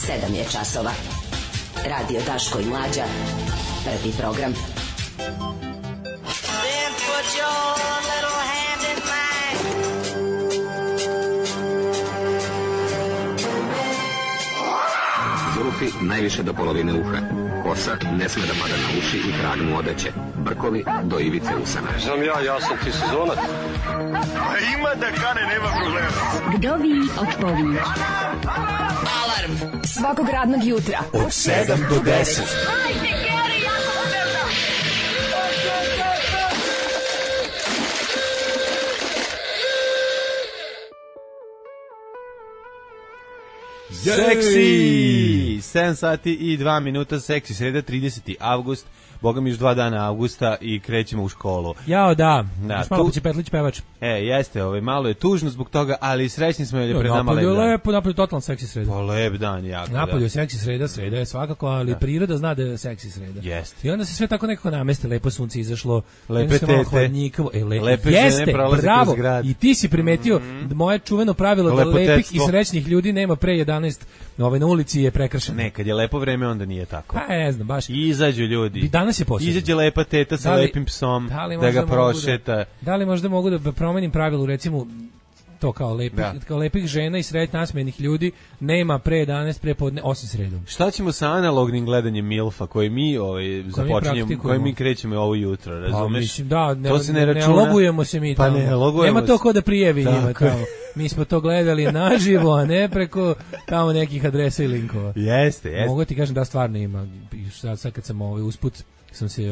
7 je časova. Radio Daško i Mlađa. Prvi program. Then put your little hand in mine. Zulufi najviše do polovine uha. Kosa ne sme da pada na uši i trag mu odeće. Brkovi do ivice usana. Znam ja sam ti sezonac. A ima da kane, nema problema. Vdovi od pović. Alarm svakog radnog jutra od 7 do 10. Seksi! 7 sati i 2 minuta, seksi, sreda, 30. avgust, boga mi još 2 dana avgusta i krećemo u školu. Jao, da. Još malo će Petlić pevač. Jeste, malo je tužno zbog toga, ali srećni smo jer je pred nama lep dan. Napolju totalno seksi sreda. Pa lep dan, jako. Napolju je seksi sreda je svakako, ali priroda zna da je seksi sreda. Jeste. I onda se sve tako nekako nameste, lepo sunce izašlo, lepe tete, lepe žene prolaze kroz grad. I ti si primetio moje čuveno pravilo da lepih i srećnih ljudi nema pre 11 na ulici je prekršeno. Nekad je lepo vreme, onda nije tako. Pa ne znam, baš. Izađu ljudi. Danas je posebno. Izađe lepa teta sa lepim psom, da ga prošeta. Da li možda mogu da promenim pravilo, recimo, to kao lepih žena i sretno nasmejenih ljudi nema pre 11 prepodne osim sredom. Šta ćemo sa analognim gledanjem Milfa koji mi započinjemo, koji mi krećemo ovo jutro, razumeš? Mislim, da, ne logujemo se mi tamo. Pa ne logujemo. Nema to ko da prijavi njima tamo. Mi smo to gledali naživo, a ne preko tamo nekih adresa i linkova. Jeste. Mogu ti kažem da stvarno ima. Sad kad sam usput sam se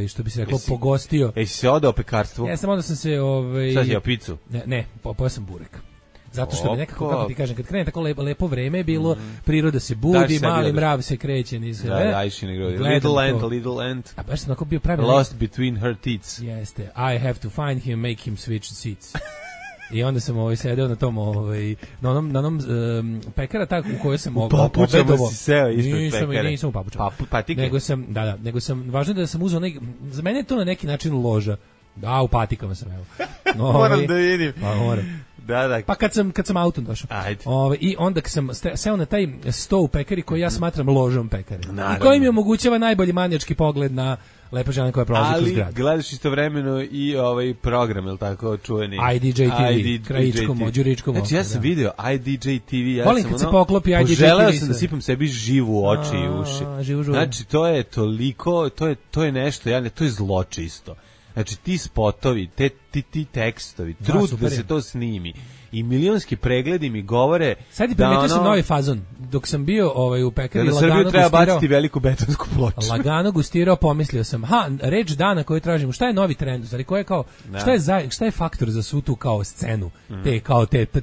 što bi se reklo pogostio. Jesi se odao pekarstvu? Ja sam onda sam se Sad je picu? Ne, pojeo sam burek. Zato što mi nekako, kako ti kažem, kad krene tako lepo vreme je bilo, priroda se budi, mali mrav se kreće niz. Little ant. A baš sam tako bio pravi. Lost between her teats. Jeste. I have to find him, make him switch seats. I onda sam sedeo na tom na onom pekara tako u kojoj sam papučama si seo ispred pekara. Nisam u papučama. Patike. Nego sam važno da sam uzeo za mene je to na neki način loža. Da, u patikama sam evo. Moram da vidim. Pa moram. Da. Pa kad sam autom došao. I onda kad sam seo na taj sto u pekari koji ja smatram ložom pekare. I koji mi omogućava najbolji manijački pogled na lepa žena koja prolazi kroz grad. Ali gledaš istovremeno i program, je li tako, čuveni? IDJ TV, krajičkom, đuričkom. Znači ja sam video IDJ TV, volim kad se poklopi IDJ TV. Poželeo sam da sipam sebi živu u oči i uši. Znači to je toliko, to je nešto, to je zločisto. Znači ti spotovi, ti tekstovi, trud da se to snimi i milionski pregledi mi govore. Sad je primetio sam novi fazon. Dok sam bio u pekari, da lagano treba baciti veliku betonsku ploču. Lagano gustirao, pomislio sam, reč dana koju tražimo, šta je novi trend, znači ko je kao, šta je faktor za svu tu kao scenu,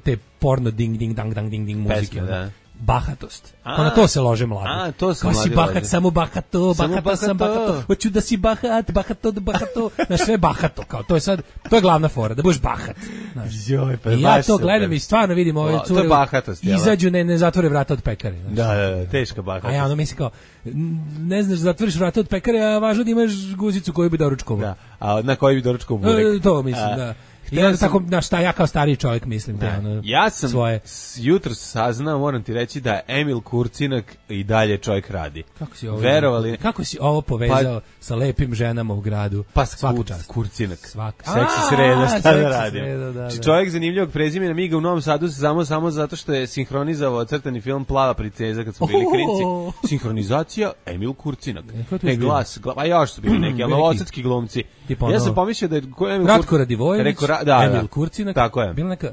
te porno ding ding dang dang ding ding muzike. Bahatost. Pa na to se lože mladi. To se mladi si bahat, lože. Samo bahato, sam bahato. Hoću da si bahato. Znaš, sve bahato. Kao, to je glavna fora, da budeš bahat. I ja to gledam i stvarno vidim ove cure. To je bahatost. Izađu, ne zatvore vrata od pekare. Da, teška bahatost. A ja mislim kao, ne znaš, zatvoriš vrata od pekare, a važno da imaš guzicu koju bi doručkovao. Da, a na koju bi doručkovao burek. To mislim, da. I onda tako, ja kao stariji čovjek mislim. Ja sam jutro saznao, moram ti reći da Emil Kurcinak i dalje čovjek radi. Kako si ovo povezao sa lepim ženama u gradu? Pa Kurcinak. Seksi sreda, šta da radim? Znači čovjek zanimljivog prezimena, mi ga u Novom Sadu samo zato što je sinhronizovao crtani film Plava princeza kad smo bili klinci. Sinhronizacija Emil Kurcinak. Glas, a još su bili neki, ali novosadski glumci. Ja sam pomislio da je Ratko Radivojević, Emil Kurcinak, tako je. Bila neka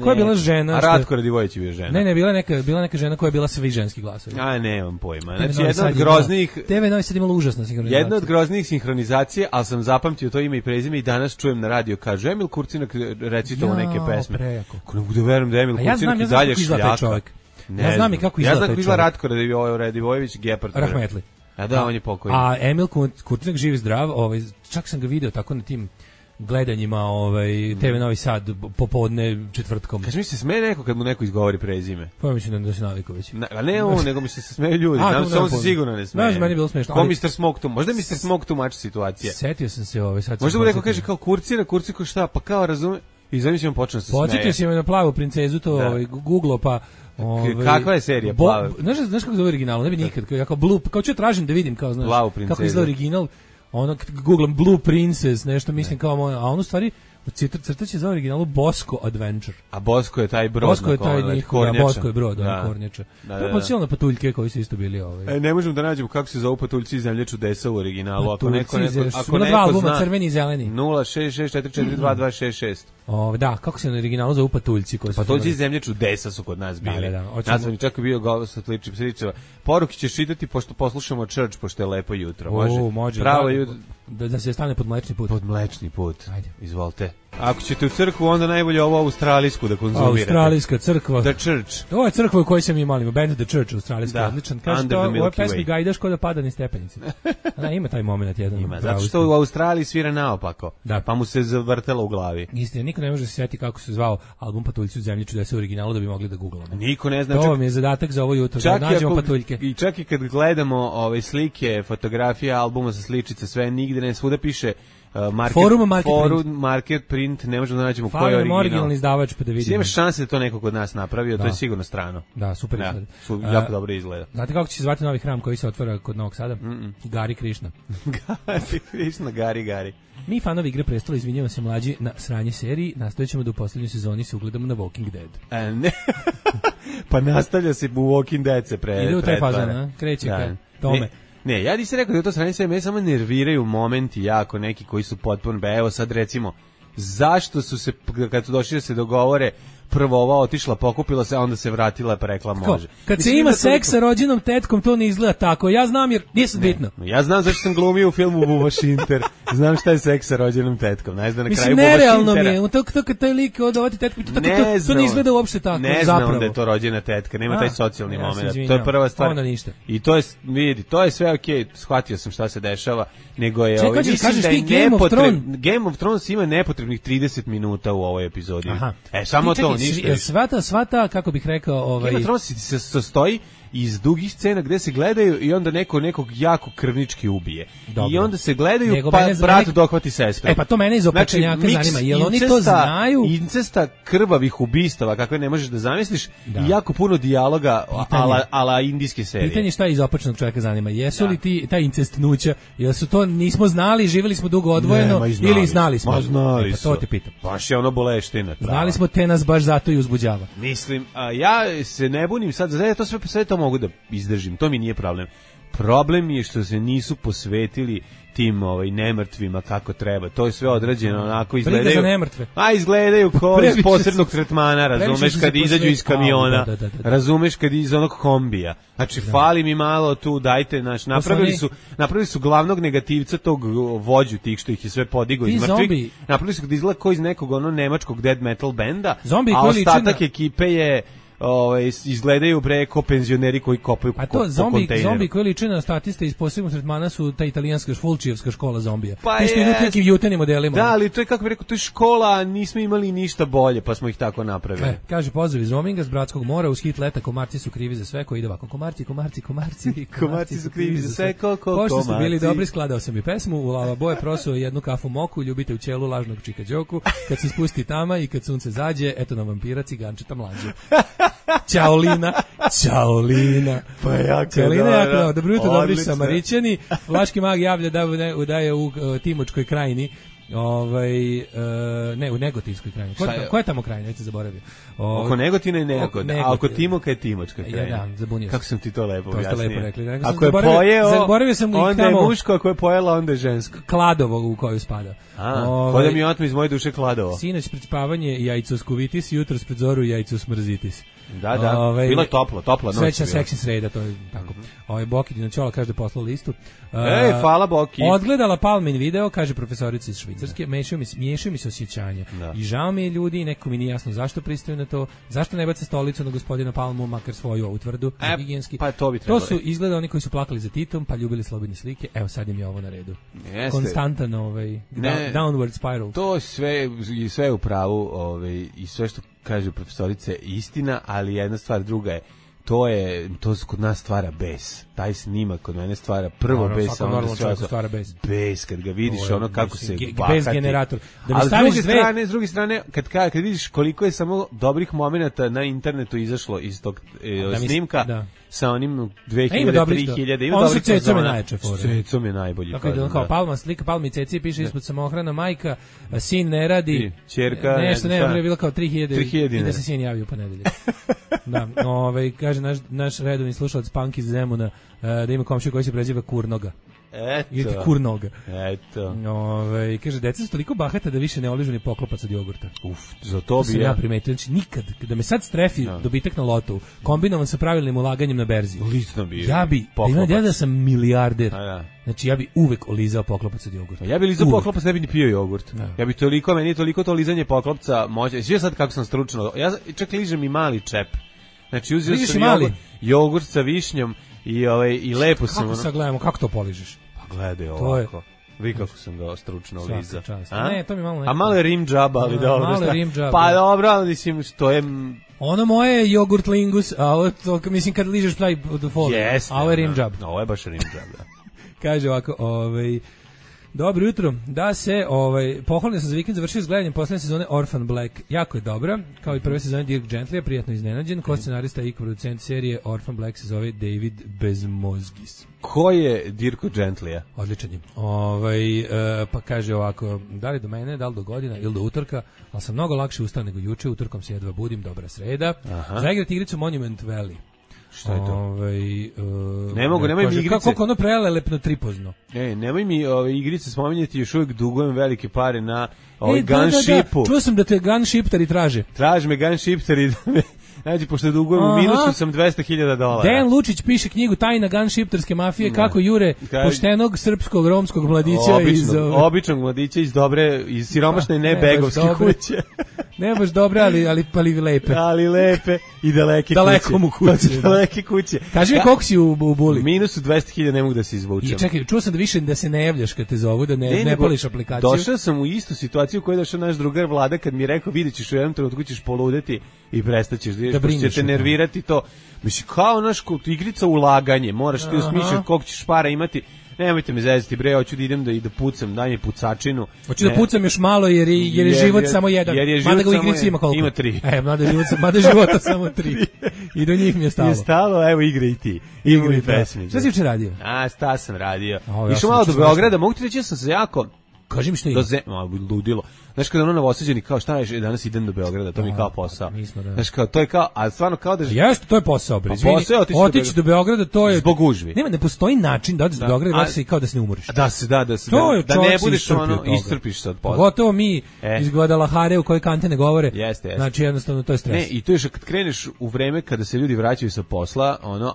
koja je bila žena? A Ratko Radivojević je bio žena. Ne, bila neka žena koja je bila svi ženski glasovi. Nemam pojma. Znači jedna od groznih TV Novi Sad imala užasna sinhronizacija. Jedna od groznih sinhronizacije, ali sam zapamtio to ime i prezime i danas čujem na radio kaže Emil Kurcinak recitovao neke pesme. Ko ne mogu da verujem da Emil Kurcinak i dalje šljaka. Ja znam i kako izgleda taj čovjek. Ja znam kako izgleda Ratko Radivojević, Gepard. Rahmetli. Da, on je pokojni. A Emil Kurcinak živ i zdrav, čak sam ga video tako na tim gledanjima TV Novi Sad popodne četvrtkom. Kaži mi se smeje neko kad mu neko izgovori prezime? Pa mislim da se navikao već. Ne on, nego mi se smeju ljudi. Samo se sigurno ne smeje. Znaš, meni je bilo smešno. Ko Mr. Smoke tu? Možda je Mr. Smoke tu mač situacija. Setio sam se sad. Možda mu neko kaže kao Kurcinak šta, pa kao razume. I zamislimo počne se smeje. Podsjetio si me na Plavu princezu, to Google pa kakva je serija Plava? Znaš kako zove original? Ne bi nikad, kao Blue, kao ću tražim da vidim, kao znaš, kako izgleda original. Ono googlam Blue Princess, nešto mislim kao a on u stvari crtaće za originalu Bosco Adventure. A Bosco je taj brod. Bosco je taj njihov, Bosco je brod, kornjača. To je podsjetilo na patuljke koji su isto bili Ne možemo da nađemo kako se zovu patuljci iz Zemlje čudesa u originalu. Ako neko dva albuma, crveni i zeleni. 066442266. Da, kako se na originalu zovu patuljci koji su. Patuljci iz Zemlje čudesa su kod nas bili. Nas sam čak bio govor sa sličicama. Poruke ćeš čitati pošto poslušamo Church, pošto je lepo jutro. Može. Pravo jutro. Da se stane pod Mlečni put. Pod Mlečni put. Ajde. Izvolite. Ako ćete u crkvu, onda najbolje ovo australijsku da konzumirate. Australijska crkva. The Church. Ovo je crkva u kojoj se mi molimo. Band The Church, australijski, odličan. Kaže to, ovo je pesmi Gajdaš ko da pada ni stepenice. Ima taj moment jedan. Ima, zato što u Australiji svira naopako. Da. Pa mu se zavrtelo u glavi. Istina, niko ne može se sjetiti kako se zvao album Patuljci u Zemlji čudesa u originalu da bi mogli da googlamo. Niko ne zna. To mi je zadatak za ovo jutro, da nađemo patuljke. I čak i kad gledamo slike, fotografije albuma sa sličice, sve nigde ne svuda piše Forum Market Print, ne možemo da nađemo koji je originalni izdavač pa da vidimo. Imaš šanse da to neko kod nas napravio, to je sigurno strano. Da, super izgleda. Jako dobro izgleda. Znate kako će se zvati novi hram koji se otvara kod Novog Sada? Gari Krišna. Gari Krišna, Gari. Mi fanovi Igre prestola izvinjamo se mlađi na sranje seriji, nastavit ćemo da u posljednjoj sezoni se ugledamo na Walking Dead. Ne. Pa nastavlja se u Walking Dead se ide u taj fazan, kreće ka tome. Ne, ja nisam rekao da je to sranje serije, me samo nerviraju momenti jako neki koji su potpuno, evo sad recimo, zašto su se, kad su došli da se dogovore, prvo ova otišla, pokupila se, a onda se vratila pa rekla može. Kad se ima seks sa rođenom tetkom, to ne izgleda tako. Ja znam jer nisam bitno. Ja znam zašto sam glumio u filmu Buba Šinter. Znam šta je seks sa rođenom tetkom. Znaš da na kraju Buba Šintera. Nerealno mi je. To kad taj lik odovati tetku, to ne izgleda uopšte tako. Ne znam da je to rođena tetka. Nema taj socijalni moment. To je prva stvar. Onda ništa. I to je, vidi, to je sve okej. Shvatio sam šta se dešava. Nego je kažeš ti Game of Thrones ima nepotrebnih 30 minuta u ovoj epizodi. Samo to, ništa. Svata, kako bih rekao, Game of Thrones se sastoji iz dugih scena gde se gledaju i onda neko nekog jako krvnički ubije. Dobro. I onda se gledaju pa brat dohvati sestru. Pa to mene iz opečenjaka zanima. Jel oni to znaju? Incesta, krvavih ubistava kakve ne možeš da zamisliš i jako puno dijaloga ala indijske serije. Pitanje šta iz opečenog čovjeka zanima. Jesu li ti ta incestnuća, jel su to nismo znali, živjeli smo dugo odvojeno ili znali smo? Znali su. To te pitam. Baš je ono boleština. Znali smo, te nas baš zato i uzbuđava. Mislim, ja se ne bunim sad, to sve to mogu da izdržim, to mi nije problem. Problem je što se nisu posvetili tim nemrtvima kako treba. To je sve odrađeno onako, izgledaju. Izgledaju kao iz posebnog tretmana, razumeš, kad izađu iz kamiona, razumeš, kad iz onog kombija. Znači, fali mi malo tu, dajte, napravili su glavnog negativca tog vođu tih što ih je sve podigao iz mrtvih. Napravili su da izgleda kao iz nekog nemačkog death metal benda, a ostatak ekipe je izgledaju preko penzioneri koji kopaju po kontejneru. Zombi koji liče na statiste iz posebnog tretmana su ta italijanska Fulčijevska škola zombija. Isto idu nekim jutenim modelima. Da, ali to je, kako bih rekao, to je škola, a nismo imali ništa bolje, pa smo ih tako napravili. Kaže, pozdrav iz roaminga s Bratskog mora, uz hit leta, komarci su krivi za sve, koji ide ovako, komarci su krivi za sve, Pošto ste bili dobri, skladao sam i pesmu, u lava boje prosuo jednu kafu moku, ljubite u ćelu lažnog čika đoku, kad se spusti tama i kad sunce zađe, eto nam vampira, cigančeta mlađe. Ćaolina. Pa jako Ćaolina, dobro jutro, dobri Samarićani. Vlaški mag javlja da je u Timočkoj krajini. Ne, u Negotinskoj krajini. Koja je tamo krajina? Neću zaboravio. Oko Negotina je Negotin, a oko Timoka je Timočka krajina. Da, zabunio sam. Kako sam ti to lepo objasnio? To ste lepo rekli. Ako je pojeo, onda je muško, ako je pojela, onda je žensko. Kladovo u koju spada. Kod mi otme iz moje duše Kladovo. Sinoć pred spavanje jajcoskuvitis, jutro pred zoru jajcosmrzitis. Da, bilo je topla noć. Srećna seksi sreda, to je tako. Boki Dinoćola kaže da poslala listu. Hvala Boki. Odgledala Palmin video, kaže profesorica iz Švicarske, miješaju mi se osjećanja. I žao mi je ljudi, neko mi nije jasno zašto pristaju na to, zašto ne bace stolicu na gospodina Palmu, makar svoju ovu tvrdu, higijenski. Pa to bi trebalo. To su izgleda oni koji su plakali za Titom, pa ljubili slobodne slike. Evo sad im je ovo na redu. Konstantan downward spiral. To sve u pravu, i sve što kaže profesorice istina, ali jedna stvar druga je, to kod nas stvara bes. Taj snimak kod mene stvara prvo bes, a onda stvara bes. Bes, kad ga vidiš, ono kako se bahati. Bes generator. A s druge strane, kad vidiš koliko je samo dobrih momenata na internetu izašlo iz tog snimka, sa onim 2000, 3000, ima dobrih Cecom je najjače fora. Cecom je najbolji. Tako je kao Palma, slika Palma i Ceci, piše ispod samohrana majka, sin ne radi, ćerka, nešto je bilo kao 3000 i da se sin javio u ponedeljak. Da, kaže naš redovni slušalac Punk iz Zemuna da ima komšiju koji se preziva Kurnoga. Ili Kurnoga. Eto. Kaže, deca su toliko bahata da više ne oližu ni poklopac od jogurta. Za to bi ja primetio. Znači, nikad, da me sad strefi dobitak na lotu, kombinovan sa pravilnim ulaganjem na berzi. Lično bi. Ja da sam milijarder. Znači, ja bi uvek olizao poklopac od jogurta. Ja bi lizao poklopac, ne bi ni pio jogurt. Ja bi meni je toliko to lizanje poklopca moće. Sve sad kako sam stručno. Ja čak ližem i mali čep. Znači, uzeo sam jogurt sa višnjom i lepo sam... Kako sad gledamo, kako to poližeš? Pa gledaj ovako. Vi kako sam ga stručno lizao. Ne, to mi malo nekako. A malo je rim džaba, ali dobro. Malo je rim džaba. Pa dobro, mislim, što je... Ono moje je jogurt lingus, a ovo to, mislim, kad ližeš taj do foliju. A ovo je rim džab. Ovo je baš rim džab, da. Kaže ovako, dobro jutro, da se pohvalno sam za vikend završio s gledanjem poslednje sezone Orphan Black, jako je dobra, kao i prve sezone Dirk Gentlya, prijatno iznenađen, ko scenarista i producent serije Orphan Black se zove David Bezmozgis. Ko je Dirko Gentlya? Odličan je. Pa kaže ovako, da li do mene, da li do godina ili do utorka, ali sam mnogo lakše ustao nego juče, utorkom se jedva budim, dobra sreda. Zaigrati igricu Monument Valley. Šta je to? Nemoj mi igrice. Kako ono prelelepno tripozno. Nemoj mi igrice spominjati, još uvijek dugujem velike pare na Gunshipu. Čuo sam da te Gunshipteri traže. Traže me Gunshipteri da me... Znači, pošto dugujem u minusu sam $200,000. Dejan Lučić piše knjigu Tajna gunshipterske mafije, kako jure poštenog srpskog romskog mladića običnog mladića iz siromašne nebegovske kuće. Ne baš dobre, ali lepe. Ali lepe i daleke kuće. Daleke kuće. Kaži mi koliko si u Buli? Minusu $200,000 ne mogu da se izvučem. I čekaj, čuo sam da više da se ne javljaš kad te zovu, da ne pališ aplikaciju. Došao sam u istu situaciju koju je došao naš drugar Vlada kad mi je rekao vidjet ćeš u jednom trenutku ćeš poludeti i prestaćeš da će te nervirati to. Mislim, kao naš igrica ulaganje, moraš ti osmišljati koliko ćeš para imati. Nemojte me zezati, bre, hoću da idem da pucam, daj mi pucačinu. Hoću da pucam još malo jer je život samo jedan. Mada ga u igrici ima koliko? Ima 3. Mada života samo 3. I do njih mi je stalo. Je stalo, evo igra i ti. Igra i pesmi. Šta si juče radio? Šta sam radio? Išao malo do Beograda, mogu ti reći, ja sam se jako... Kaži mi što je. Ludilo. Znaš, kada ono novosađeni kao šta je, danas idem do Beograda, to mi kao posao. Znaš, kao, to je kao, a stvarno kao da... Jeste, to je posao, bre. Otići do Beograda, to je... Zbog gužvi. Ne postoji način da odeš do Beograda i vratiš se kao da se ne umoriš. Da ne budeš ono, iscrpiš se od posla. Gotovo mi iz Guadalajare u kojoj kante ne govore. Jeste. Znači, jednostavno, to je stres. Ne, i to je što kad kreneš u vreme kada se ljudi vraćaju sa posla, ono,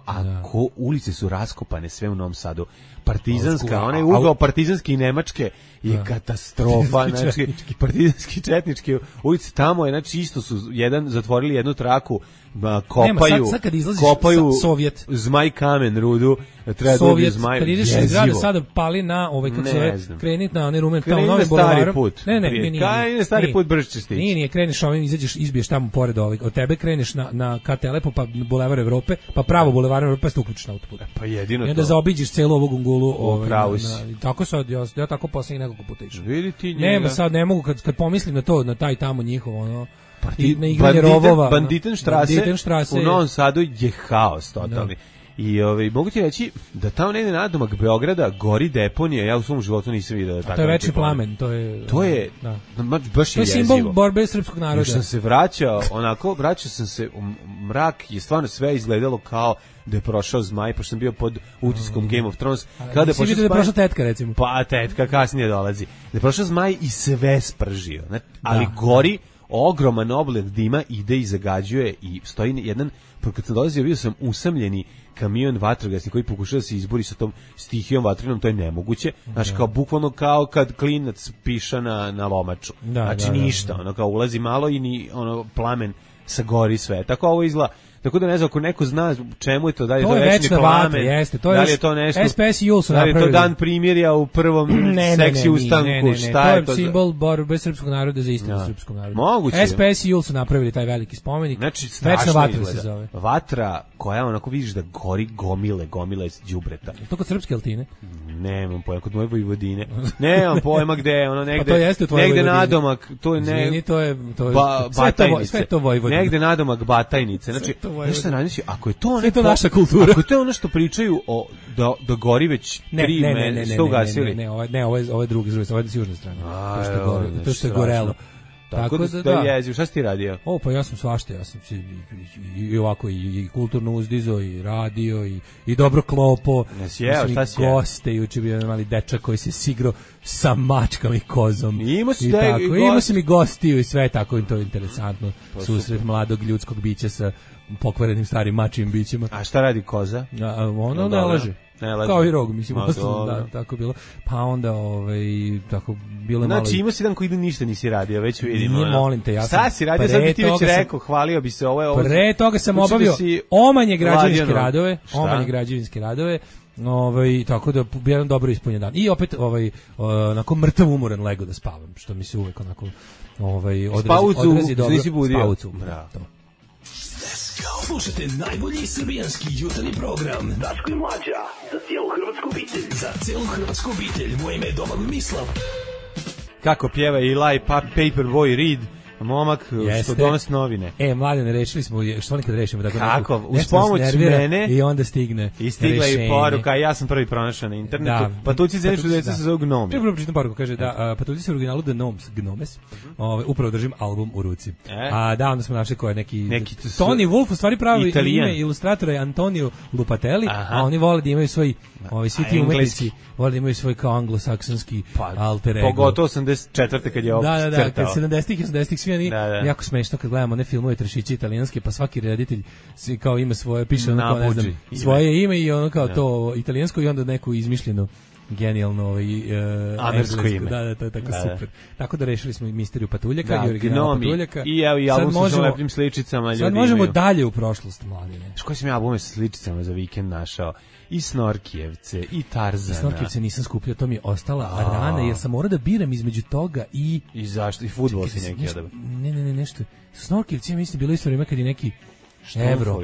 ulice su raskopane sve u Novom Sadu. Partizanska, onaj ugao partizanski i nemačke je katastrofa, znači partizanski četnički ulice tamo je, znači isto su zatvorili jednu traku, kopaju Sovjet zmaj kamen rudu, treba Sovjet, kad ideš iz grada sada pali na kako se krenit na onaj rumen tamo Novi Bulevar. Ne, stari put brže stići. Nije, kreneš ovim, izađeš, izbiješ tamo pored od tebe, kreneš na KT Lepo, pa Bulevar Evrope, pa pravo Bulevar Evrope, pa se uključiš na autoput. Pa jedino to. I onda zaobiđeš celu ovu gungulu. Tako sad, ja tako poslednji nekoliko puta išao. Vidi ti njega. Nema, sad ne mogu, kad pomislim na to, na taj tamo njihov, ono, na igranje rovova. Banditenštrase u Novom Sadu je haos totalni. I mogu ti reći da tamo negde nadomak Beograda gori deponija, ja u svom životu nisam vidio da tako. To je večni plamen, to je baš je jezivo. To je simbol borbe srpskog naroda. Još sam se vraćao sam se u mrak, je stvarno sve izgledalo kao da je prošao zmaj, pošto sam bio pod utiskom Game of Thrones. Kada je vidio da je prošla tetka, recimo. Pa tetka kasnije dolazi. Da je prošao zmaj i sve spržio. Ali gori ogroman oblak dima, ide i zagađuje i stoji jedan, kad sam dolazio, bio sam usamljeni kamion vatrogasni koji pokušava da se izbori sa tom stihijom vatrenom, to je nemoguće. Znači, kao bukvalno kao kad klinac piša na lomaču. Znači, ništa, ono kao ulazi malo i plamen sagori sve. Tako ovo izgleda. Tako da ne znam, ako neko zna čemu je to, da li je to večni večna plamen, vatra, jeste, to je da li je to nešto, SPS i Jul su napravili. Da li je to dan primirja u prvom seksi ustanku, šta je to? To je simbol borbe srpskog naroda za istinu srpskom narodu. Moguće. SPS i Jul su napravili taj veliki spomenik. Znači, večna vatra izgleda. se zove. Vatra koja onako vidiš da gori gomile đubreta. To kod srpske altine? Nemam pojma, kod moje Vojvodine. Nemam pojma gde, ono negde. Pa to jeste u tvojoj negde Vojvodini. nadomak, to je Izvini, to je Batajnice. sve to Vojvodina. Negde nadomak Batajnice. Znači, nešto razmišlja, ako je to naša kultura. Ako je to ono što pričaju o da gori već 3 sto ugasili. Ne, ovo je drugi, ovo je s južne strane. To što je gorelo. Tako da jeziv, šta si ti radio? Pa ja sam svašta, ja sam i ovako i kulturno uzdizo i radio i dobro klopo. Šta si goste, juče bio mali dečak koji se sigrao sa mačkama i kozom. Imao sam i gostiju i sve tako, to je interesantno. Susret mladog ljudskog bića sa pokvarenim starim mačijim bićima. A šta radi koza? Ono ne laže. Kao i rog, mislim, da, tako bilo. Pa onda, tako bilo malo. Znači, imao si dan koji ništa nisi radio, već vidimo. Nije, molim te, ja sam. Šta si radio, sad bi ti već rekao, hvalio bi se ovo. Pre toga sam obavio omanje građevinske radove, tako da jedan dobro ispunjen dan. I opet, onako mrtav umoran lego da spavam, što mi se uvek onako, odrezi dobro. Nisi budio. Spavucu, to. Slušajte najbolji srbijanski jutarnji program Daško i Mlađa, za cijelu hrvatsku obitelj. Za cijelu hrvatsku obitelj, moje ime je Domagoj Mislav. Kako pjeva Eli Paperboy Reed, momak što donosi novine. Mladene, rešili smo, što nekad rešimo? Kako? Uz pomoć mene. I onda stigne i stigla i poruka, ja sam prvi pronašao na internetu. Patuljci zemljišu deca se zove Gnomi. Prvo pročitam poruku, kaže da Patuljci se u originalu The Gnomes, upravo držim album u ruci. Onda smo našli ko je neki Tony Wolf, u stvari pravi ime ilustratora je Antonio Lupatelli, a oni vole da imaju svoj, svi ti umetnici vole da imaju svoj kao anglosaksonski alter ego. Pogotovo 84. kad je ovo crtao. Da, kad 70-ih i 80-ih svi oni, jako smešno kad gledamo one filmove trešići italijanske, pa svaki reditelj kao ima svoje, piše ono kao, ne znam, svoje ime i ono kao to italijansko i onda neku izmišljenu genijalno američko ime. Da, to je tako super. Tako da rešili smo i misteriju Patuljaka i original Patuljaka. I evo i album sa lepim sličicama ljudi. Sad možemo dalje u prošlost, mladine. Koji sam ja albume sa sličicama za vikend našao? I Snorkijevce, i Tarzana. Snorkijevce nisam skupljao, to mi je ostala rana, jer sam morao da biram između toga i zašto? I fudbal si neki odabra? Ne, nešto. Snorkijevci, ja mislim, bilo isto vreme kad je neki Evro.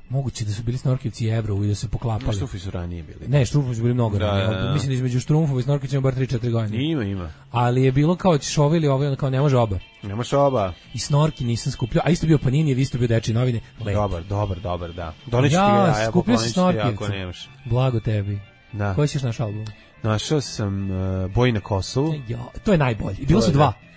Moguće da su bili Snorkijevci i Evro i da se poklapali. Štrumfovi su ranije bili. Ne, Štrumfovi su bili mnogo ranije. Mislim da između Štrumfova i Snorkijevca ima bar 3-4 godine. Ima. Ali je bilo kao šove ili ovo, kao ne može oba. Nemaš oba. I Snorki nisam skupljao, a isto bio Panini, isto bio Dečije novine. Dobar, da. Doneću ti ga, ja skupljao sam Snorkijevce. Ako nemaš. Blago tebi. Da. Koji ćeš naš album? Našao sam Boj na Kosovu. To je najbolji.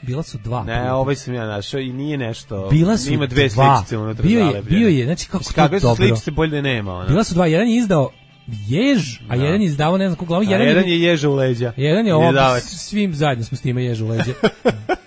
Bila su dva. Ne, ovaj sam ja našao i nije nešto. Ima dve sličice unutra. Bio je, znači kako to dobro. Kakve su sličice, bolje da nema. Ona. Bila su dva, jedan je izdao jež, a jedan je izdavao ne znam koliko glavu. Jedan je ježa u leđa. Jedan je ovo, svim zajedno smo s time ježa u leđa.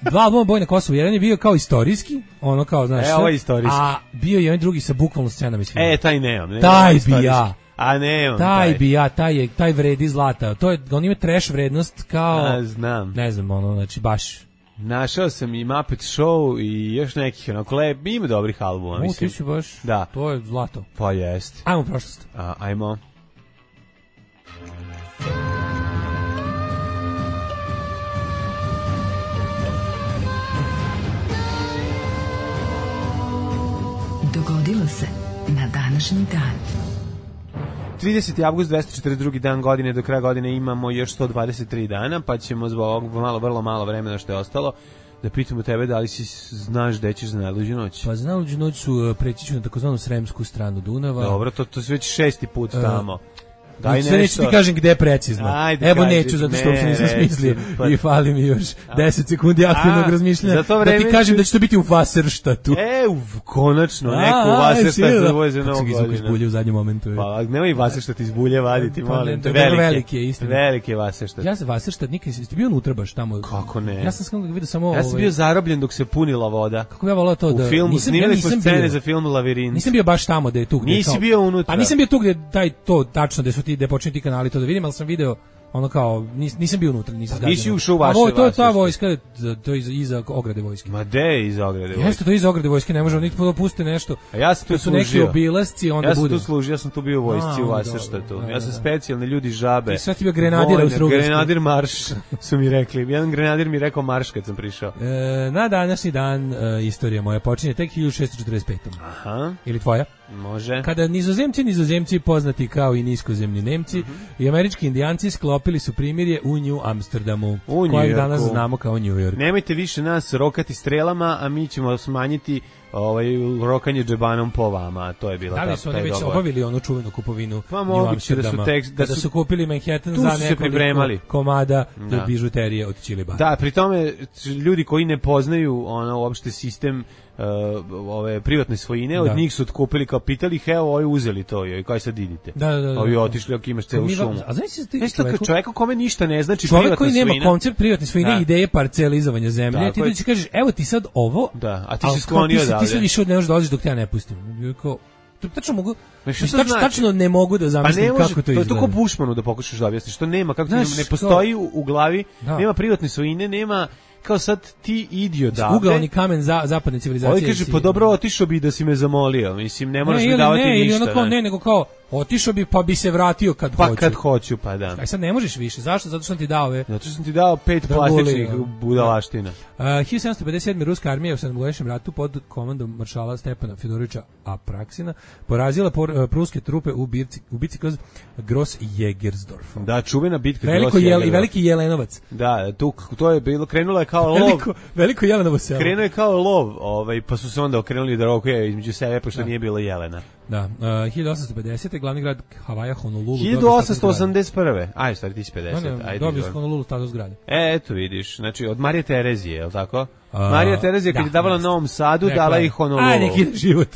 Dva albuma Boj na Kosovu, jedan je bio kao istorijski, ono kao, znaš, ovo je istorijski. A bio je jedan drugi sa bukvalno scenama iz filma. Taj nemam. Taj bi ja. A nemam. Taj bi ja, taj vredi zlata. To je, on ima trash vrednost kao, znam. Ne znam, ono, znači baš. Našao sam i Muppet Show i još nekih onako ima dobrih albuma, mislim. Ti si baš, da. To je zlato. Pa jest. Ajmo u prošlost. Ajmo. Dogodilo se na današnji dan. 30. avgust, 242. dan godine, do kraja godine imamo još 123 dana, pa ćemo zbog vrlo malo vremena što je ostalo da pitamo tebe da li si znaš gde ćeš za najluđu noć. Pa za najluđu noć preći ću na takozvanu sremsku stranu Dunava. Dobro, to se već 6. put tamo. Daj sve neću ti kažem gde precizno. Evo neću, zato što uopšte nisam smislio i fali mi još 10 sekundi aktivnog razmišljanja da ti kažem da će to biti u Wasserstadtu. Konačno, neko u Wasserstadtu da voze Novu godinu. Kako izbulje u zadnjem momentu. Pa, nemoj Wasserstadt izbulje vaditi, molim. Veliki je, istina. Veliki je Wasserstadt. Ja sam Wasserstadt, nikad si bio unutra baš tamo. Kako ne? Ja sam vidio samo... Ja sam bio zarobljen dok se punila voda. Kako ja volao to da... U filmu, snimali smo scene za film Lavirint. Nisam bio baš tamo da je tu gde... Nisi bio unutra. Pa nisam bio tu gde taj to tačno gde su ti, gde počinju ti kanali to da vidim, ali sam video ono kao nisam bio unutra, nisam zgađen. Nisi ušao u vaše. To je ta vojska, to je iza ograde vojske. Ma de iza ograde vojske. Jeste to iza ograde vojske, ne možemo niti dopustiti nešto. A ja sam tu su neki obilasci, onda bude. Ja sam tu služio, ja sam tu bio u vojsci u Vasaštatu. Ja sam specijalni ljudi žabe. Ti sad ti bio grenadir u Strugarskoj. Grenadir marš su mi rekli. Jedan grenadir mi rekao marš kad sam prišao. Na današnji dan istorija moja počinje tek 1645. Aha. Ili tvoja? Može. Kada nizozemci poznati kao i niskozemni Nemci i američki indijanci sklopili su primirje u New Amsterdamu, kojeg danas znamo kao New York. Nemojte više nas rokati strelama, a mi ćemo smanjiti rokanje džebanom po vama. To je bila da li su oni već obavili onu čuvenu kupovinu New Amsterdama? Da su kupili Manhattan za nekoliko komada bižuterije od Čilibara. Da, pri tome ljudi koji ne poznaju uopšte sistem ove privatne svojine, od njih su otkupili kao pitali, evo, ovi uzeli to i kaj sad idite. Ovi otišli, ako imaš celu šumu. A znaš ti čovjeka kome ništa ne znači privatna svojina. Čovjek koji nema koncept privatne svojine, ideje parcelizovanja zemlje, ti dođi kažeš, evo ti sad ovo, a ti si sklonio odavde. Ti sad više ne možeš dolaziš dok te ja ne pustim. Tačno mogu, tačno ne mogu da zamislim kako to izgleda. To je to ko Bušmanu da pokušaš da objasniš, što nema, kako ne postoji u glavi, nema privatne svojine, nema kao sad ti idio davde. Ugaoni kamen zapadne civilizacije. Ovo kaže, pa dobro, otišao bi da si me zamolio. Mislim, ne moraš mi davati ništa. Ili onako, nego kao, otišao bi pa bi se vratio kad hoću. Pa kad hoću, pa da. Aj sad ne možeš više. Zašto? Zato što sam ti dao ove. Zato što sam ti dao 5 plastičnih budalaština. 1757. ruska armija u sedmogodišnjem ratu pod komandom maršala Stepana Fjodorovića Apraksina porazila pruske trupe u bitci kroz Gross Jägersdorf. Da, čuvena bitka Gross Jägersdorf. I veliki Jelenovac. Da, to je bilo, krenulo je kao lov. Veliko Jelenovo selo. Krenuo je kao lov, pa su se onda okrenuli da rokuje između sebe, pošto nije bilo jelena. Da, 1850. glavni grad Havaja, Honolulu. 1881. Aj, stvari, ti si 50. Dobio s Honolulu status zgrade. Eto, vidiš, znači, od Marije Terezije, je li tako? Marija Terezija kad je davala Novom Sadu, dala ih Honolulu. Aj, neki ide život.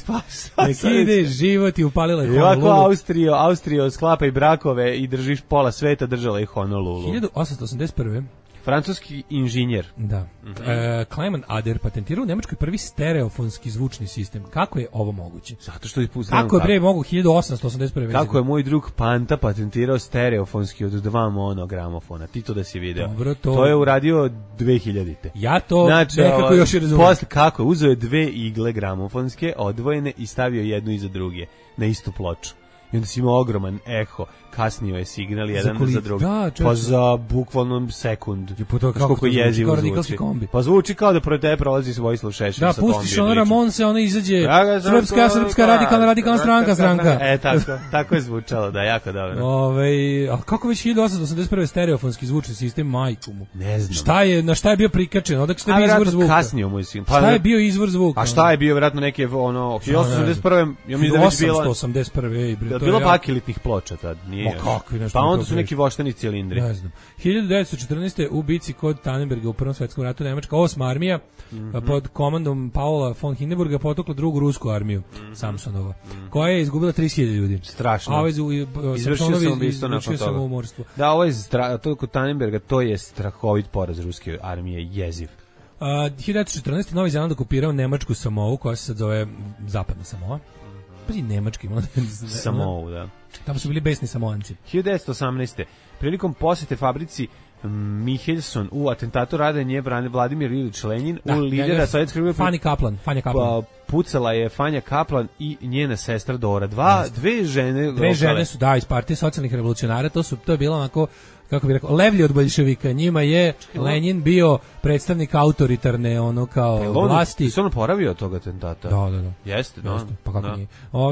Neki ide život i upalila je Honolulu. I ovako Austrija sklapa i brakove i držiš pola sveta, držala ih Honolulu. 1881. Francuski inženjer. Da. Clement Ader patentirao u Nemačkoj prvi stereofonski zvučni sistem. Kako je ovo moguće? Zato što je kako je bre mogu 1881. Kako je moj drug Panta patentirao stereofonski od 2 monogramofona. Ti to da si video. Dobro, to je uradio 2000-te. Ja to nekako još i razumijem. Posle kako je uzeo 2 igle gramofonske odvojene i stavio jednu iza druge na istu ploču. I onda si imao ogroman eho, kasnio je signal jedan za drugi. Pa za bukvalno sekund. Kako jezivo zvuči. Pa zvuči kao da pored tebe prolazi Vojislav Šešelj sa kombija. Da, pustiš ono Ramonse, ono izađe Srpska radikalna stranka. Tako je zvučalo, da, jako dobro. A kako već 1881. stereofonski zvučni sistem, majku mu? Ne znam. Na šta je bio prikačen? Odakle šta je bio izvor zvuka? Kasnio mu je sin. Šta je bio izvor zvuka? A šta je bio, vjerojatno neke, 1881. Ja mislim da je već bilo... 1881. Bilo pakilitnih ploča tad, nije. Pa onda su neki voštani cilindri. Ne znam. 1914. u bici kod Tannenberga u Prvom svetskom ratu Nemačka 8. armija pod komandom Paula von Hindenburga potukla drugu rusku armiju Samsonova, koja je izgubila 30.000 ljudi. Strašno. A izvršio sam ubistvo nakon toga. Da, ovo je to kod Tannenberga, to je strahovit poraz ruske armije, jeziv. 1914. Novi Zeland okupirao Nemačku Samovu, koja se sad zove Zapadna Samoa. Pazi, Nemački. Samovu, da. Tamo su bili besni Samoanci. 1918. Prilikom posete fabrici Michelson u atentatu radenje Vladimir Ilić Lenin u lidera sovjetskog Fanja Kaplan. Pucala je Fanja Kaplan i njena sestra Dora. Dve žene. Dve žene su, iz partije socijalnih revolucionara. To je bilo onako, kako bih rekao, levlji od boljševika. Njima je Lenin bio predstavnik autoritarne vlasti. Se on oporavio od tog atentata? Da. Jeste. Pa kako nije?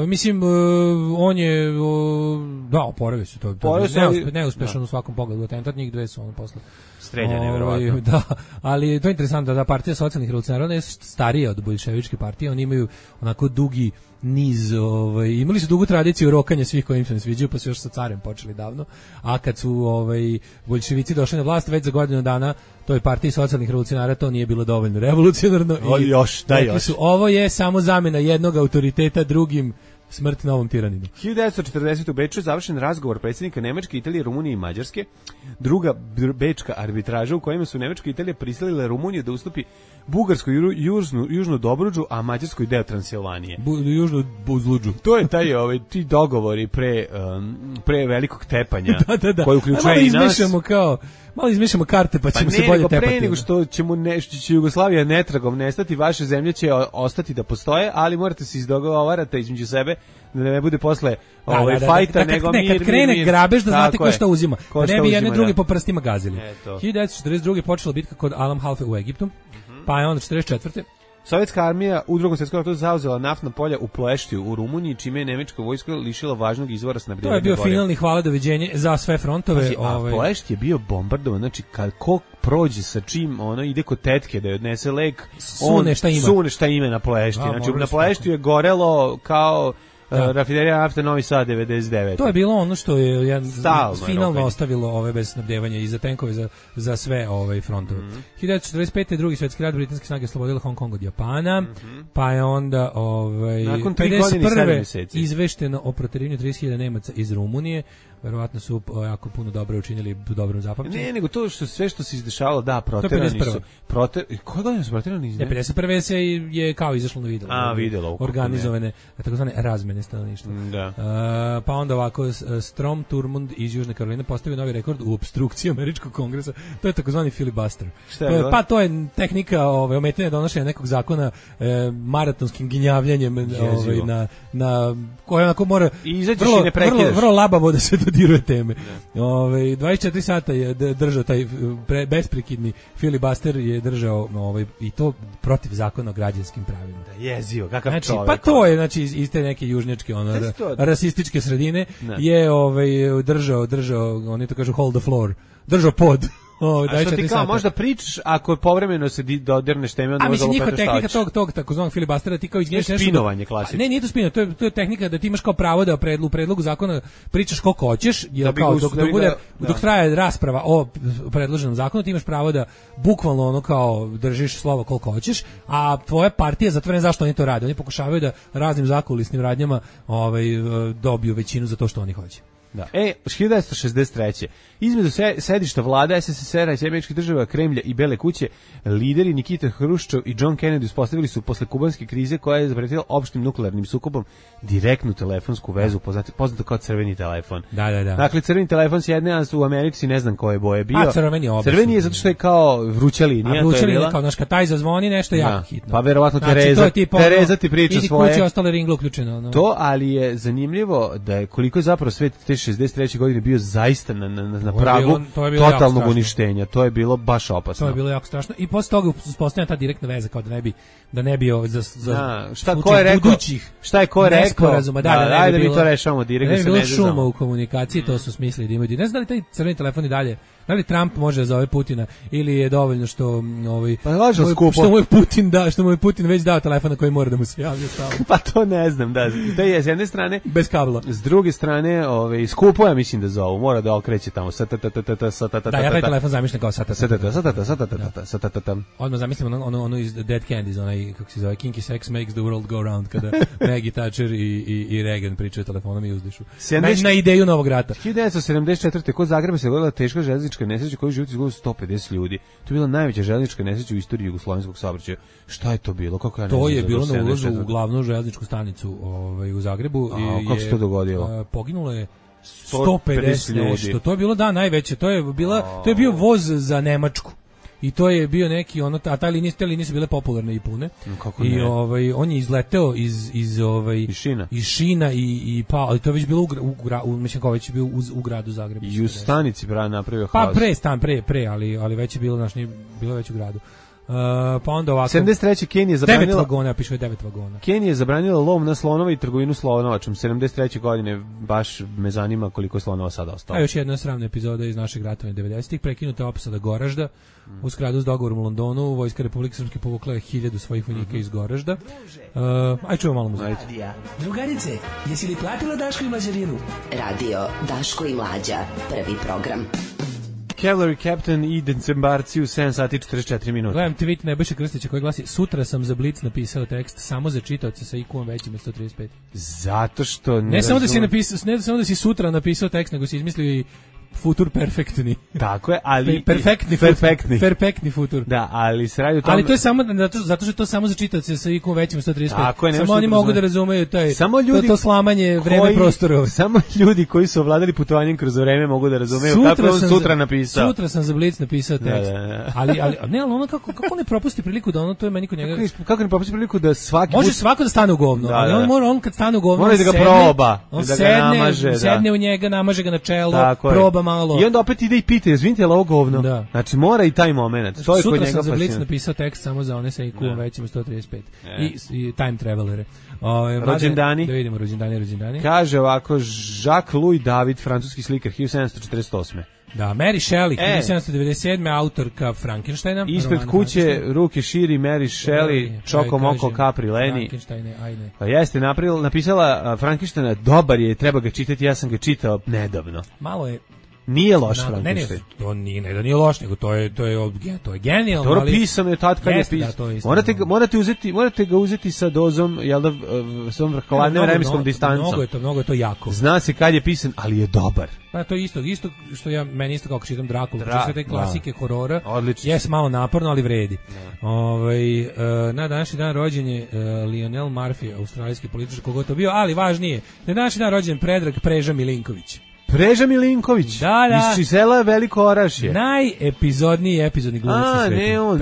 Mislim, on je, oporavio se to. Neuspešan u svakom pogledu atentat, njih dve su ono posle streljane, verovatno. Da, ali to je interesantno da partija socijalnih revolucionara je starija od boljševičke partije, oni imaju onako dugi niz, imali su dugu tradiciju rokanja svih koji im se ne sviđaju, pa su još sa carem počeli davno, a kad su boljševici došli na vlast već za godinu dana, to je partiji socijalnih revolucionara, to nije bilo dovoljno revolucionarno. Još. Ovo je samo zamena jednog autoriteta drugim Smrt novom tiraninu. 1940. u Beču je završen razgovor predsjednika Nemačke, Italije, Rumunije i Mađarske. Druga bečka arbitraža u kojima su Nemačka i Italija prisilile Rumuniju da ustupi Bugarskoj južnu Dobruđu, a Mađarskoj deo Transilvanije. Južnu Buzluđu. To je taj ti dogovori pre velikog tepanja koji uključuje i nas. Malo izmišljamo karte pa ćemo se bolje tepati. Pre nego što će Jugoslavija netragom nestati, vaše zemlje će ostati da postoje, ali morate se izdogovarati između sebe da ne bude posle fajta, nego mir. Kad krene grabež da znate ko šta uzima. Ne bi jedne druge po prstima gazili. 1942. počela bitka kod Alam Halfe u Egiptu, pa je onda 44. Sovjetska armija u Drugom svjetskom ratu zauzela naftna polja u Pleštiju u Rumuniji, čime je nemačka vojska lišila važnog izvora snabdevanja. To je bio finalni hvala doviđenje za sve frontove. Plešt je bio bombardovan, znači kad ko prođe sa čim ide kod tetke da je odnese lek, sune šta ima na Plešti. Znači na Plešti je gorelo kao rafinerija nafte Novi Sad 99. To je bilo ono što je finalno ostavilo ove bez snabdevanja i za tenkove za sve frontove. 1945. drugi svjetski rat, britanske snage oslobodile Hong Kong od Japana, pa je onda nakon 3 godine i 7 mjeseci izvešteno o proterivanju 30.000 Nemaca iz Rumunije. Verovatno su jako puno dobro učinili dobrom zapamćenju. Ne, nego to što sve što se izdešavalo, proterani su. Koje godine su proterani? 51. se je kao izašlo na videlo. Videlo. Organizovane, takozvane razmene stanovništva. Da. Pa onda ovako, Strom Thurmond iz Južne Karoline postavio novi rekord u opstrukciji američkog kongresa. To je takozvani filibuster. Pa to je tehnika ometanja donošenja nekog zakona maratonskim ginjavljanjem na koje onako mora vrlo labavo da se dodiruje teme. 24 sata je držao taj besprekidni filibuster je držao i to protiv zakona o građanskim pravima. Jezio, kakav čovjek. Pa to je iz te neke južnjačke rasističke sredine je držao, oni to kažu hold the floor, držao pod. A što ti kao možda pričaš ako povremeno se dodirneš teme, onda možda njihova tehnika tog takozvanog filibustera ti kao izgnješ nešto. Spinovanje klasično. Ne, nije to spinovanje, to je tehnika da ti imaš kao pravo da u predlogu zakona pričaš koliko hoćeš, jer kao dok traje rasprava o predloženom zakonu ti imaš pravo da bukvalno kao držiš slovo koliko hoćeš, a tvoja partija zatvorena zašto oni to rade. Oni pokušavaju da raznim zakulisnim radnjama dobiju većinu za to što oni hoće. Da. 1963. Između sedišta vlada SSSR-a i Američkih država, Kremlja i Bele kuće, lideri Nikita Hruščov i John Kennedy uspostavili su posle kubanske krize koja je zapretila opštim nuklearnim sukobom direktnu telefonsku vezu, poznato kao crveni telefon. Da. Dakle, crveni telefon s jedne, a u Americi ne znam koje boje bio. Crveni je zato što je kao vruća linija. A vruća linija, kao znaš, kad taj zazvoni nešto jako hitno. Pa verovatno Tereza ti priča svoje. Idi kući, ostale ringlo uključeno. To, ali je zanimljivo da je koliko je zapravo svet te 63. godine bio zaista na pragu totalnog uništenja. To je bilo baš opasno. To je bilo jako strašno. I posle toga uspostavljena ta direktna veza kao da ne bi za budućih šta je ko rekao? Da mi to rešavamo direktno sa vezom. Šuma u komunikaciji, to su smislili da imaju. Ne znam da li taj crveni telefon i dalje, da li Trump može da zove Putina ili je dovoljno što što mu je Putin već dao telefon na koji mora da mu se javlja stalno. Pa to ne znam, da. To je s jedne strane bez kabla. S druge strane, skupo ja mislim da zovu, mora da okreće tamo. Da, ja taj telefon zamišljam kao satata. Odmah zamislim ono iz Dead Candies, onaj, kako se zove, Kinky Sex Makes the World Go Round, kada Maggie Thatcher i Reagan pričaju telefonom i uzdišu. Na ideju novog rata. 1974. kod Zagreba se dogodila teška železnička nesreća koju život izgubilo 150 ljudi. To je bila najveća železnička nesreća u istoriji jugoslovenskog saobraćaja. Šta je to bilo? To je bilo na ulazu u glavnu železničku stanicu u Zagrebu. Kako se to dogodilo? Poginulo je 150 ljudi. To je bilo najveće. To je bio voz za Nemačku. I to je bio neki a te linije su bile popularne i pune. I on je izleteo iz šina i pao, ali to je već bilo mislim kao već je bio u gradu Zagrebu. I u stanici napravio haos. Pre, ali već je bilo bilo već u gradu. Pa onda ovako 73. Kenija zabranila 9 vagona, piše 9 vagona. Kenija je zabranila lov na slonova i trgovinu slonovačom. 73. godine baš me zanima koliko je slonova sada ostalo. A još jedna sramna epizoda iz našeg ratovanja 90-ih, prekinuta opsada Goražda. U skladu s dogovorom u Londonu, Vojska Republike Srpske povukla je 1000 svojih vojnika iz Goražda. Aj čujemo malo muzike. Drugarice, jesi li platila Daško i Mlađarinu? Radio Daško i Mlađa, prvi program. Cavalry Captain i decembarci u 7 sati 44 minuta. Gledam tweet Nebojše Krstića koji glasi: sutra sam za Blic napisao tekst samo za čitaoce sa IQ-om većim od 135. Zato što ne samo da si napisao, ne samo da si sutra napisao tekst, nego si izmislio i futur perfektni. Tako je, ali perfektni futur. Da, ali se radi o tome. Ali to je samo zato što je to samo za čitaoce sa IQ većim od 135. Tako je, samo oni mogu da razumeju taj samo ljudi, to slamanje vreme prostora. Samo ljudi koji su ovladali putovanjem kroz vreme mogu da razumeju kako je on sutra napisao. Sutra sam za Blic napisao tekst. Da. Ali ne, ali ono kako ne propusti priliku da ono to je meni kod njega. Kako ne propusti priliku da svaki može svako da stane u govno, ali on kad stane u govno, mora da ga proba, da ga namaže, sedne u njega, namaže ga na čelo, proba malo. I onda opet ide i pita, izvinite, ovo govno. Da. Znači, mora i taj moment. To je kod njega sutra sam za Blic napisao tekst samo za one sa IQ-om većim od 135. I time travelere. Rođendani. Da vidimo rođendani. Kaže ovako, Jacques-Louis David, francuski slikar, 1748. Da, Mary Shelley, 1797. autorka Frankensteina. Ispred kuće ruke širi Mary Shelley, Čoko Moko Capri Leni. Pa jeste, napisala Frankensteina, dobar je, treba ga čitati, ja sam ga čitao nedavno. Malo je nije loš Frankenstein. To nije loš, nego to je genijalno. Dobro pisano je tad kad je pisano. Morate ga uzeti sa dozom, jel da, s ovom hladnim vremenskom distancom. Mnogo je to jako. Zna se kad je pisan, ali je dobar. Pa to je isto što meni isto kao čitam Drakulu, sve te klasike horora. Odlično. Jes malo naporno, ali vredi. Na današnji dan rođen je Lionel Murphy, australijski političar, koga to bio, ali važnije, na današnji dan rođen Predrag Preža Milinković. Preža Milinković, iz sela Veliko Orašje. Epizodni glumac na svetu. Ne, on,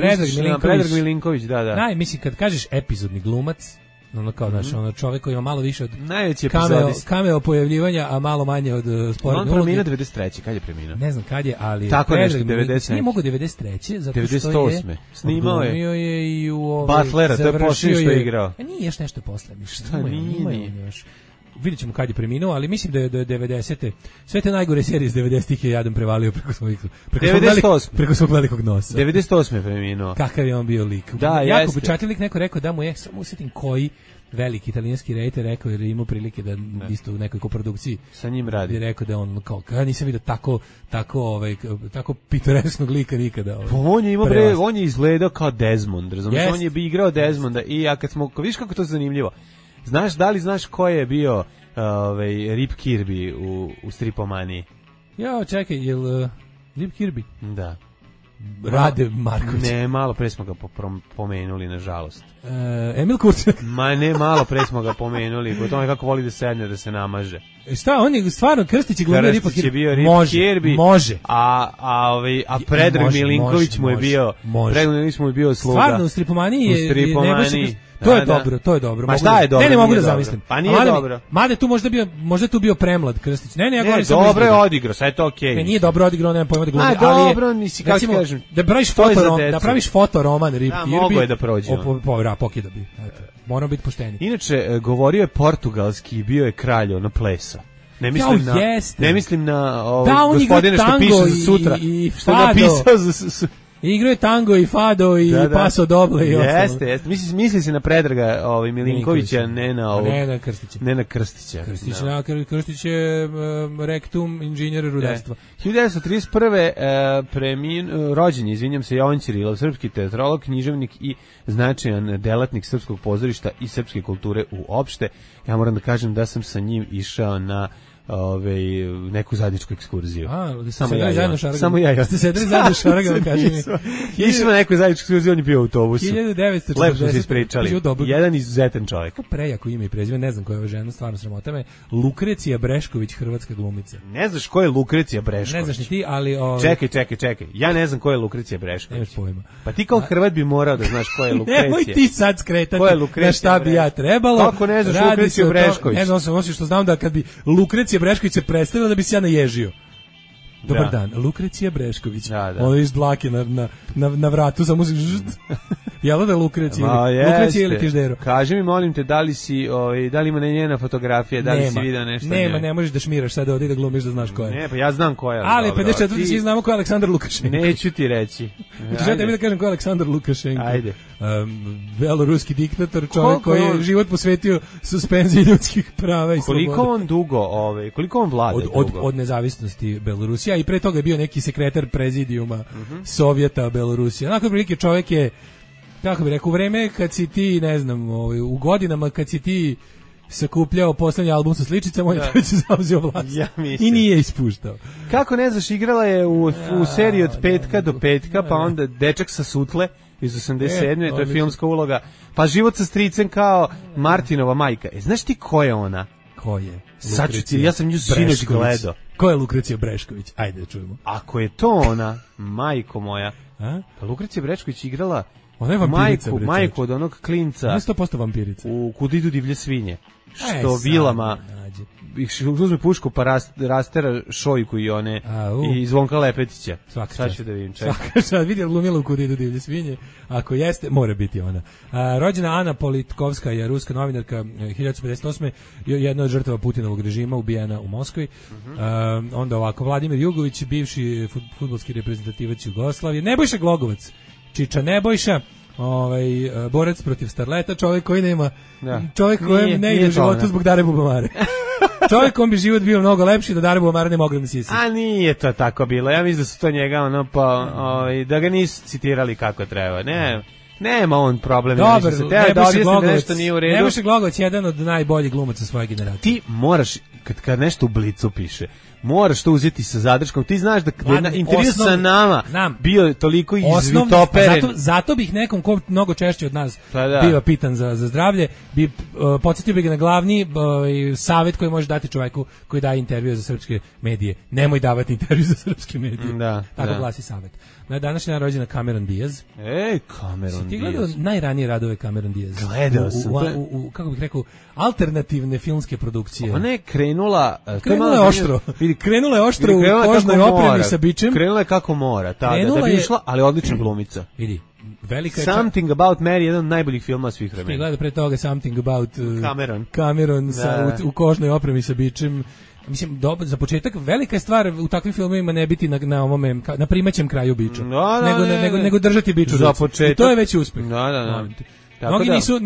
Predrag Milinković, da. Mislim, kad kažeš epizodni glumac, ono kao čovjek koji ima malo više od cameo pojavljivanja, a malo manje od sporedne uloge. On preminuo 93. Kad je preminuo? Ne znam kad je, ali tako nešto, 90. Nije mogu 93. zato što 98. Snimao je i u Butlera, to je poslije što je igrao. Nije još nešto posle. Šta nije? Vidjet ćemo kad je preminuo, ali mislim da je 90. Sve te najgore serije iz 90-ih je jadan prevalio preko svog velikog nosa. 98. je preminuo. Kakav je on bio lik. Da, jako bučatljiv lik, neko rekao da mu je, samo usjetim koji veliki italijanski rejter rekao, jer je imao prilike da isto u nekoj koprodukciji sa njim radi. Je rekao da on kao, ja nisam vidio tako pitoresknog lika nikada. On je izgledao kao Desmond, razumiješ? On je igrao Desmonda i ja kad smo, vidiš kako to zanimljivo. Da li znaš ko je bio Rip Kirby u stripomaniji? Ja, čekaj, jel Rip Kirby? Da. Rade Marković. Ne, malo pre smo ga pomenuli, nažalost. Emil Kurčak. Ma ne, malo pre smo ga pomenuli, po tome kako voli da sedne, da se namaže. Šta, on je stvarno Krstić je glumio Ripa Kirby. Krstić je bio Rip Kirby. Može. A Predrag Milinković mu je bio, Predrag Milinković mu je bio sluga. Stvarno, u stripomaniji je To je dobro. Ma šta je dobro? Ne mogu da zamislim. Pa nije dobro. Mada tu možda tu bio premlad Krstić. Ne, ja govorim samo dobro je odigrao, sve je to okej. Ne, nije dobro odigrao, nemam pojma da glumi, ali dobro, nisi kako kažem. Da praviš fotoroman Rip Kirby. Mogu je da prođe. Pokida bi. Moramo biti pošteni. Inače, govorio je portugalski i bio je kralj, ono plesa. Ne mislim na gospodine što piše za sutra. Što je napisao za... Igrao je tango i fado i paso doble i ostalo. Jeste. Misli se na Predraga Milinkovića, ne na Krstića. Ne na Krstića. Krstić je rektum inženjer rudarstva. 1931. Rođen je, izvinjam se, Jovan Ćirilov, srpski teatrolog, književnik i značajan delatnik srpskog pozorišta i srpske kulture uopšte. Ja moram da kažem da sam sa njim išao na neku zajedničku ekskurziju. Samo ja. Ste sedeli zajedno šaragama, kaži mi. Išli na neku zajedničku ekskurziju, on je bio u autobusu. 1940. Lepo smo se ispričali. Jedan izuzetan čovjek. Kako prejako ime i prezime, ne znam koja je ova žena, stvarno sramota me. Lukrecija Brešković, hrvatska glumica. Ne znaš ko je Lukrecija Brešković? Ne znaš ni ti, ali... Čekaj. Ja ne znam ko je Lukrecija Brešković. Nemaš pojma. Pa ti kao Hrvat bi morao da znaš ko je Lukrecija. Nemoj ti sad skretati na šta bi ja trebalo. Kako ne znaš Lukreciju Brešković? Ne znam, osim što znam da kad bi Lukrecija Brešković se predstavila da bi se ja naježio. Dobar dan, Lukrecija Brešković. Ono iz dlake na vratu samo se jela da Lukrecija ili Kiždero. Kaži mi, molim te, da li ima njena fotografija, da li si vidio nešto? Nema, ne možeš da šmiraš sad ovdje da glumiš da znaš ko je. Ne, pa ja znam ko je. Ali 54. svi znamo ko je Aleksandar Lukašenko. Neću ti reći. Želim tebi da kažem ko je Aleksandar Lukašenko. Ajde. Beloruski diktator, čovjek koji je život posvetio suspenziji ljudskih prava i sloboda. Koliko on vlada? Od nezavisnosti Belorusije. Belorusija i pre toga je bio neki sekretar prezidijuma Sovjeta Belorusija. Onako prilike čovjek je, kako bih rekao, u vreme kad si ti, ne znam, u godinama kad si ti sakupljao poslednji album sa sličicama, on je treći zauzeo vlast. I nije ispuštao. Kako ne znaš, igrala je u seriji od petka do petka, pa onda Dečak sa sutle iz 87. To je filmska uloga. Pa Život sa stricem kao Martinova majka. Znaš ti ko je ona? Ko je? Sad ću ti, ja sam nju sinoć gledao. Ko je Lukrecija Brešković? Ajde da čujemo. Ako je to ona, majko moja, pa Lukrecija Brešković igrala ona je vampirica, majku od onog klinca. Ona je 100% vampirica. U Kud idu divlje svinje. Što vilama uzme pušku pa rastera Šojku i one i Zvonka Lepetića. Sad ću da vidim. Sad vidio glumila u Kud idu divlje svinje. Ako jeste, mora biti ona. Rođena Ana Politkovska je ruska novinarka 1958. Jedna od žrtava Putinovog režima, ubijena u Moskvi. Onda ovako, Vladimir Jugović, bivši fudbalski reprezentativac Jugoslavije. Nebojša Glogovac, Čiča Nebojša, borac protiv starleta, čovjek koji nema, čovjek kojem ne ide u životu zbog Dare Bubamare. Čovjekom bi život bio mnogo lepši da Dare Bubamare ne mogla da sisi. A nije to tako bilo. Ja mislim da su to njega da ga nisu citirali kako treba. Nema on problem. Dobar, Nebojša Glogovac je jedan od najboljih glumaca svoje generacije. Ti moraš, kad nešto u Blicu piše, moraš to uzeti sa zadrškom. Ti znaš da na intervju sa nama bio toliko izvitoperen. Zato bih nekom ko mnogo češće od nas bio pitan za zdravlje, podsjetio bih ga na glavni savjet koji može dati čovjeku koji daje intervju za srpske medije. Nemoj davati intervju za srpske medije. Tako glasi savjet. Na današnji dan rođena Cameron Diaz. Cameron Diaz. Ti gledao najranije radove Cameron Diaz? Gledao sam. Kako bih rekao, alternativne filmske produkcije. Ona je krenula oštro. Krenula je oštro u kožnoj opremi sa bičem. Krenula je kako mora, da bi išla, ali odlična glumica. Vidi, velika je Something About Mary, jedan od najboljih filma svih vremena. Ti gleda pre toga Something About Cameron u kožnoj opremi sa bičem. Mislim, za početak velika je stvar u takvim filmovima ne biti na primaćem kraju biča, nego držati biču za početak. I to je već uspeh.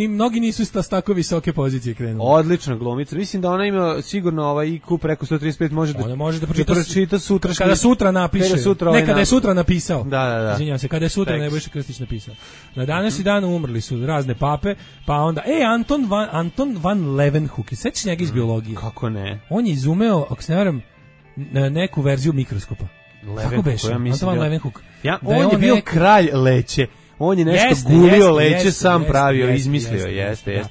Mnogi nisu s tako visoke pozicije krenuli. Odlična glumica. Mislim da ona ima sigurno IQ preko 135, može da pročita sutra. Kada sutra napiše. Kada je sutra napisao. Da. Izvinjavam se, kada je sutra Nebojša Krstić napisao. Na današnji dan umrli su razne pape, pa onda Anton van Leeuwenhoek, sećaš njega iz biologije? Kako ne? On je izumeo, ako se ne varam, neku verziju mikroskopa. Kako beše? Anton van Leeuwenhoek. On je bio kralj leće. On je nešto gulio leće, sam pravio, izmislio. Jeste.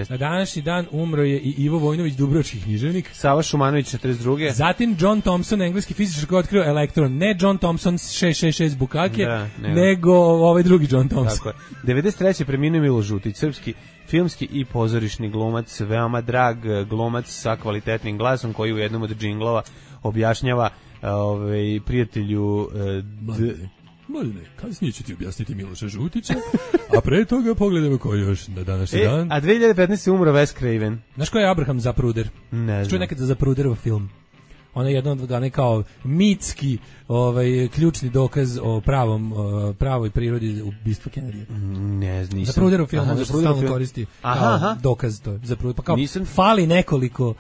Na današnji dan umro je i Ivo Vojnović, dubrovački književnik. Sava Šumanović, 42. Zatim John Thomson, engleski fizičar koji je otkrio elektron. Ne John Thomson 666 Bukake, nego ovaj drugi John Thomson. Tako je. 93. preminuo Milo Žutić, srpski filmski i pozorišni glumac, veoma drag glumac sa kvalitetnim glasom koji u jednom od džinglova objašnjava prijatelju Mladine, kasnije ću ti objasniti Miloša Žutića, a pre toga pogledamo ko još na današnji dan. A 2015. umro Wes Craven. Znaš ko je Abraham Zapruder? Ne znam. Čuo nekad za Zapruderov film? Ona je jedan od kao mitski ključni dokaz o pravoj prirodi ubistva Kennedya. Ne znam. Zapruderov film, on se stalno koristi kao dokaz. To je Zapruder. Pa kao fali nekoliko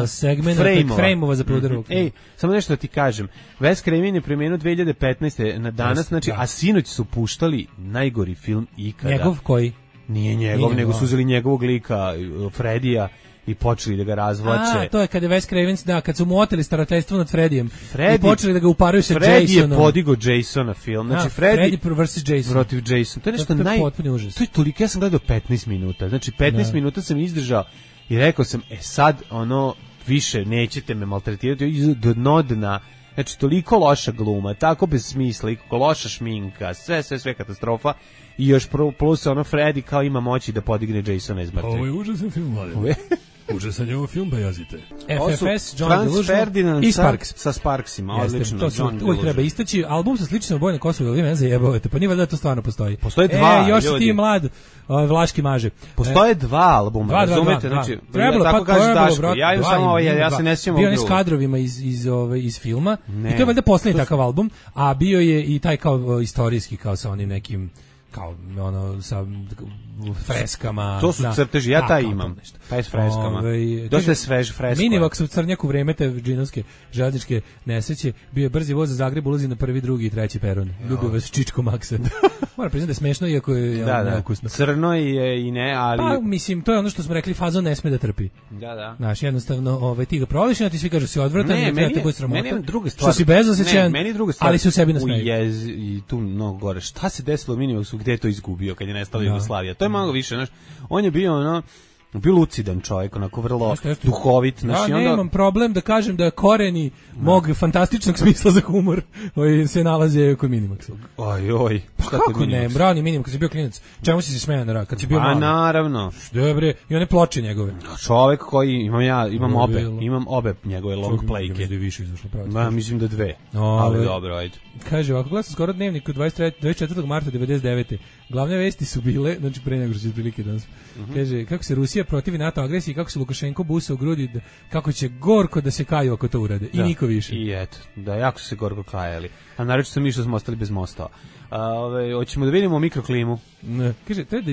segmenta, frame-ova Zapruderovog filma. Samo nešto da ti kažem. Wes Craven je preminuo 2015. na danas, znači, a sinoć su puštali najgori film ikada. Njegov koji? Nije njegov, nego su uzeli njegovog lika, Fredija, i počeli da ga razvlače. To je kada je Wes Craven, kad su mu oteli starateljstvo nad Fredijem i počeli da ga uparuju sa Jasonom. Freddy je podigao Jasona film. Znači Freddy vs. Jason. Protiv Jason. To je nešto to je toliko, ja sam gledao 15 minuta. Znači 15 minuta sam izdržao i rekao sam, sad više nećete me maltretirati do dno dna. Znači toliko loša gluma, tako bez smisla, i loša šminka, sve katastrofa. I još plus Freddy kao ima moći da podigne Jasona iz mrtvih. Ovo je užasan film, mladen. Užasan je ovo film, pa jazite. FFS, John Franz Delusion Ferdinand i Sparks. Sa Sparksima, odlično. To se uvijek treba istaći. Album sa sličnom bojom na Kosovo, ili vi mene zajebavate, pa nije valjda to stvarno postoji. Postoje dva, još si ti mlad, Vlaški maže. Postoje dva albuma, razumete? Znači, tako kaže Daško, ja imam samo ja se ne sjećam ovog drugog. Bio je s kadrovima iz filma, i to je valjda posljednji takav album, a bio je i taj kao istorijski, kao sa onim nekim kao ono sa freskama. To su crteži, ja taj imam. Taj s freskama. Dosta je svež fresko. Minivox u Crnjaku u vreme te džinovske željezničke nesreće bio je brzi voz za Zagreb, ulazi na prvi, drugi i treći peron. Ljubio vas Čičko Maksa. Moram priznati da je smešno, iako je neukusno. Crno je i ne, ali... Pa, mislim, to je ono što smo rekli, fazon ne sme da trpi. Da. Znaš, jednostavno, ti ga provališ, a ti svi kažu si odvratan, meni je druga stvar. Što si bezosećajan, meni druga stvar. Ali si u sebi nasmeju. I tu mnogo gore. Šta se desilo u Minivoxu, gde je to izgubio kad je nestala Jugoslavija? To je malo više, znaš. On je bio bio lucidan čovjek, onako vrlo duhovit. Ja nemam problem da kažem da koreni mog fantastičnog smisla za humor se nalaze kod Minimaxa. Oj. Pa kako ne, brani Minimax, kad si bio klinac. Čemu si se smejao kad si bio mali? Naravno. Dobre, i one ploče njegove. Čovjek koji imam obe njegove long playke. Mislim da 2. Ali dobro, ajde. Kaže, ovako gledam skoro dnevnik od 24. marta 99. Glavne vesti su bile, znači pre nego što će prilike danas. Kaže, kako se Rusija protivi NATO agresiji, kako se Lukašenko busa u grudi, kako će gorko da se kaju ako to urade. I niko više. I eto, da, jako su se gorko kajali. A naročito mi što smo ostali bez mostova. Hoćemo da vidimo mikroklimu. Kaže, treba da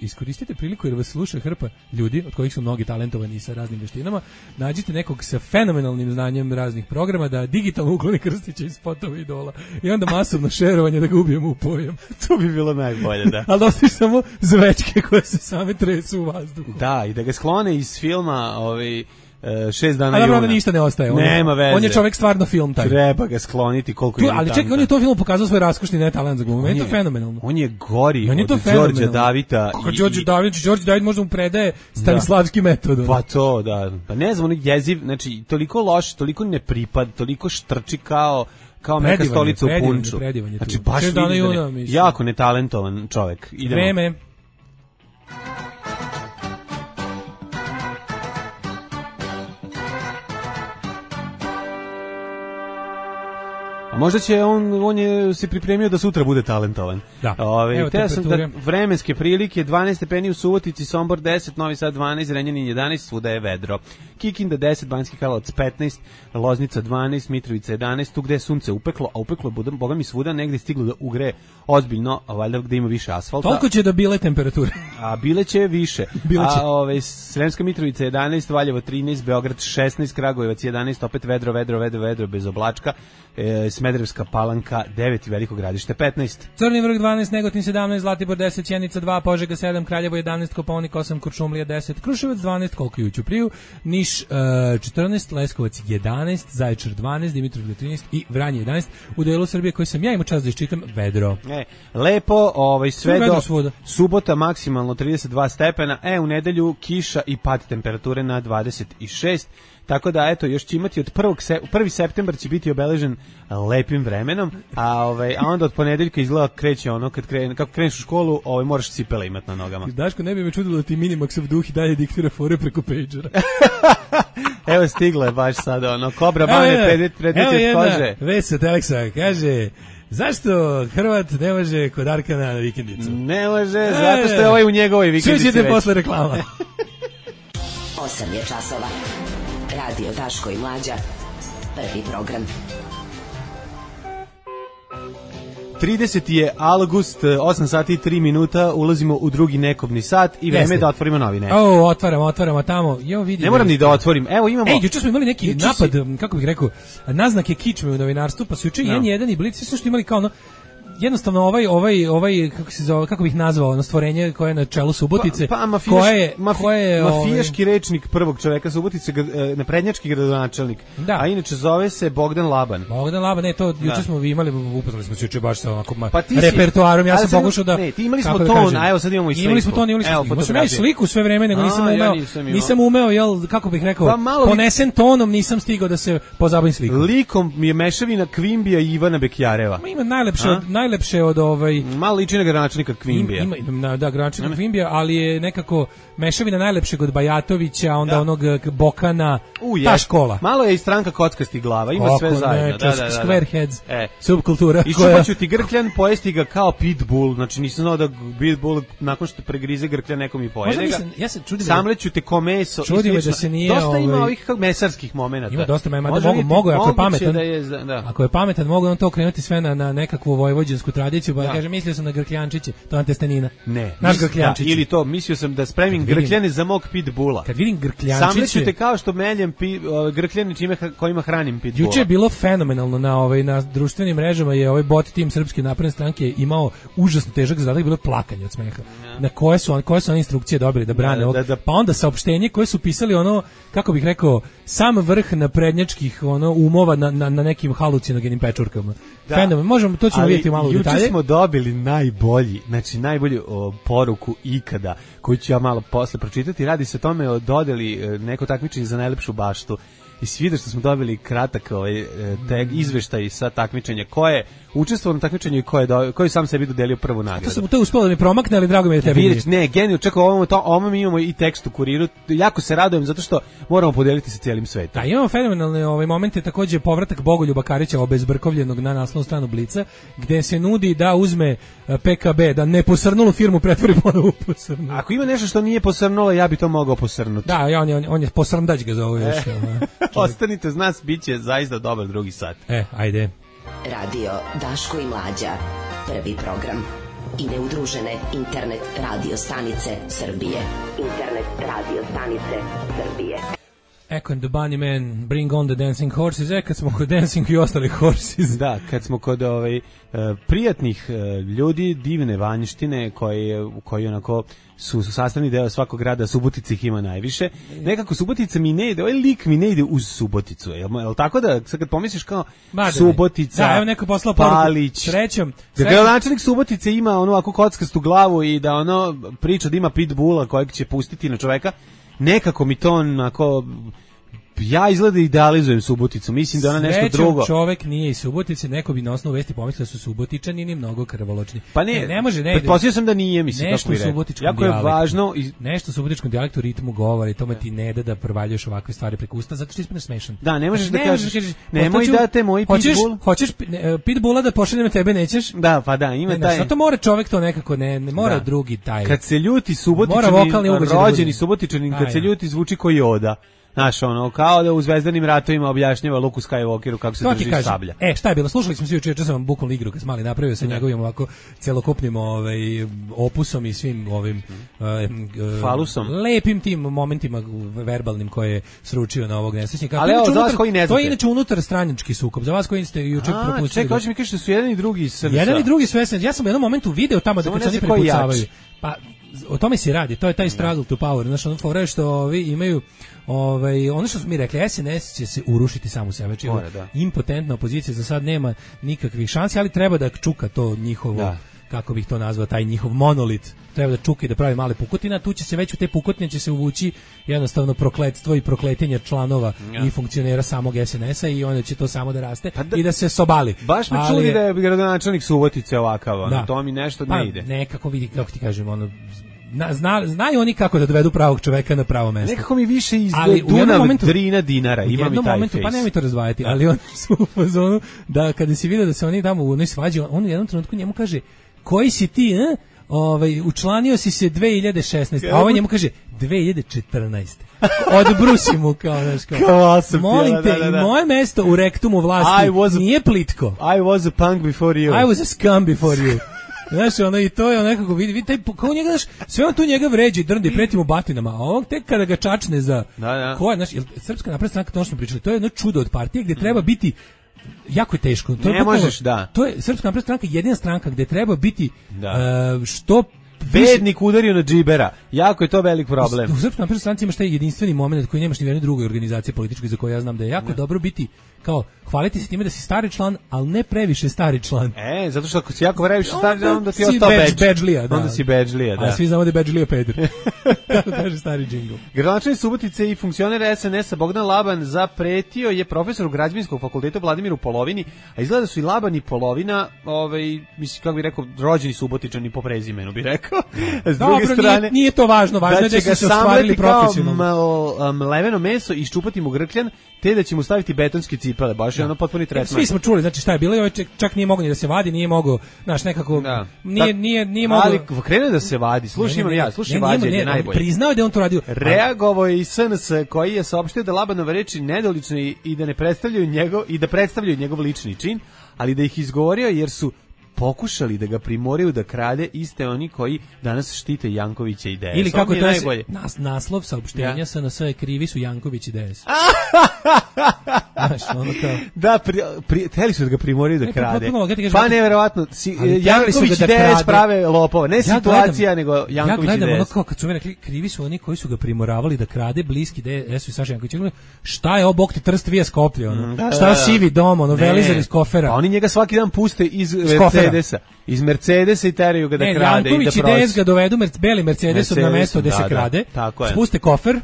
iskoristite priliku jer vas sluša hrpa ljudi, od kojih su mnogi talentovani sa raznim veštinama. Nađite nekog sa fenomenalnim znanjem raznih programa da digitalno ukloni Krstića iz spotova idola. I onda masovno šerovanje da ga ubijemo u pojam. To bi bilo najbolje, da. Ali ostaviš samo zvečke koje se same tresu u vazduhu. Da, i da ga sklone iz filma 6 dana juna. Ali ništa ne ostaje. Nema veze. On je čovjek stvarno film taj. Treba ga skloniti koliko je. Ali čekaj, on je to film pokazao svoj raskošni netalent za glumu. Meni je to fenomenalno. On je gori od Đorđa Davida. Kako Đorđe David možda mu predaje stanislavski metod. Pa to, da. Pa ne znam, on je jeziv, znači toliko loš, toliko nepripad, toliko štrči kao neka stolica u punču. Znači baš jako netalentovan čovjek. Idemo. Vreme. Možda će on je se pripremio da sutra bude talentovan. Da. Te sam da vremenske prilike 12 stepeni u Subotici, Sombor 10, Novi Sad 12, Renjanin 11, svuda je vedro. Kikinda 10, Banjski Karlovac 15, Loznica 12, Mitrovica 11, tu gde je sunce upeklo, a upeklo je boga mi svuda negde stiglo da ugreje ozbiljno, a valjda gde ima više asfalta. Toliko će da bile temperature. A bile će više. Sremska Mitrovica 11, Valjevo 13, Beograd 16, Kragujevac 11, opet vedro bez oblačka. Smederevska Palanka 9 i Veliko Gradište 15. Crni vrh 12, Negotin 17, Zlatibor 10, Sjenica 2, Požega 7, Kraljevo 11, Kopaonik 8, Kuršumlija 10, Kruševac 12, koliko je u Ćupriju, Niš 14, Leskovac 11, Zaječar 12, Dimitrovgrad 13 i Vranje 11. U delu Srbije koji sam ja imao čast da iščitam vedro. Lepo, sve do subota maksimalno 32 stepena, u nedelju kiša i pad temperature na 26. Tako da, eto, još će imati od 1. septembar će biti obeležen lepim vremenom, a onda od ponedeljka izgleda kreće kako kreneš u školu, moraš cipele imati na nogama. Daško, ne bi me čudilo da ti Minimaxov duh i dalje diktira fore preko pagera. Evo stigla je baš sada, Kobra Bane, predmet od kože. Već sa Teleksa, kaže... Zašto Hrvat ne može kod Arkana na vikendicu? Ne može, zato što je u njegovoj vikendici već. Čućete posle reklama. 8 je časova. Radio Daško i Mlađa. Prvi program. 30. je avgust, 8 sati i 3 minuta, ulazimo u drugi nekobni sat i vreme da otvorimo novine. Otvaramo tamo. Ne moram ni da otvorim. Evo imamo... juče smo imali neki napad, kako bih rekao, naznake kičme u novinarstvu, pa su juče N1 i Blic, sve što imali kao jednostavno ovaj kako se zove, kako bih nazvao, stvorenje koje je na čelu Subotice, mafijaški rečnik prvog čoveka Subotice, naprednjački gradonačelnik. A inače zove se Bogdan Laban. Juče smo imali, upoznali smo se juče baš sa onako repertoarom, ja sam pokušao da... Ne, ti imali smo ton, a evo sad imamo i sliku. Imali smo ja i sliku sve vreme, nego nisam umeo, kako bih rekao, ponesen tonom nisam stigao da se pozabavim slikom. Likom je mešavina Kvimbija i Ivana Bekjareva. Ima najlepše od malo liči na gradonačelnika Kvimbija. Da, gradonačelnika Kvimbija, ali je nekako mešavina najlepšeg od Bajatovića, onda onog Bokana, ta škola. Malo je i stranka kockastih glava, ima sve zajedno. Squareheads, subkultura. Iščupaću ti grkljan, pojesti ga kao pitbull, znači nisam znao da pitbull nakon što pregrize grkljan nekom i pojede ga. Samleću te ko meso. Čudi me da se nije... Dosta ima ovih mesarskih momenata. Ima dosta, mada mogu, ako je pametan, mogu on to okrenuti sve na nekakvu vojvođansku bosansku tradiciju, pa kaže mislio sam na grkljančiće, to je testenina. Ne, naš grkljančić. Ili to, mislio sam da spremim grkljane za mog pitbula. Kad vidim grkljančiće, samleću te kao što meljem grkljane kojima hranim pitbula. Juče je bilo fenomenalno na društvenim mrežama je ovaj bot tim Srpske napredne stranke imao užasno težak zadatak, bilo plakanje od smeha. Na koje su one instrukcije dobili da brane ovog. Pa onda saopštenje koje su pisali ono, kako bih rekao, sam vrh naprednjačkih umova na nekim halucinogenim pečurkama. Fenomen, možemo, to ćemo vidjeti malo u detalje. Juče smo dobili najbolju poruku ikada, koju ću ja malo posle pročitati. Radi se o tome o dodeli neko takmičenje za najlepšu baštu. I svi što smo dobili kratak izveštaj sa takmičenja ko je učestvovao na takmičenju i ko je sam sebi dodelio prvu nagradu. To je uspelo da mi promakne, ali drago mi je da tebi. Vidiš, ne, geniju, čekaj, ovo mi imamo i tekst u Kuriru. Jako se radujem zato što moramo podeliti sa cijelim svetom. Da, imamo fenomenalne momente, takođe povratak Bogoljuba Karića obezbrkovljenog na naslovnu stranu Blica, gde se nudi da uzme PKB, da ne posrnulu firmu pretvori ponovo u posrnulu. Ako ima nešto što nije posrnulo, ja bi to mogao posrnuti. Da, on je posrndać ga zove još. Ostanite uz nas, bit će zaista dobar drugi sat. Ajde. Radio Daško i Mlađa. Prvi program. I neudružene internet radio stanice Srbije. Internet radio stanice Srbije. Echo and the Bunnymen, Bring on the Dancing Horses. Kad smo kod Dancing i ostali Horses. Da, kad smo kod prijatnih ljudi, divne vanjštine koji onako su sastavni deo svakog grada, Subotica ih ima najviše. Nekako Subotica mi ne ide, ovaj lik mi ne ide uz Suboticu. Jel tako da sad kad pomisliš kao Subotica, da, evo neko poslao poruku. Palić, srećom. Da gradonačelnik Subotice ima onu ovako kockastu glavu i da ono priča da ima pitbulla kojeg će pustiti na čoveka, nekako mi to onako... Ja izgleda idealizujem Suboticu, mislim da ona nešto drugo. Čovek nije iz Subotice, neko bi na osnovu vesti pomislio da su Subotičani ni mnogo krvoločni. Pa ne može, ne. Pretpostavio sam da nije, mislim, nešto kako bi rekao. Jako je važno nešto u subotičkom dijalektu, ritmu govora i tome ti ne da provaljuješ ovakve stvari preko usta, zato što ispadneš smešan. Da, ne možeš da kažeš, nemoj da te moj pitbull. Hoćeš pitbulla da pošaljem tebe, nećeš? Da, pa da, ima taj. Zato mora čovek to nekako, ne mora drugi taj. Kad se ljuti Subotičanin, rođeni Subotičanin, kad se ljuti zvuči kao Yoda. Znaš, ono, kao da u Zvezdanim ratovima objašnjava Luku Skywalkeru kako se drži sablja. Šta je bilo? Slušali smo svi juče sam vam bukvalno igru kad smo mali napravio sa njegovim ovako celokupnim opusom i svim ovim falusom. Lepim tim momentima verbalnim koje je sručio na ovog nesrećnika. Ali evo, za vas koji ne znate. To je inače unutar stranački sukob. Za vas koji ste juče propustili. Čekaj, hoćeš mi kažeš da su jedan i drugi SNS. Jedan i drugi su SNS. Ja sam u jednom momentu video tamo da kad se oni prepucavaju. Pa o tome se radi, to je taj struggle to power, znači ono fora što ovi imaju ono što smo mi rekli, SNS će se urušiti sam u sebe, znači impotentna opozicija za sad nema nikakvih šansi, ali treba da čuka to njihovo, kako bih to nazvao, taj njihov monolit, treba da čuka i da pravi male pukotine, tu će se već u te pukotine će se uvući jednostavno prokletstvo i prokletenje članova i funkcionera samog SNS-a i onda će to samo da raste i da se sobali. Baš me čudi da je gradonačelnik Subotice ovakav, to mi nešto ne ide. Nekako vidi, kako ti kažem, znaju oni kako da dovedu pravog čoveka na pravo mesto. Nekako mi više izgleda Dunav, Drina, Dinara, ima mi taj momentu, face. Pa nemoj to razdvajati, ali oni su u fazonu da kada si vidio da se oni tamo u onoj svađi, on u jednom trenutku njemu kaže, koji si ti, učlanio si se 2016, a ovaj njemu kaže 2014. Odbrusi mu kao, znaš, molim te, i moje mesto u rektumu vlasti nije plitko. I was a punk before you. I was a scum before you. Znaš, i to je nekako, vidi taj, kao njega, znaš, sve on tu njega vređi, drndi, preti mu batinama, a on tek kada ga čačne za, ko je, znaš, Srpska napredna stranka, to što smo pričali, to je jedno čudo od partije gdje treba biti, jako je teško. To ne možeš, To je Srpska napredna stranka, jedina stranka gdje treba biti što bednik udario na džibera. Jako je to velik problem. U Srpskoj naprednoj stranci imaš taj jedinstveni moment koji nemaš ni u jednoj drugoj organizaciji političkoj za koju ja znam da je jako dobro biti, kao hvaliti se time da si stari član, ali ne previše stari član. Zato što ako si jako previše stari član, onda ti je ostao bedžlija. Onda si bedžlija, da. A svi znamo da je bedžlija peder. Kako kaže stari džingl. Gradonačelnik Subotice i funkcioner SNS-a Bogdan Laban zapretio je profesoru Građevinskog fakulteta Vladimiru Polovini, a izgleda su i Laban i Polovina, mislim, kako bih rekao, rođeni Subotičani po prezimenu, bih rekao. S druge strane, nije to važno je da su se ostvarili profesionalno. Mleveno meso i iščupati mu grkljan, te da će mu staviti betonske cipele, baš je ono potpuni tretman. Svi smo čuli, znači šta je bilo, ovaj čak nije mogao ni da se vadi, nije mogao, znaš, nekako, nije mogao. Ali krene da se vadi, slušaj vađenje je najbolje. Priznao da on to radio. Reagovao je i SNS koji je saopštio da Labanove reči nedolične i da ne predstavljaju njegov lični čin, ali da ih izgovorio jer su pokušali da ga primoraju da krade iste oni koji danas štite Jankovića i DS. Ili kako to je najbolje. Naslov saopštenja SNS je krivi su Janković i DS. Znaš, ono kao... Da, hteli su da ga primoraju da krade. Pa neverovatno, Janković i DS prave lopova. Ne situacija, nego Janković i DS. Ja gledam ono kao kad su mi rekli, krivi su oni koji su ga primoravali da krade, bliski DS-u i Saša Janković. Šta je ovo, bog ti trst vije Skoplje, ono? Šta je sivi dom, ono, Velizar iz kofera? Pa oni njega svaki dan puste iz Mercedesa. Iz Mercedesa i teraju ga da krade. Janković i DS ga dovedu beli Mercedesom na mesto gde se krade, spuste kofer,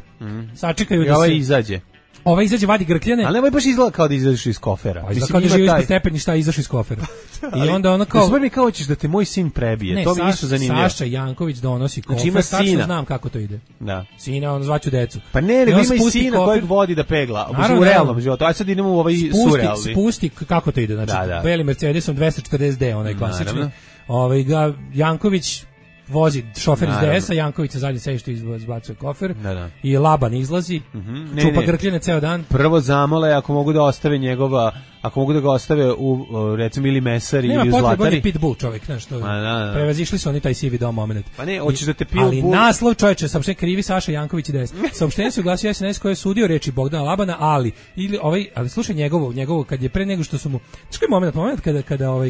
sačekaju da se... I ovaj izađe. Ova izađe, vadi grkljane. Ali nemoj baš izgleda kao da izađeš iz kofera. Pa izgleda kao da živi ispod stepeništa, izašao iz kofera. I onda ono kao... Sve mi kao hoćeš da te moj sin prebije. Ne, to mi isto zanimljivo. Saša Janković donosi kofer, znači, tačno znam kako to ide. Da. Sina, on zvaću decu. Pa ne, nego ima i sina kojeg vodi da pegla. U realnom životu. Aj sad idemo u ovaj surrealni. Spusti, kako to ide. Znači, beli Mercedesom 240D, onaj klasični. Janković vozi šofer iz DS-a, Janković sa zadnje sedište izbacuje kofer i Laban izlazi, čupa grkljene ceo dan. Prvo zamole ako mogu da ostave njegova, ako mogu da ga ostave u recimo ili mesari ili u zlatari. Nema potrebe, pitbull čovjek, znaš što. Prevazišli su oni taj sivi dom moment. Pa ne, hoćeš da te pil. Ali naslov čoveče, saopštenje krivi Saša Janković i DS. Saopštenje se oglasio SNS koji je sudio reči Bogdana Labana, ali slušaj njegovo kad je pre nego što su mu. Znaš koji moment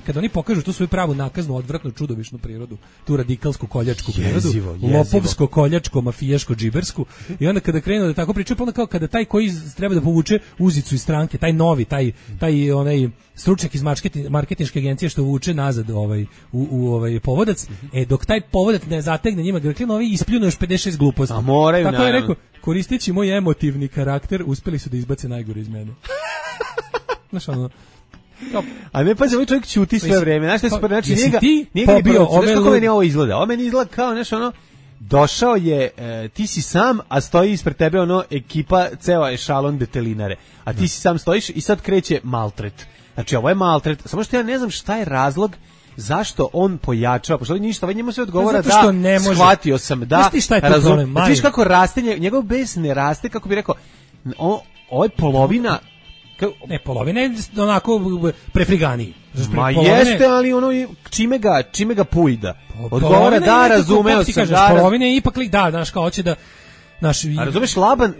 kada oni pokažu tu svoju pravu nakaznu, odvratnu, čudovišnu prirodu, tu radikalsku koljačku prirodu, lopovsko koljačko mafijaško džibersku, i onda kada krenu da tako pričaju, pa onda kao kada taj koji treba da povuče uzicu iz stranke, taj novi, taj onaj stručnjak iz marketinške agencije što vuče nazad u povodac, dok taj povodac ne zategne njima grkljan, ovi ispljunu još 56 gluposti. A moraju, tako je rekao, koristeći moj emotivni karakter, uspeli su da izbace najgore iz mene. Znaš ono, a ne pa ovaj čovjek ćuti sve vreme. Znaš šta se znači njega pobio kako meni ovo izgleda. Ovo meni izgleda kao nešto ono, došao je, ti si sam, a stoji ispred tebe ono ekipa, ceo ešalon detelinare. A ti si sam stojiš i sad kreće maltret. Znači ovo je maltret, samo što ja ne znam šta je razlog zašto on pojačava, pošto ništa, njemu se odgovara da shvatio sam, da razumem. Viš kako raste, njegov bes ne raste, kako bi rekao, ovo je polovina. Ne, polovina je onako prefriganiji. Ma jeste, ali ono čime ga pujda. Odgovara da, razumeo sam. Polovina je ipak lik, da, znaš, kao hoće da... A razumeš, Laban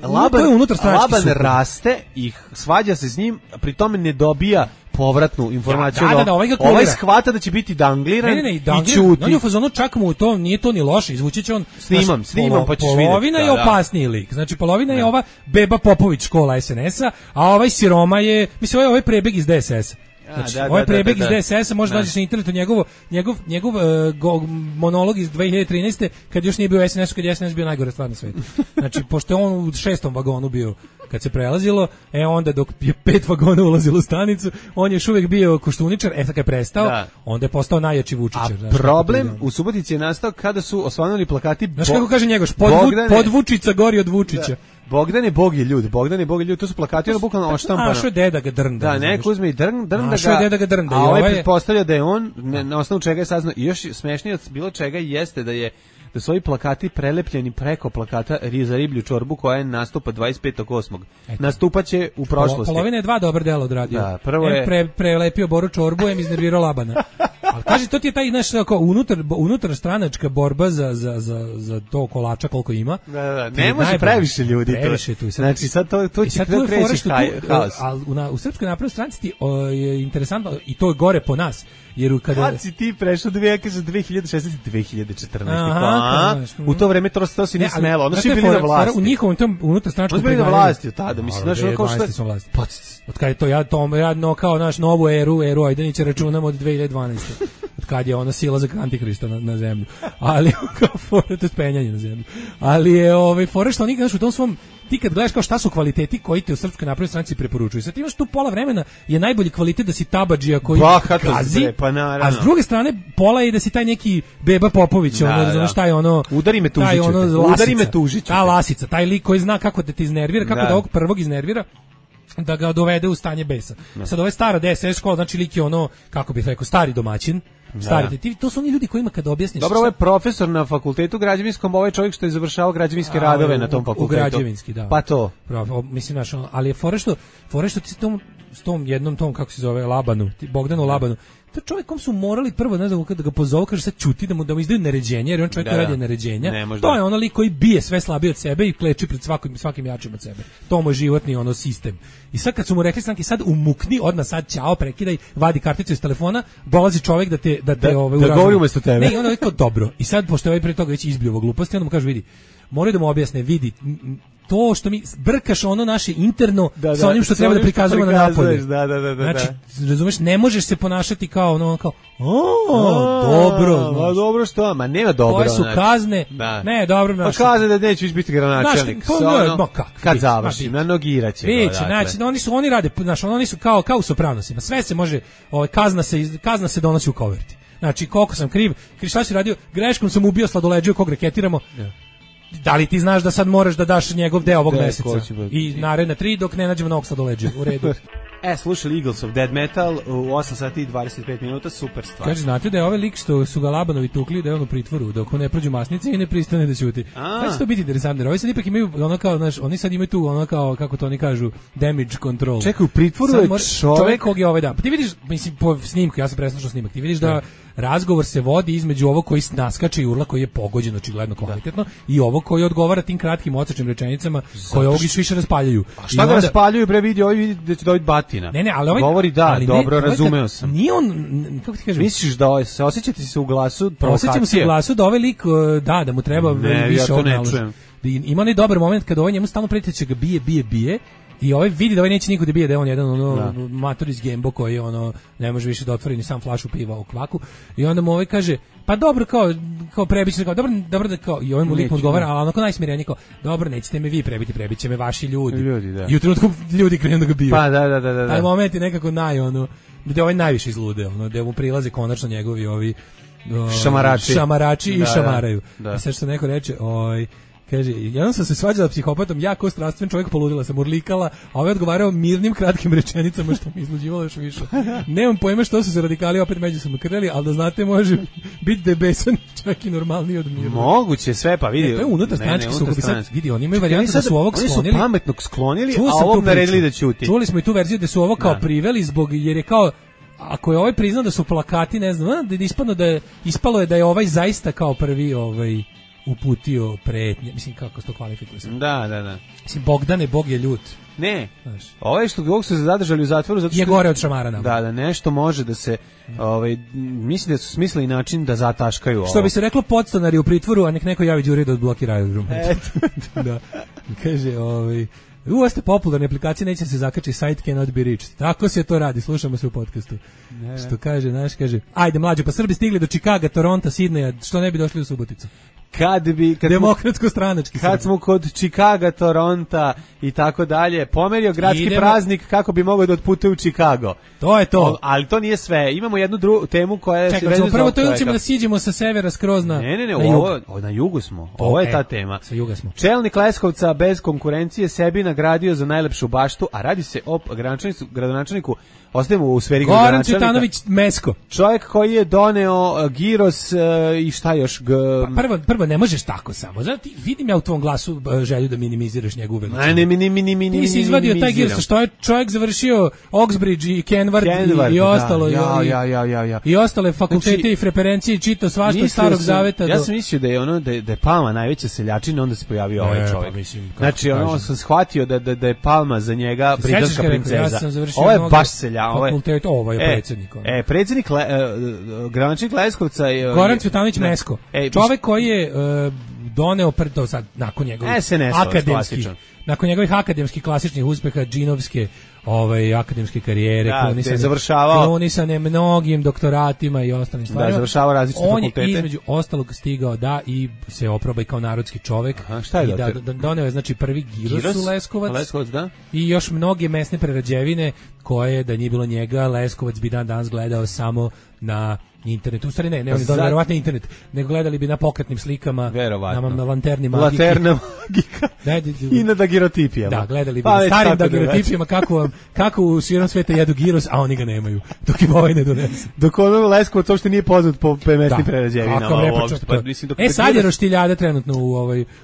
raste i svađa se s njim, pri tome ne dobija povratnu informaciju. Ovaj shvata da će biti dangliran i čuti. On je u fazonu, čak mu to, nije to ni loše, izvući će on... Snimam, pa ćeš vidjeti. Polovina je opasniji lik. Znači, polovina je ova Beba Popović škola SNS-a, a ovaj siroma je, mislim, ovaj prebeg iz DSS-a. Znači, ovaj prebeg iz DSS-a možda nađeš na internetu njegov monolog iz 2013. kad još nije bio SNS-u, kad je SNS bio najgore stvar na svetu. Znači, pošto je on u 6. vagonu bio kad se prelazilo, onda dok je 5 vagona ulazilo u stanicu, on je još uvijek bio koštuničar, sad kad je prestao, onda je postao najjači Vučićar. A problem u Subotici je nastao kada su osvanuli plakati... Znaš kako kaže Njegoš, pod Vučica gori od Vučića. Bogdan je Bog je ljud, to su plakati, ono bukvalno oštampano. A što je deda ga drnda. Da, neko uzme i drnda ga. A ovaj pretpostavlja da je on, na osnovu čega je saznao, i još smešnije od bilo čega jeste da su ovi plakati prelepljeni preko plakata za riblju čorbu koja je nastupa 25.8. Nastupaće u prošlosti. Polovina je 2 dobra dela odradio. Da, prvo je prelepio Boru čorbu, iznervirao Labana. Ali kaže, to ti je taj naš unutar stranačka borba za to kolača koliko ima. Da, ne može previše ljudi. Previše tu. Znači sad to će kreći haos. Ali u Srpskoj naprednoj stranci je interesantno i to je gore po nas. Jer kad si ti prešao 2016 2014. U to vreme to si nije smelo. Ono si bili na vlasti. U njihovom tom unutarstranačkom bili na vlasti tada. Mislim, znaš, kao što... Od kada je to, ja kao naš novu eru Ajdanića računam od 2012. Od kada je ona sila za Antikrista na zemlju. Ali, kao to spenjanje na zemlju. Ali je fore što oni, znaš, u tom svom... Ti kad gledaš kao šta su kvaliteti koji te u Srpskoj naprednoj stranci preporučuju. Sad imaš tu pola vremena je najbolji kvalitet da si tabadžija koji kazi, a s druge strane pola je da si taj neki Beba Popović, znaš šta je ono... Udari me tužiću. Ta lasica, taj lik koji zna kako da te iznervira, kako da ovog prvog iznervira, da ga dovede u stanje besa. Sad ova stara DSS škola, znači lik je ono, kako bih rekao, stari domaćin. To su oni ljudi kojima kad objasniš... Dobro, ovo je profesor na fakultetu građevinskom, ovo je čovjek što je završavao građevinske radove na tom fakultetu. U građevinski, da. Pa to. Mislim, ali je fore što ti se tom... s tom jednom tom, kako se zove, Labanu, Bogdanu Labanu, to čovjek kom su morali prvo da ga pozovu, kaže sad ćuti da mu izdaju naređenje, jer on čovjek koji radi naređenja. To je ono lik koji bije sve slabije od sebe i kleči pred svakim jačim od sebe. To mu je životni ono sistem. I sad kad su mu rekli stanki, sad umukni, odmah sad ćao, prekidaj, vadi karticu iz telefona, dolazi čovjek da te da govori umesto tebe. Ne, i ono je kao dobro. I sad pošto je pre toga već izbljuvo gluposti, onda mu kaže vidi, moraju da mu objasne, vidi, to što mi brkaš ono naše interno sa onim što treba da prikazujemo na napolju. Znači, razumeš, ne možeš se ponašati kao ono, kao, dobro. Ma dobro što, ma nema dobro. Koje su kazne, ne, dobro. Pa kazne da neću biti gradonačelnik. Kad završim, na nogiraće. Znači, oni rade, oni su kao u Sopranosima, sve se može, kazna se donosi u koverti. Znači, koliko sam kriv, šta si radio, greškom sam ubio sladoleđiju kog reketiramo. Da li ti znaš da sad moraš da daš njegov deo ovog meseca i naredne 3 dok ne nađemo novog sladoleđa, u redu. Slušali Eagles of Dead Metal u 8 sati i 25 minuta, super stvar. Kaže, znate da je ovaj lik što su ga Labanovi tukli, da je on u pritvoru, dok ne prođu masnice i ne pristane da ćuti. Kada će to biti interesantno? Jer ovi sad ipak imaju ono kao, znaš, oni sad imaju tu ono kao, kako to oni kažu, damage control. Čekaj, u pritvoru je čovek kog je ovaj dan. Pa ti vidiš, mislim, po snimku, ja sam preslušao snimak, ti vidiš da razgovor se vodi između ovog koji naskače i urla, koji je pogođen očigledno kvalitetno, i ovog koji odgovara tim kratkim odsečnim rečenicama koje ovog više raspaljuju. A šta ga raspaljuju, bre, vidi da će dobiti batina. Ne, ali ovaj govori dobro, razumeo sam. Nije on, kako ti kažem? Misliš da se osjećate se u glasu provokacije? Osjećamo se u glasu da ovaj lik, da mu treba više odnaložiti. Ima onaj dobar moment kada ovaj njemu stalno preti da će ga bije, i ovaj vidi da ovaj neće niko da bije, da je on jedan mator iz Gembo koji ne može više da otvori ni sam flašu piva u kvaku, i onda mu ovaj kaže, pa dobro, kao prebiće, kao dobro da, kao, i ovaj mu lik mu odgovara, ali onako najsmirenije, kao, dobro, nećete me vi prebiti, prebiće me vaši ljudi, da. I u trenutku ljudi krenu da ga biju. Pa da. Taj moment je nekako gde ovaj najviše izlude, gde mu prilaze konačno njegovi ovi šamarači i šamaraju. I sad što neko reče, kaže, jedan sam se svađala psihopatom, ja kao strastven čovjek poludila sam, urlikala, a ovaj odgovarao mirnim kratkim rečenicama što mi izluđivalo još više. Nemam pojma što su se radikali opet međusobno krljali, ali da znate može biti da je besan čak i normalniji od mirna. Moguće sve, pa vidi. To je unutar stranački sukob. Sad vidi, oni imaju varijantu da su ovog sklonili. Oni su pametnog sklonili, a ovog naredili da ćuti. Čuli smo i tu verziju da su ovo kao priveli jer je kao, ako je ovaj priznao da su plakati, ne znam, ispalo je da je ovaj zaista kao prvi uputio pretnje, mislim kako se to kvalifikuje. Da. Mislim, Bogdane, Bog je ljut. Ne, ovo što ovog su se zadržali u zatvoru zato što je gore od šamara nam. Da, nešto može da se, mislim da su smislili način da zataškaju ovo. Što bi se reklo, podstanari u pritvoru, a nek neko javi Đuri da odblokira aerodrom. Da. Kaže, ovo ste popularne aplikacije, neće se zakači, site cannot be reached. Tako se to radi, slušamo se u podcastu. Što kaže, kaže, ajde mlađe, pa Srbi stigli do Čikaga, Toronta, Sidneja, što ne bi došli u Suboticu? Demokratsko-stranački. Kad smo kod Čikaga, Toronta i tako dalje, pomerio gradski praznik kako bi mogao da otputuje u Čikago. To je to. Ali to nije sve. Imamo jednu drugu temu koja je... Čekaj, prvo to ćemo da siđemo sa severa skroz na jug. Na jugu smo. Ovo je ta tema. Sa juga smo. Čelnik Leskovca bez konkurencije sebi nagradio za najlepšu baštu, a radi se o gradonačelniku, ostajemo u sferi gradonačelnika. Goran Cvjetanović Mesko. Čovjek koji je doneo giros i šta još? Prvo ne možeš tako samo. Znači, vidim ja u tvom glasu želju da minimiziraš njegovu veličinu. Ne, ti si izvadio taj giros, što je čovjek završio Oxbridge i Kenvard i ostalo. I ostale fakultete i preferencije i čitao svašta od Starog Zaveta. Ja sam mislio da je Palma najveća seljačina, onda se pojavio ovaj čovjek. Znači, sam shvatio da je Palma za njega britanska princeza. Ovo je baš selja. Ovo je predsjednik. Predsjednik gradonačelnik Leskovca Goran Cvjetanović Mesko. Čovjek koji je doneo sad nakon njegovih akademskih klasičnih uspeha, džinovske akademske karijere, klonisane mnogim doktoratima i ostalim stvarima. Završava različite fakultete. On je između ostalog stigao i se oproba kao narodski čovjek. Šta je doneo je znači prvi giros u Leskovac, da? I još mnoge mesne prerađevine koje, da nije bilo njega, Leskovac bi danas gledao samo na Internet, u stvari ne, oni verovatno internet, nego gledali bi na pokretnim slikama, na lanterni magike. Lanterna magika i na dagirotipijama. Da, gledali bi starim dagirotipijama kako u svijetom sveta jedu giros, a oni ga nemaju, dok im ovaj ne donese. Dok ono Leskovac uopšte nije poznat po mesnim prerađevinama. Sad je roštiljada trenutno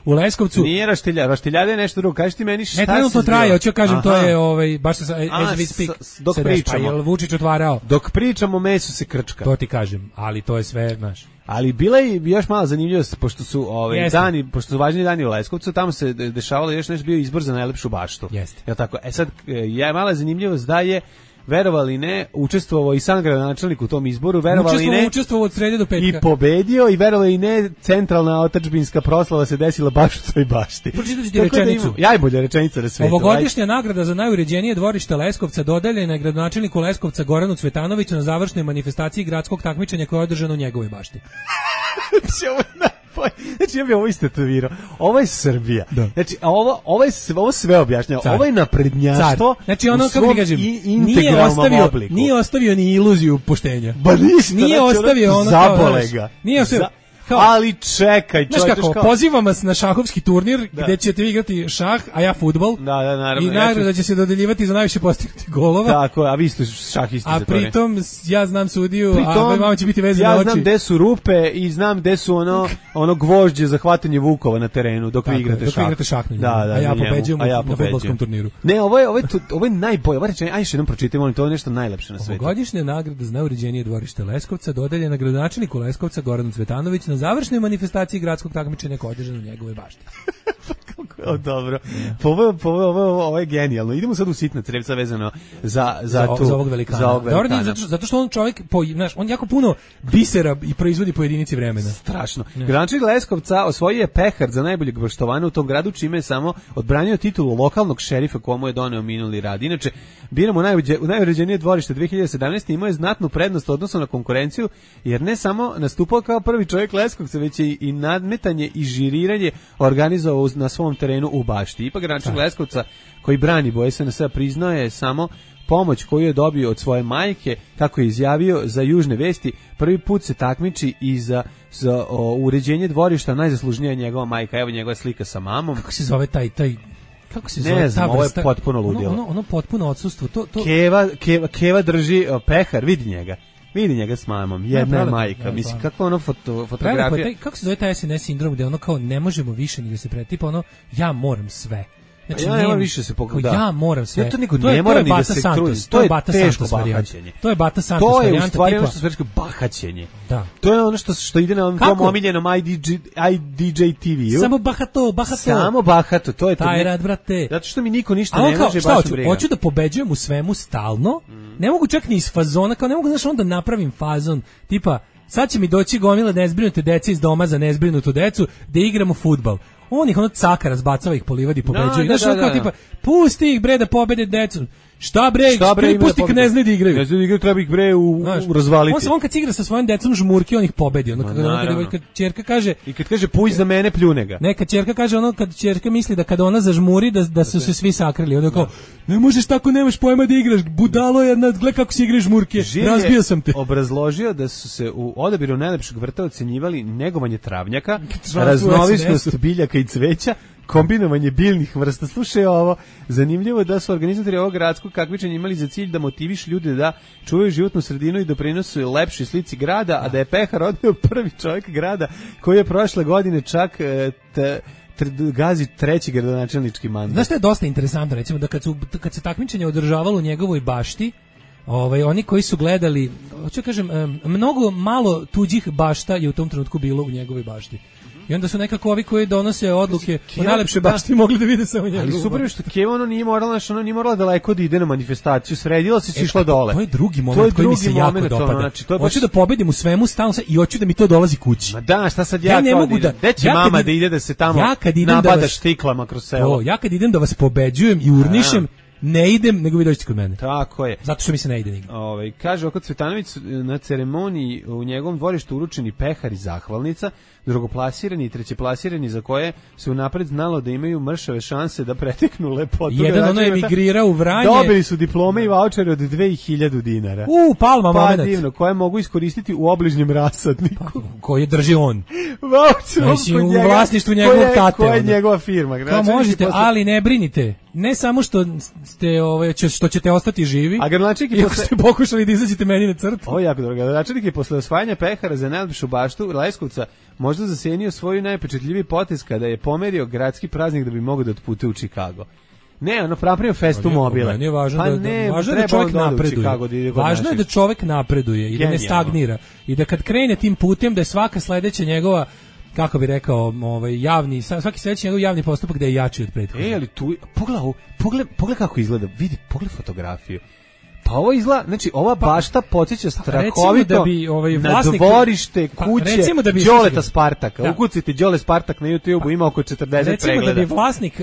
u Leskovcu. Nije roštiljada je nešto drugo, kaži ti meni šta se zbiva. Ne, trenutno traje, hoću kažem, to je, baš se as we speak, dok pričamo. Jel Vučić otvarao? Dok pričamo, meso se krčka. To ti kažem, ali to je sve, znaš. Ali bila je još malo zanimljivost, pošto su dani, pošto su važni dani u Leskovcu, tamo se dešavalo još nešto, bio izbor za najlepšu baštu. Jeste. Jel tako? Sad, mala zanimljivost da je, verovali ne, učestvovao i sam gradonačelnik u tom izboru, verovali ne, učestvovao od srede do petka. I pobedio, i verovali ne, centralna otadžbinska proslava se desila baš u toj bašti. Pročitajte ti rečenicu. Najbolja rečenica na svetu. Ovogodišnja nagrada za najuređenije dvorište Leskovca dodeljena je gradonačelniku Leskovca Goranu Cvetanoviću na završnoj manifestaciji gradskog takmičenja koje je održano u njegovoj bašti. Znači ja bih ovo istetovirao. Ovo je Srbija. Da. Znači ovo sve objašnjava. Ovo je naprednjaštvo. Znači ono kako ti kažem, nije ostavio ni iluziju poštenja. Ba ništa. Nije ostavio ono zabolega. Nije ostavio. Ali čekaj, pozivam vas na šahovski turnir gde ćete vi igrati šah, a ja fudbal. Da, naravno. I nagrada će se dodeljivati za najviše postignuti golova. Tako, a vi ste šahisti za to. A pritom ja znam sudiju, a vama će biti vezane oči. Ja znam gde su rupe i znam gde su ono gvožđe za hvatanje vukova na terenu dok vi igrate šah. Dok vi igrate šah na njemu. Da, a ja pobeđujem na fudbalskom turniru. Ne, ovo je najbolje. Ovo rečenje, ajde jednom pročitajmo, to je nešto najlepše na svetu. Ovogodišnja nagrada za najuređenije dvorište Leskovca dodeljena gradonačelniku Leskovca Goranu Cvetanoviću na završnoj manifestaciji gradskog takmičenja koje je održano u njegovoj bašti. Dobro. Ovo je genijalno. Idemo sad u sitna crevca vezano za ovog velikana. Zato što on čovjek, on jako puno bisera i proizvodi po jedinici vremena. Strašno. Gradonačelnik Leskovca osvojio je pehar za najboljeg baštovana u tom gradu, čime je samo odbranio titulu lokalnog šerifa komu je doneo minuli rad. Inače, biramo najuređenije dvorište 2017. Imao je znatnu prednost odnosno na konkurenciju, jer ne samo nastupao kao prvi čovjek Leskovca, već je i nadmetanje i žiriranje organizovao na svom terenu u bašti. Ipak gradonačelnik Leskovca, koji brani boje SNS, priznao je samo pomoć koju je dobio od svoje majke, kako je izjavio za Južne vesti, prvi put se takmiči i za uređenje dvorišta, najzaslužnija je njegova majka. Evo njegova slika sa mamom. Kako se zove taj kako se zove? Ne znam, ovo je potpuno ludilo. Ono potpuno odsustvo. Keva drži pehar, vidi njega s mamom, jedna je majka. Mislim, kako ono fotografija. Kako se zove taj SNS sindrom gde ono kao ne možemo više ni da se pretipa, ono ja moram sve. Znači, ja nema više se pogleda. Ja moram sve. To niko ne mora ni da se trudi. To je teško bahaćenje. To je Bata Santos varijanta. To je u stvari ono što se reče bahaćenje. Da. To je ono što ide na tom omiljenom IDJ TV-u. Samo bahato. Samo bahato, to je to. Taj rad, brate. Zato što mi niko ništa ne može baš briga. Hoću da pobeđujem u svemu stalno. Ne mogu čak ni iz fazona, kao ne mogu znaš onda napravim fazon, tipa sad će mi doći gomila nezbrinute dece iz doma za nezbrinutu decu da igramo fudbal. On ih caka razbacava ih po livadi pobeđuje. Znaš ono kao tipa pusti ih bre da pobede decu. Šta bre pusti kad ne znaju da igraju. Ne znaju da igraju, treba ih bre razvaliti. On kad igra sa svojim decom žmurki, on ih pobedi. Kad ćerka kaže i kad kaže puj za mene, pljune ga. Ne, kad ćerka kaže kad ćerka misli da kada ona zažmuri da su se svi sakrili. Onda kao ne možeš tako, nemaš pojma da igraš. Budalo jedna, gle kako se igraš žmurke. Razbio sam te. Obrazložio da su se u odabiru najlepšeg vrta ocenjivali negovanje travnjaka, raznovisnost biljaka i cveća, kombinovanje biljnih vrsta. Slušaj ovo, zanimljivo je da su organizatori ovog gradskog takmičenja imali za cilj da motivišu ljude da čuvaju životnu sredinu i doprinose lepšoj slici grada, a da je pehar odneo prvi čovjek grada koji je prošle godine čak gazi treći gradonačelnički mandat. Znaš što je dosta interesantno, recimo da kad se takmičenje održavalo u njegovoj bašti, oni koji su gledali, hoću kažem, mnogo malo tuđih bašta je u tom trenutku bilo u njegovoj bašti. I onda su nekako ovi koji donose odluke o najlepše bašti mogli da vide samo njegovu. Ali super što Keva nije morala daleko da ide na manifestaciju, sredila se i išla dole. To je drugi moment koji mi se jako dopada. Znači, hoću da pobedim u svemu stalno i hoću da mi to dolazi kući. Ma da, šta sad ja ne mogu da... Gde će mama da ide da se tamo nabada štiklama kroz selo? Ja kad idem da vas pobeđujem i urnišem, ne idem, nego vi dođete kod mene. Tako je. Zato što mi se ne ide nigde. Kaže Oko Cvetanović, na ceremoniji u njegovom dvorištu uručeni pehar i zahvalnica, drugoplasirani i trećeplasirani za koje se unapred znalo da imaju mršave šanse da preteknu lepotu. Jedan ono emigrirao u Vranje. Dobili su diplome i vaučere od 2000 dinara. Palma moment. Pa divno, koje mogu iskoristiti u obližnjem rasadniku. Koje drži on. Vaučer u vlasništvu njegovog tate. Koja je njegova firma. Kao možete, ali ne brinite. Ne samo što ćete ostati živi, a gradonačelnik iako ste pokušali da izađete meni na crtu. Ovo je jako dobro. Gradonačelnik je posle osvajanja pehara za najlepšu baštu Leskovca možda zasenio svoju najpečatljiviji potez kada je pomerio gradski praznik da bi mogao da otputuje u Chicago. Ne, ono napravio festu mobile. Nije važno da čovjek napreduje. Važno je da čovjek napreduje i da ne stagnira. I da kad krene tim putem da je svaka sledeća njegova, kako bi rekao, javni, svaki sledeći njegov javni postupak da je jači od prethodnog. Ali tu, pogledaj kako izgleda, vidi, pogledaj fotografiju. Pa ovo izgleda, znači ova bašta podsjeća strahovito da bi, vlasnik, na dvorište kuće Đoleta Spartaka. Ukucite Đole Spartak na YouTube-u, ima oko 40 pregleda. Recimo da bi vlasnik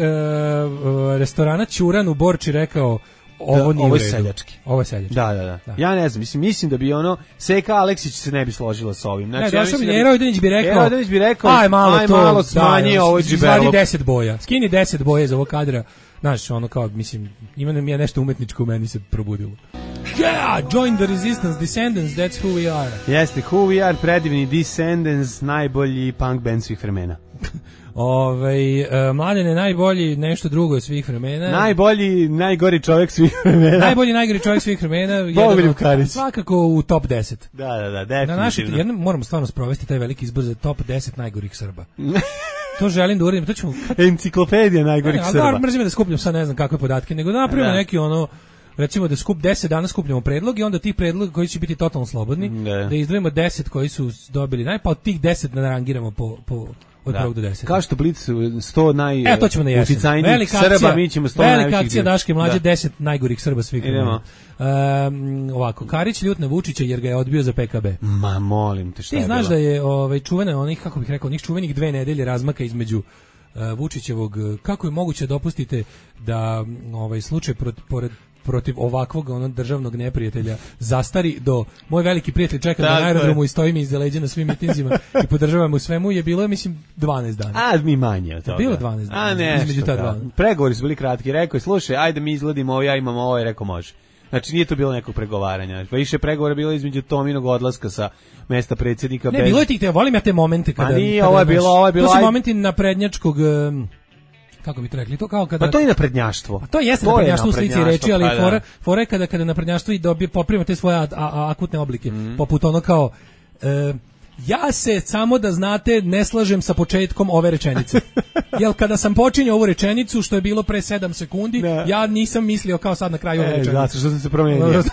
restorana Ćuran u Borči rekao ovo je seljački. Ovo je seljački. Da. Ja ne znam, mislim da bi Seka Aleksić se ne bi složila sa ovim. Znači, Ero Odinić bi rekao, aj malo smanji ovo džibelo. Izvadi 10 boja, skini 10 boja iz ovog kadra. Znaš, ono kao, mislim, ima nam je nešto umetničko u meni se probudilo. Yeah, join the resistance, Descendants, that's who we are. Jeste, who we are, predivni Descendants, najbolji punk band svih vremena. Mladene, najbolji nešto drugo od svih vremena. Najgori čovjek svih vremena. Najgori čovjek svih vremena. Bogoljub Karić. Svakako u top 10. Da, definitivno. Moramo stvarno sprovesti taj veliki izbor za top 10 najgorih Srba. To želim da uradim. Enciklopedija najgorih Srba. Mrzim da skupljam sad ne znam kakve podatke, nego da napravimo neki recimo da 10 dana skupljamo predlog i onda tih predloga koji će biti totalno slobodni, da izdvojimo 10 koji su dobili pa od tih 10 narangiramo po od 1 do 10. Kao što Blic 100 najuticajnijih Srba, mi ćemo 100 najvećih. Velika akcija Daške mlađe, 10 najgorih Srba svih. Idemo. Ovako, Karić ljut na Vučića jer ga je odbio za PKB. Ma molim te, šta je bilo? Ti znaš da je čuvena onih, kako bih rekao, onih čuvenih 2 nedelje razmaka između Vučićevog, kako je moguće dopustite da slučaj protiv ovakvog državnog neprijatelja zastari do moj veliki prijatelj čeka na aerodromu i stoji mi iza leđa na svim mitinzima i podržavam u svemu je bilo, mislim, 12 dana. A mi manje od toga. Bilo 12 dana. A ne, između ta dva. Pregovori su bili kratki. Rekao je, slušaj, ajde mi izgledimo ovo, ja imam ovo, i rekao može. Znači nije to bilo nekog pregovaranja. Pa više pregovora bilo između Tominog odlaska sa mesta predsjednika. Ne, bilo je tih, volim ja te momente kada. Pa nije, ovo je bilo. To su momenti naprednjačkog, kako bi to rekli, to kao kada. Pa to je naprednjaštvo. Pa to jeste naprednjaštvo u slici reči, ali fora je kada naprednjaštvo i dobije poprima te svoje akutne oblike, poput ono kao ja se, samo da znate, ne slažem sa početkom ove rečenice. Jel kada sam počinjao ovu rečenicu, što je bilo pre 7 sekundi, ja nisam mislio kao sad na kraju ove rečenice. Zato što sam se promenio.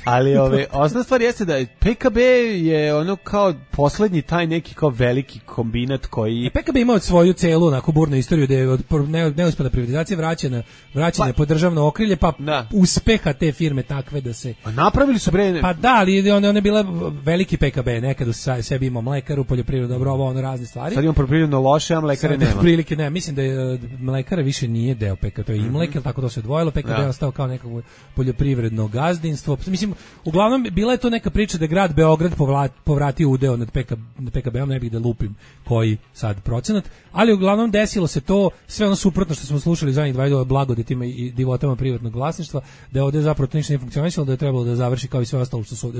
Ali osnovna stvar jeste da PKB je ono kao poslednji taj neki kao veliki kombinat koji... PKB ima od svoju celu onako burnu istoriju da je od neuspela privatizacija vraćene pod državno okrilje, pa uspeha te firme takve da se... A napravili su bre... Pa da, ali ona je bila veliki PKB, nekad u sebi imao mlekaru, poljoprivredu, dobro, ovo razne stvari. Sad imamo poljoprivredno loše, a mlekare nema. Prilike ne, mislim da je mlekara više nije deo PKB, to je Imlek, tako to se odvojilo, PKB je ostao kao nekako poljoprivredno gazdinstvo. Mislim, uglavnom bila je to neka priča da grad Beograd povratio udeo nad PKB-om, ne bih da lupim koji sad procenat, ali uglavnom desilo se to, sve ono suprotno što smo slušali zadnjih 2 godina blagodetima i divotama privatnog vlasništva, da je ovde zapravo to ništa nije funkcionisalo, da je trebalo da završi kao i sve ostalo što su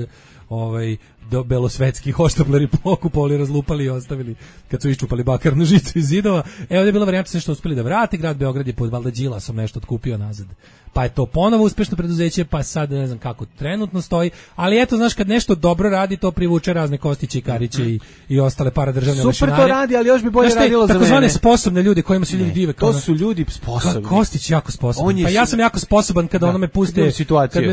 ovde do belosvetski hoštapleri pokupovali, razlupali i ostavili kad su iščupali bakarnu žicu iz zidova. Evo ovdje je bila varijanta što uspeli da vrate, grad Beograd je pod valjda Đilasom nešto otkupio nazad. Pa je to ponovo uspešno preduzeće, pa sad ne znam kako trenutno stoji, ali eto, znaš, kad nešto dobro radi, to privuče razne Kostiće i Kariće i ostale paradržavne mašinarije. Super to radi, ali još bi bolje radilo za mene. Takozvane sposobne ljudi kojima se ljudi dive. To su ljudi sposobni. Kostić jako sposoban. Pa ja sam jako sposoban kada ono me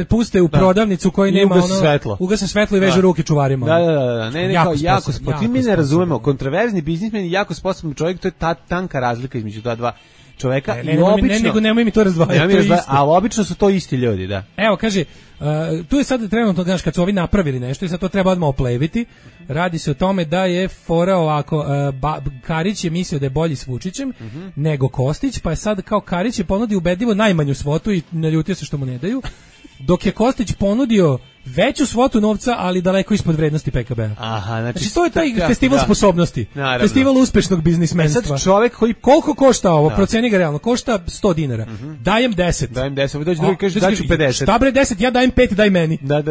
puste u prodavnicu koji nema ono... Ugase svetlo i veže ruke čuvarima. Da. Ne, jako sposoban. Mi ne razumemo, kontroverzni biznismen je jako sposoban čovjek, to je ta tanka razlika između ta dva čoveka. Nemoj mi to razdvajati. Ali obično su to isti ljudi, da. Evo, kaže, Tu je sad trenutno, znaš, kad su ovi napravili nešto i sad to treba odmah opleviti, radi se o tome da je fora ovako, Karić je mislio da je bolji s Vučićem nego Kostić, pa je sad kao Karić je ponudio ubedljivo najmanju svotu i naljutio se što mu ne daju, dok je Kostić ponudio veću svotu novca, ali daleko ispod vrednosti PKB-a. Aha, znači to je taj festival sposobnosti. Naravno. Festival uspešnog biznismenstva. Sad čovjek koji koliko košta ovo? Proceni ga realno. Košta 100 dinara. Dajem 10. Dajem 10. Dođe drugi kaže daću 50. Šta bre 10? Ja dajem 5, daj meni. Da.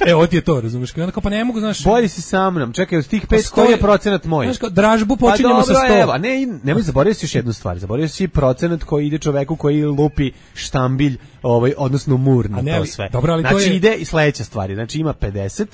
Evo ti je to, razumeš? Onda kao pa ne mogu, znaš. Bolji si sa mnom. Čekaj, od tih 5 koji je procenat moj? Znaš, kao dražbu počinjemo sa 100. Evo, nemoj zaboraviti još jednu stvar. Zaboravio si procenat koji ide čoveku koji lupi štambilj, odnosno mur na to sve. Dobro, ali znači to je... ide i sledeća stvar. Znači ima 50,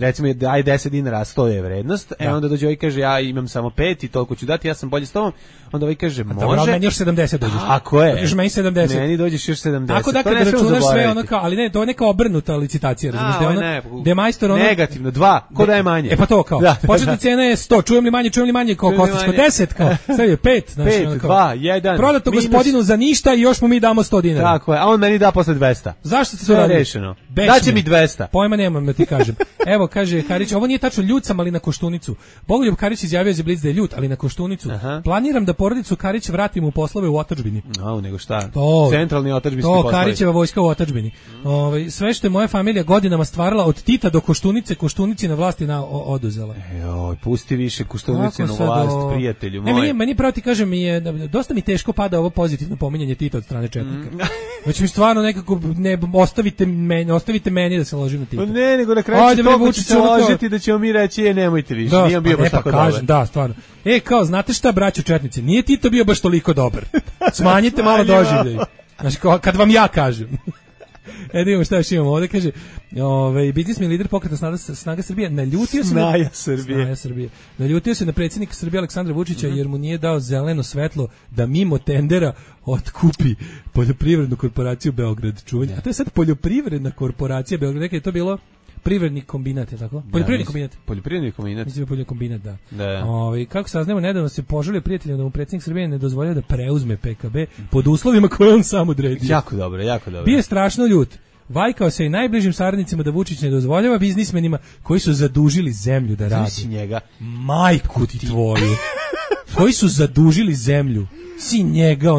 recimo daj 10 dinara, 100 je vrednost, onda dođe ovaj kaže ja imam samo 5 i toliko ću dati, ja sam bolje s tobom, onda ovaj kaže može. Dobro, meni još 70 dođeš. Ako je. Dođeš meni 70. Meni dođeš još 70. Tako da kada računaš sve ono kao, ali ne, to je neka obrnuta licitacija, razumiješ, da je ono, gde majstor ono... Negativno, 2, ko daje manje? Pa to kao, početna cena je 100, čujem li manje, kao Kostićko 10, kao, sve je 5, znači 5, 2, 1, prodato gospodinu za ništa i još mu mi damo 100 dinara. Tako je, a on meni da posle 200. Zašto se to radi? Rešeno. Daće mi 200. Pojma nemam da ti kažem. Evo, kaže Karić, ovo nije tačno, ljut sam, ali na Koštunicu. Bogoljub Karić izjavio za Blic da je ljut, ali na Koštunicu. Planiram da porodicu Karić vratim u poslove u otadžbini. Nego šta? To, centralni otadžbinski poslovi. To, Karićeva vojska u otadžbini. Sve što je moja familija godinama stvarala od Tita do Koštunice, Koštunici na vlasti oduzela. Joj, pusti više Koštunice na vlast, prijatelju moj. Meni pravo ti kažem, dosta mi teško pada ovo pozitivno pominjanje Tita od strane četnika. Znači mi stvarno nekako, ostavite meni da se ložim na Tita. Ne, nego na kraju će to se ložiti da ćemo mi reći, nemojte više, nije bio baš tako dobar. Da, stvarno. Kao, znate šta, braćo četnici, nije Tito bio baš toliko dobar. Smanjite malo doživljaj. Znači, kad vam ja kažem. Da imamo šta još imamo ovdje, kaže, biznismen lider pokreta Snaga Srbije naljutio se Snaga Srbije. Naljutio se na predsjednika Srbije Aleksandra Vučića jer mu nije dao zeleno svetlo da mimo tendera otkupi poljoprivrednu korporaciju Beograd. Čuvanje. A to je sad poljoprivredna korporacija Beograd. Nekaj je to bilo privredni kombinat, je tako? Poljoprivredni kombinat. Mislim poljoprivredni kombinat, da. Kako saznamo, nedavno se požalio prijateljima da mu predsjednik Srbije ne dozvoljava da preuzme PKB pod uslovima koje on sam odredio. Jako dobro. Bio je strašno ljut. Vajkao se i najbližim saradnicima da Vučić ne dozvoljava biznismenima koji su zadužili zemlju da radi. Znači njega. Majku ti tvoju. Koji su zadužili zemlju. Si njega,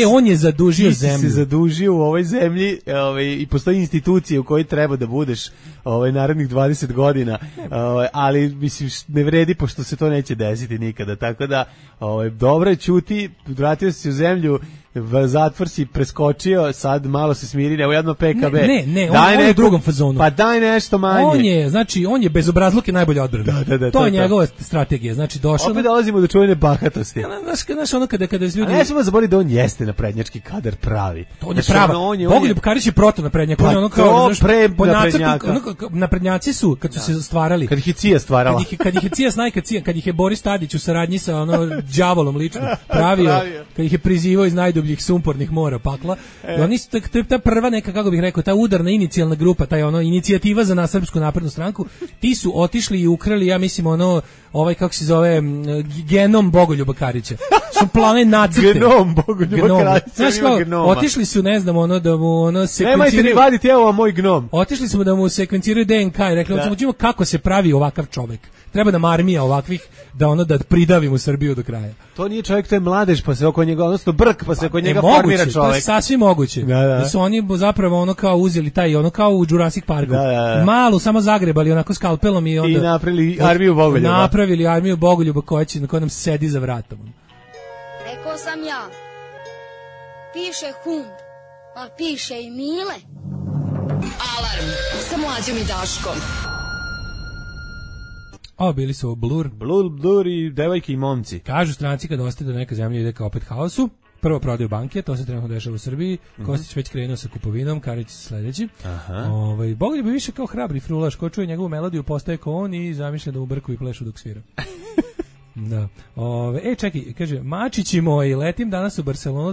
on je zadužio zemlju. Ti si se zadužio u ovoj zemlji i postoji institucije u kojoj treba da budeš narednih 20 godina, ali mislim ne vredi pošto se to neće desiti nikada, tako da dobro je ćuti, vratio si u zemlju, zatvor si preskočio, sad malo se smiri, evo jedno PKB. Ne, on je u drugom fazonu. Pa daj nešto manje. On je bezobrazluk i najbolja odbrana. To je njegova strategija, znači došao. Opet dolazimo do čuvene bahatosti. Znaš ono kada ljudi... A ne ćemo zaboraviti da on jeste naprednjački kadar pravi. To je prava. Bogoljub Karić je protonaprednjak. On je ono kao, po nacrtu, naprednjaci su, kad su se stvarali. Kad ih je CIA stvarala. Kad ih je CIA snajka CIA, kad ih je Boris Tadić u saradnji sa đavolom lično pravio, kad ih je prizivao iz najdubljih sumpornih mora pakla. I oni su ta prva neka, kako bih rekao, ta udarna inicijalna grupa, taj inicijativa za Srpsku naprednu stranku, ti su otišli i ukrali, ja mislim, kako se zove, genom Bogoljuba Karića. Su plane nacrte. Genom Bogoljuba Karića. Znaš kao, otišli su, ne znam, da mu sekvenciraju. Nemojte ni vaditi, evo moj gnom. Otišli smo da mu sekvenciraju DNK i rekli, ćemo kako se pravi ovakav čovek. Treba nam armija ovakvih da pridavimo Srbiju do kraja. To nije čovjek, to je mladež, pa se oko njega, odnosno brk, pa se oko njega formira čovjek. To je sasvim moguće. Da su oni zapravo kao uzeli taj, kao u Jurassic Parku. Malu, samo zagrebali onako skalpelom i onda... I napravili armiju Bogoljuba. Napravili armiju Bogoljuba koja nam sedi za vratom. Rekao sam ja, piše hum, pa piše i Mile. Alarm sa Mlađom i Daškom. Bili su Blur i devojke i momci. Kažu stranci kad ostaje do neka zemlja ide ka opet haosu. Prvo prodaju banke, to se trenutno dešava u Srbiji. Kostić već krenuo sa kupovinom, Karić sledeći. Bogoljub je više kao hrabri frulaš, ko čuje njegovu melodiju postaje kao on i zamišlja da mu brku i plešu dok svira. Da. Čekaj, kaže, mačići moji, letim danas u Barcelonu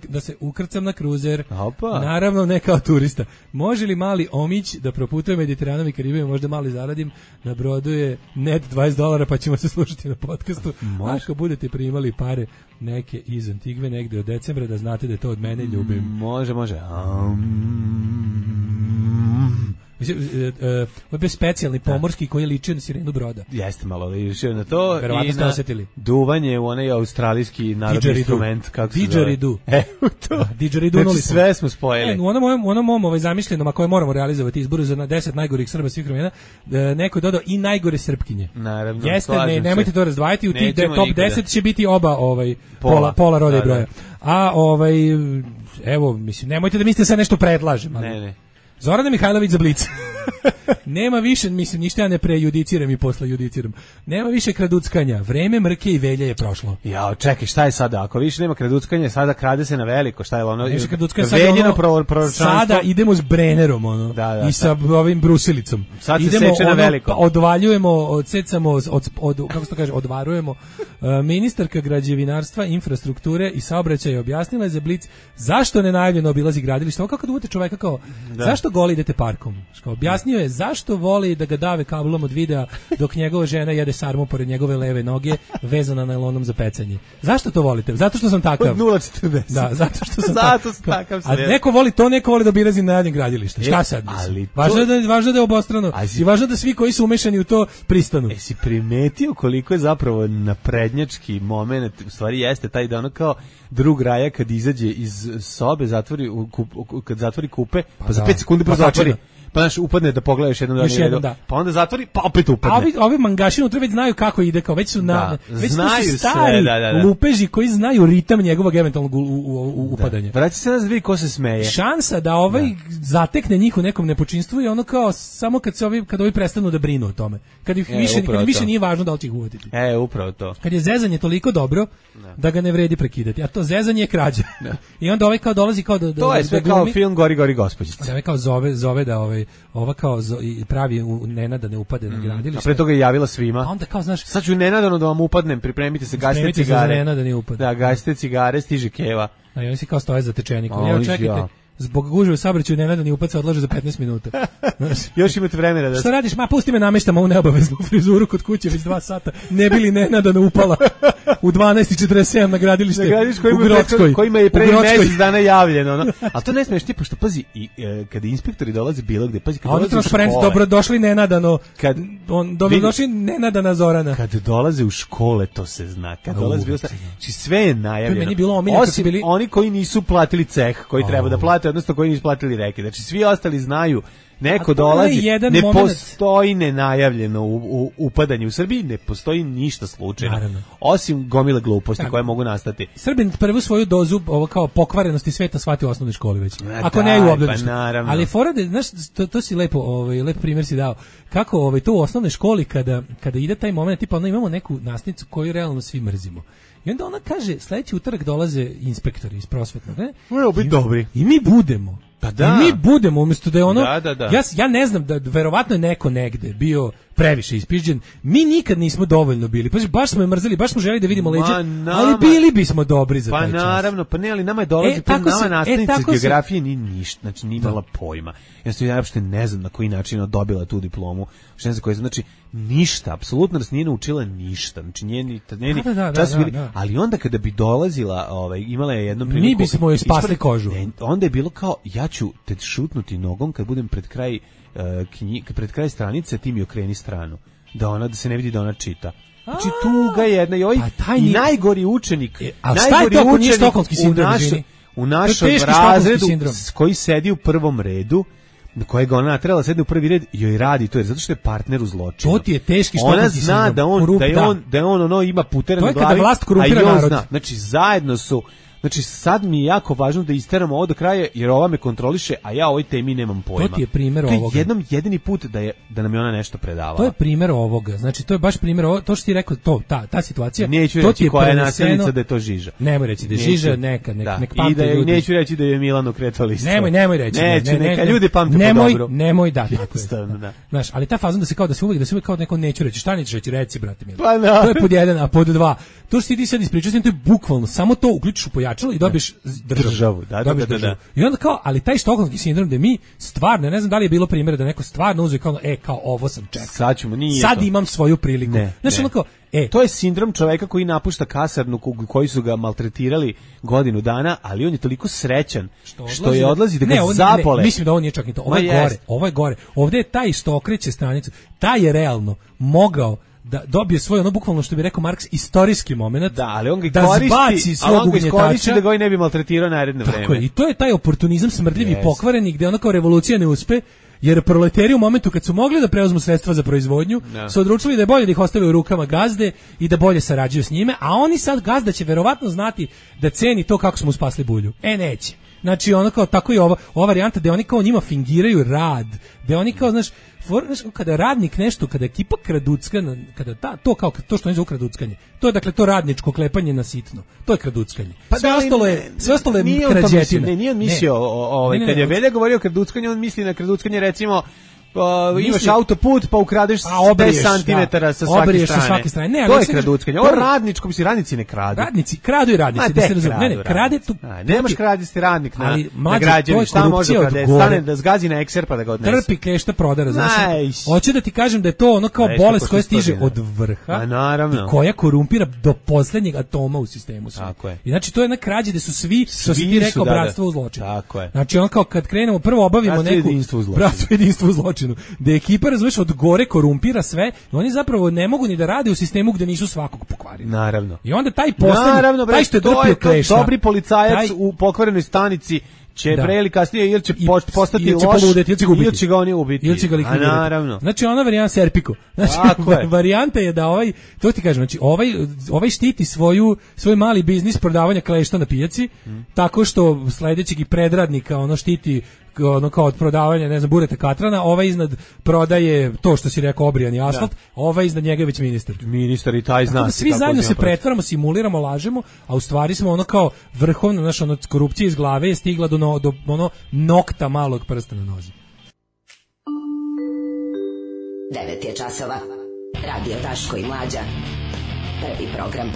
da se ukrcam na kruzer. Opa. Naravno, ne kao turista. Može li mali omić da proputuje Mediteranom i Karibijom, možda mali zaradim, na brodu je net $20, pa ćemo se slušati na podcastu. Ako budete primali pare neke iz Antigve negde od decembra, da znate da je to od mene, ljubim. Može. Ovo je bio specijalni pomorski koji je ličio na sirenu broda. Jeste malo ličio na to. Verovatno ste osetili. Duvanje u onaj australijski narodni instrument, kako se zove. Didgeridoo. To. Didgeridoo. Znači sve smo spojili. U onom mom zamišljenom, a koje moramo realizovati izboru za 10 najgorih Srba svih vremena, neko je dodao i najgore Srpkinje. Naravno. Jeste, nemojte to razdvajati, u tih top 10 će biti oba pola roda i broja. A evo, mislim, nemojte da mislite sad nešto predlažem. Ne. Zorana Mihajlović za Blic. Nema više, mislim, ništa ja ne prejudiciram i posle judiciram. Nema više kraduckanja. Vreme mrke i velje je prošlo. Ja, čekaj, šta je sada? Ako više nema kraduckanja, sada krade se na veliko. Šta je ono? Više kraduckanja, sada idemo s Brennerom, ono. Da, i sa ovim brusilicom. Sad se seče na veliko. Odvaljujemo, odsecamo, kako se to kaže, odvarujemo. Ministarka građevinarstva, infrastrukture i saobraćaja objasnila je za Blic zašto nenajavljeno obilazi gradilište. Ovo kako da uvete čoveka kao, zašto goli idete parkom? Objasnio je zašto voli da ga dave kablom od videa dok njegova žena jede sarmu pored njegove leve noge vezana najlonom za pecanje. Zašto to volite? Zato što sam takav. Od 0,40. Da, zato što sam takav. A neko voli to, neko voli da obilazi najavljeno gradilište. Šta sad? Važno da je obostrano. I važno da svi koji su umešani u to pristanu. Jesi primetio koliko je zapravo naprednjački moment, u stvari jeste taj da ono kao drug Raja kad izađe iz sobe, kad zatvori kupe, pa za 5 sekundi zatvori. Pa znaš, upadne da pogledaš jednom da. Pa onda zatvori, pa opet upadne. A ovi mangaši unutra već znaju kako ide, kao već su već znaju su stari lupeži koji znaju ritam njegovog eventualnog upadanja. Vraći se nas vidi ko se smeje. Šansa da zatekne njih u nekom nepočinstvu je ono kao samo kad ovi prestanu da brinu o tome. Kad ih više nije važno da li će ih uvoditi. Upravo to. Kad je zezanje toliko dobro da ga ne vredi prekidati, a to zezanje je krađa. I onda ovaj kao dolazi kao da to je sve kao film Gori gospođice. Da ovaj kao zove da ova kao pravi Nenada ne upade na gradilište. A pre toga je javila svima. A onda kao, znaš, sad ću nenadano da vam upadnem, pripremite se, gasite cigare. Nenada ne upade. Da, gasite cigare, stiže keva. A i oni se kao stoje za tečenikom. Evo, čekajte, zbog gužve u saobraćaju nenadani upad se odlaže za 15 minuta. Još imate vremena da... Šta radiš? Ma, pusti me, nameštam ovu neobaveznu frizuru kod kuće već 2 sata. Ne bi li nenadano upala u 12:47 na gradilište u Grockoj. Kojima je pre mjesec dana javljeno. No? Ali to ne smiješ ti, pošto pazi, kada inspektori dolaze bilo gde, pazi, kad dolaze u škole... Dobrodošli nenadano, dobrodošli nenadana Zorana. Kad dolaze u škole, to se zna. Kad dolaze bilo... Znači, sve je najavljeno. Osim oni koji nisu platili ceh, koji treba da plate, odnosno koji nisu platili reke. Znači, svi ostali znaju, neko dolazi, ne postoji nenajavljeno upadanje u Srbiji, ne postoji ništa slučajno. Naravno. Osim gomile gluposti koje mogu nastati. Srbin prvu svoju dozu ovo kao pokvarenosti sveta shvati u osnovnoj školi već. Ako ne i u obdaništu. Ali forade, znaš, to si lepo primjer si dao. Kako to u osnovnoj školi kada ide taj moment, tipa ono imamo neku nastavnicu koju realno svi mrzimo. I onda ona kaže, sledeći utorak dolaze inspektori iz prosvetnog, ne? Moramo biti dobri. I mi budemo. Pa da. I mi budemo, umjesto da je ono... Da. Ja ne znam, da verovatno je neko negde bio previše ispižđen. Mi nikad nismo dovoljno bili. Pa baš smo je mrzeli, baš smo želi da vidimo leđe, ali bili bismo dobri za taj čas. Pa naravno, pa ne, ali nama je dolazi, nama nastavnica geografije ni ništa, znači nije imala pojma. Ja uopšte ne znam na koji način dobila tu diplomu. Znači, ništa, apsolutno nas nije naučila ništa. Znači, ali onda kada bi dolazila, imala je jednom priliku... Mi bismo joj spasli kožu. Onda je bilo kao, ja ću te šutnuti nogom kad budem pred kraj stranice, ti mi okreni stranu. Da se ne vidi da ona čita. Znači, tuga jedna i najgori učenik. A šta je to ako nije štokholmski sindrom? U našem razredu koji sedi u prvom redu, na kojega ona trebala sedne u prvi red, joj radi to, jer zato što je partner u zločinu. To ti je teški štokholmski sindrom. Ona zna da on ima putere na glavi, a i on zna. Znači, zajedno su... Znači, sad mi je jako važno da isteramo ovo do kraja, jer ova me kontroliše, a ja o ovoj temi nemam pojma. To ti je primjer ovoga. To je jedini put da nam je ona nešto predavala. To je primjer ovoga. Znači, to je baš primjer ovoga. To što ti rekao, ta situacija. Neću reći koja je nastavnica da je to Žiža. Nemoj reći da je Žiža, nek pamte ljudi. I neću reći da je Milano Kretolistvo. Nemoj reći. Neka ljudi pamte po dobro. Nemoj da. Znaš, ali ta fazon da se uvijek kao neko neću reći. Šta nećeš reći, reci, brate mili. To je pod 1, a pod 2. To što ti sad ispričaš, to je bukvalno samo to uključiš u računalo i dobiješ državu. Da. I onda kao, ali taj štokholmski sindrom da mi stvarno, ne znam da li je bilo primjera da neko stvarno uzeo kao ovo sam čekao. Sad imam svoju priliku. Znaš, ono kao, to je sindrom čoveka koji napušta kasarnu koji su ga maltretirali godinu dana, ali on je toliko srećan što je odlazi da ga zapole. Mislim da on nije čak ni to. Ovo je gore. Ovde je taj što okreće stranicu. Taj je realno mogao da dobije svoj, ono bukvalno što bi rekao Marks, istorijski moment, ali on ga zbaci svog ugnjetača, da ga ne bi maltretirao naredno vreme. Tako je, i to je taj oportunizam smrdljivi i pokvareni, gde ono kao revolucija ne uspe, jer proletari u momentu kad su mogli da preuzmu sredstva za proizvodnju, su odlučili da je bolje da ih ostave u rukama gazde i da bolje sarađuju s njime, a oni sad, gazda će verovatno znati da ceni to kako smo mu spasli bulju. Neće. Znači, ono kao, tako je ova varijanta gde oni kao njima fingiraju rad, gde oni kao, znaš, kada radnik nešto, kada ekipa kraducka, kada to što oni zovu kraduckanje, to je dakle to radničko klepanje na sitno, to je kraduckanje. Sve ostalo je krađetina. Nije on mislio, kad je Velja govorio o kraduckanju, on misli na kraduckanje, recimo, imaš autoput pa ukradeš 10 cm sa svake strane. Ne, to je kraduckanje. Ovo radničko, misli, radnici ne kradu. Radnici kradu i radnici, da se razume. Ne, krade tu. Nemaš kradisti radnik na građevini, šta može da krade? Stane da zgazi na ekser pa da ga odnese. Trpi klešta prodara, znaš. Hoću da ti kažem da je to ono kao bolest koja stiže od vrha i koja korumpira do poslednjeg atoma u sistemu. I znači to je jedna krađa gde su svi, što si ti rekao, bratstvo u zločinu. Znači ono kao kad krenemo, prvo obavimo neku bratstvo jedinstvo u zločinu. Da ekipa, razumeš, od gore korumpira sve, i oni zapravo ne mogu ni da rade u sistemu gde nisu svakog pokvarili. Naravno. I onda taj poslednji, taj što je drpio klešta, dobri policajac u pokvarenoj stanici će pre ili kasnije ili će postati loš, ili će ga oni ubiti. Ili će ga likvidirati. Naravno. Znači ona varijanta Serpico. Znači varijanta je da to ti kažem, znači ovaj štiti svoj mali biznis prodavanja klešta na pijaci, tako što sledećeg i predradnika ono štiti ono kao od prodavanja, ne znam, bureta katrana, ovaj iznad prodaje to što si rekao, obrijani asfalt, ovaj iznad njega je već ministar i taj zna. Svi zajedno se pretvaramo, simuliramo, lažemo, a u stvari smo ono kao vrhovno, znaš, ono korupcija iz glave je stigla do ono nokta malog prsta na nozi. 9 je časova. Radio Daško i Mlađa. Prvi program.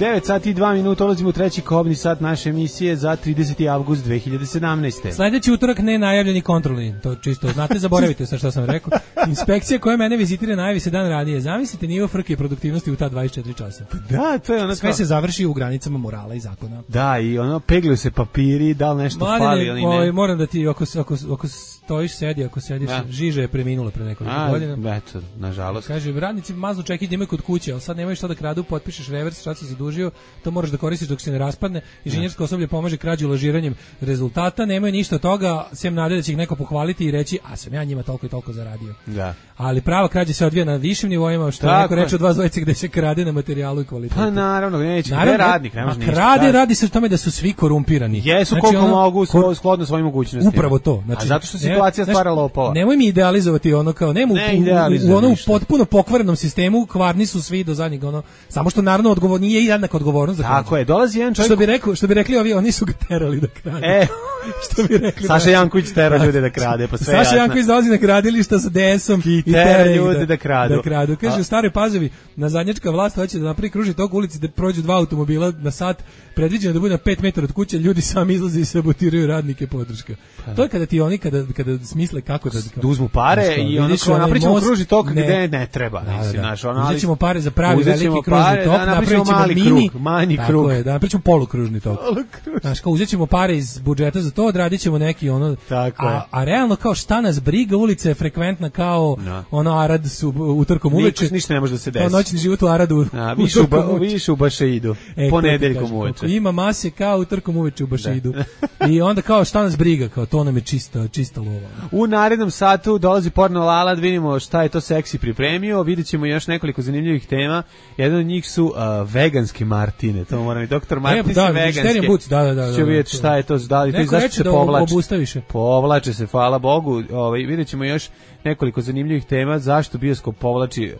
9 sati i 2 minuta, ulazimo u treći kobni sat naše emisije za 30. avgust 2017. Sljedeći utorak nenajavljeni kontrolni, to čisto znate, zaboravite sa što sam rekao. Inspekcija koja mene vizitira najavi se dan ranije. Zamislite nivo frke i produktivnosti u ta 24 časa. Da, to je ono sve se završi u granicama morala i zakona. Da, i ono pegljuju se papiri, da li nešto fali ili ne. Moram da ti, ako stojiš, ako sediš, Žiža je preminula pre nekoliko godina. Eto, nažalost. Kaže, radnici maznu čekić imaju kod kuće, ali sad nemaju što da kradu, potpišeš revers, šta si zadužio, to moraš da koristiš dok se ne raspadne. Inženjersko osoblje pomaže krađu lažiranjem rezultata, nemaju ništa od toga, sem nade da će ih neko pohvaliti i reći, a sam ja njima toliko i toliko zaradio. Da. Ali prava krađa se odvija na višim nivoima, što je neko reče od vas dvojice, gde se krade na materijalu i kvalitetu. Pa naravno, neće, gde radnik, ne može ništa. Radi se o tome da su svi korumpirani. Jesu, znači, koliko mogu, shodno svojim mogućnostima. Upravo to. Znači, a zato što situacija stvara lopova. Nemoj mi idealizovati ono kao, u onom potpuno pokvarenom sistemu, kvarni su svi do zadnjeg, ono, samo što naravno odgovor nije jednaka odgovornost za krađu. Tako je, dolazi jedan čovjek. Što bi rekli oni su ga terali da krade. Što bi rekli. Saša Janković tera ljude da krade, pa sve jasno. Saša Janković dolazi na gradilišta sa DS-om i tera ljude da kradu. Kaže, u Staroj Pazovi nazadnjačka vlast hoće da napravi kružni tok ulici da prođu 2 automobila na sat, predviđeno da bude na 5 metara od kuće, ljudi sami izlaze i sabotiraju radnike podrška. To je kada ti oni kada smisle kako da uzmu pare i ono kao napričamo kružni tok gde ne treba. Uzećemo pare za pravi veliki kružni tok, napravićemo manji krug. Tako je, da napričamo polukružni tok. Znaš, kao uzećemo pare iz budžeta za to, odradićemo neki ono, a realno kao šta nas briga, ulica je frekventna kao ono Arad su utorkom uveče. Ništa ne može da se desi. Kao noćni život u Aradu. Više u Bašeidu, ponedeljkom uveče. Ima mase kao utorkom uveče u Bašeidu. I onda kao šta nas briga, kao to nam je čista lova. U narednom satu dolazi Porno Lala, da vidimo šta je to seksi pripremio, vidjet ćemo još nekoliko zanimljivih tema. Jedan od njih su veganske Martine, to moram i doktor Martin se veganske. Da. Će vidjeti šta je to, da li to i zašto se povlače. Povlače se, hvala Bogu. Vidjet ćemo još nekoliko zanimljivih tema, zašto bioskop povlači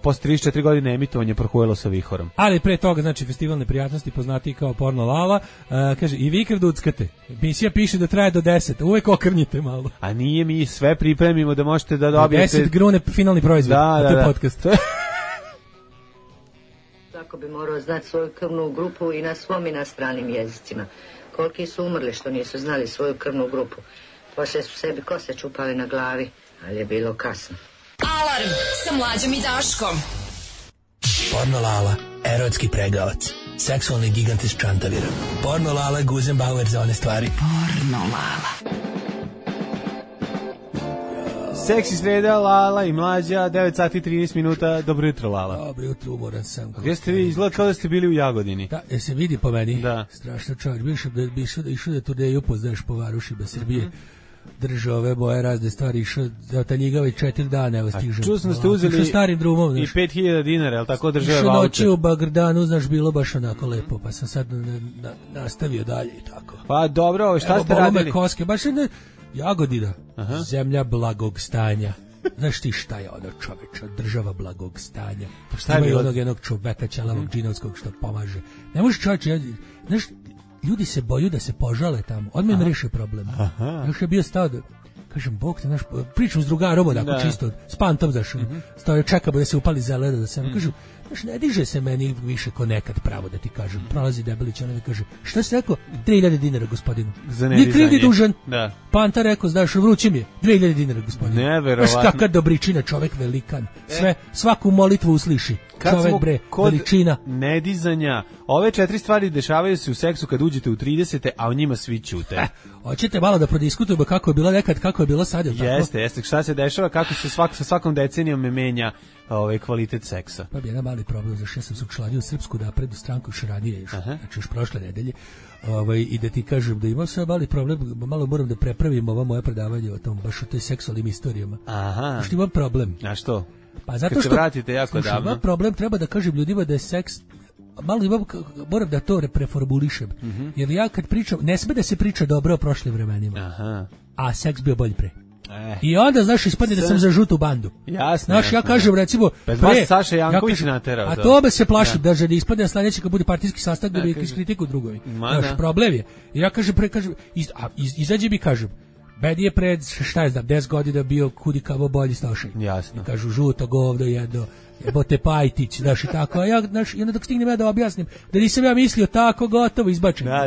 posle 34 godine emitovanja Prohuelo sa vihorom. Ali pre toga, znači, festival neprijatnosti poznatiji kao Porno Lala, kaže, i vi kraduckate. Emisija piše da traje do 10, uvek okrnjite malo. A nije, mi sve pripremimo da možete da dobijete... 10 grune finalni proizvod, a to je podcast. Svako bi morao znati svoju krvnu grupu i na svom i na stranim jezicima. Koliki su umrli što nisu znali svoju krvnu grupu. Poslije su sebi kose čupali na glavi, ali je bilo kasno. Alarm sa Mlađom i Daškom. Porno Lala, erotski pregavac. Seksualni gigant iz Čantavira. Porno Lala, Guzenbauer za one stvari. Porno Lala. Seksi sreda, Lala i Mlađa, 9 sati 13 minuta. Dobro jutro, Lala. Dobro jutro, umoran sam. Gdje ste vi? Izgleda kao da ste bili u Jagodini. Da, se vidi po meni. Da. Strašno čovjek. Bi išao da turneju upoznaš po varušima Srbije. Držao ove boje razne stvari, išao da taljigava 4 dana, evo stižem. Čuo sam da ste uzeli starim drumom, i 5.000 dinara, je li tako države vaučer? Išao noći u Bagrdanu, znaš, bilo baš onako lepo, pa sam sad nastavio dalje i tako. Pa dobro, šta ste radili? Koske, baš Jagodina, zemlja blagog stanja. Znaš ti šta je ono, čoveče, država blagog stanja. Pa šta je bilo? Onog jednog čoveka ćelavog džinovskog što pomaže. Ne možeš čoveče, znaš, ljudi se boju da se požale tamo. Odmah im reše problem. Još je bio stao da, kažem, Bog te, znaš, pričam s drugarom, onako čisto, s pantom, znaš, stao je čekamo da se upali zelena, da se, kažu, znaš, ne diže se meni više ko nekad, pravo da ti kažem. Prolazi Debelić, ona mi kaže, šta si rekao? 3.000 dinara, gospodinu. Ni kriv ni dužan. Da. Panta rekao, znaš, vrući mi je 2.000 dinara, gospodinu. Neverovatno. Znaš, kakva dobričina, čovek velikan. Svaku molitvu usliši. Čovek, bre, veličina. Nedizanja. Ove 4 stvari dešavaju se u seksu kad uđete u 30. a o njima svi ćute. Hoćete malo da prodiskutujemo kako je bilo nekad, kako je bilo sad, je li tako? Jeste. Šta se dešava, kako se sa svakom decenijom menja kvalitet seksa. Pa bi jedan mali problem, zašto ja sam se učlanio u Srpsku naprednu stranku još ranije, znači još prošle nedelje. I da ti kažem da imam sve mali problem, malo moram da prepravim ovo moje predavanje o tom, baš o toj seksualnim istorijama. Aha. Što imam problem. A što? Pa zato kad što se vratite jako davno. Imam problem, treba da kažem ljudima da je seks, malo moram da to preformulišem. Jer ja kad pričam, ne sme da se priča dobro o prošlim vremenima. A seks bio bolji pre. I onda, znaš, ispadne da sam za žutu bandu. Jasno. Znaš, ja kažem, recimo, vas Saša Janković naterao. A to me se plašim, da ne ispadne na sledeći kad bude partijski sastanak da bi iskritikuju drugovi. Znaš, problem je. I ja kažem, izađe mi kažem, meni je pred, šta je znam, 10 godina bio kudikavo bolji Stošaj. Jasno. I kažu, žuto govno jedno, jebote Pajtić, znaš, i tako. A ja, znaš, i onda dok stignem ja da objasnim, da nisam ja mislio tako, gotovo, izbačen. Da,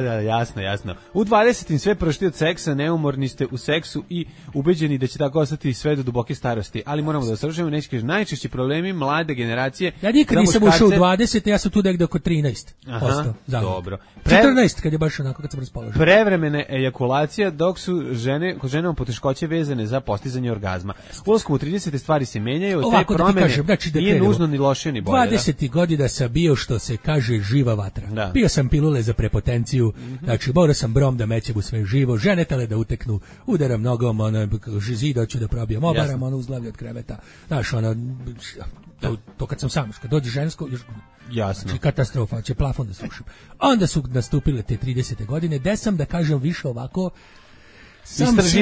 jasno. U 20. sve prošli od seksa, neumorni ste u seksu i ubeđeni da će tako ostati sve do duboke starosti. Ali moramo da osvršujemo, neći kaže, najčešći problemi mlade generacije. Ja nikad nisam ušao u 20, ja sam tu negde oko 13%. Dobro. 14 kad je baš onako, kad sam raspoložen. Prevremene ejakulacija, dok su kod ženama poteškoće vezane za postizanje orgazma. Ulaskom u 30. stvari se menjaju, te promene nužno ni loše ni bolje. 20 godina sam bio, što se kaže, živa vatra. Da. Pio sam pilule za prepotenciju, znači morao sam brom da mećem u sve živo, žene tele da uteknu, udaram nogom, zid hoću da probijam, obaram uzglavlje od kreveta. Znaš, to kad sam sam, kad dođe žensko, jasno. Znači katastrofa, će plafon da srušim. Onda su nastupile te 30. godine, gde sam, da kažem, više ovako,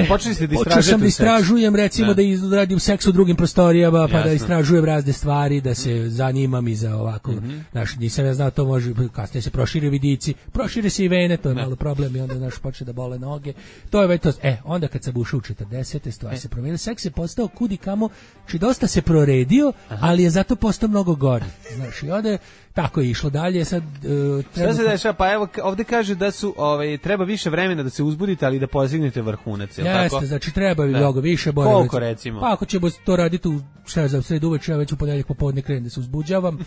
počeli ste da istražujete. Počeo sam da istražujem, recimo da izradim seks u drugim prostorijama, pa da istražujem razne stvari, da se zanimam i za ovako, znaš, nisam ja znao, to može, kasnije se prošire vidici, prošire se i vene, to je malo problem i onda, znaš, počne da bole noge, to je već to, onda kad sam ušao u 40. stvari se promenili, seks je postao kudikamo, či dosta se proredio, ali je zato postao mnogo gori, znaš, i onda tako je išlo dalje, sad šta se dešava? Pa evo, ovde kaže da su treba više vremena da se uzbudite, ali da postignete vrhunac, je li tako? Jeste, znači treba bi mnogo više. Koliko recimo? Pa ako ćemo to raditi u, šta je za sredu uveče, ja već u ponedjeljak popodne krenem da se uzbuđavam,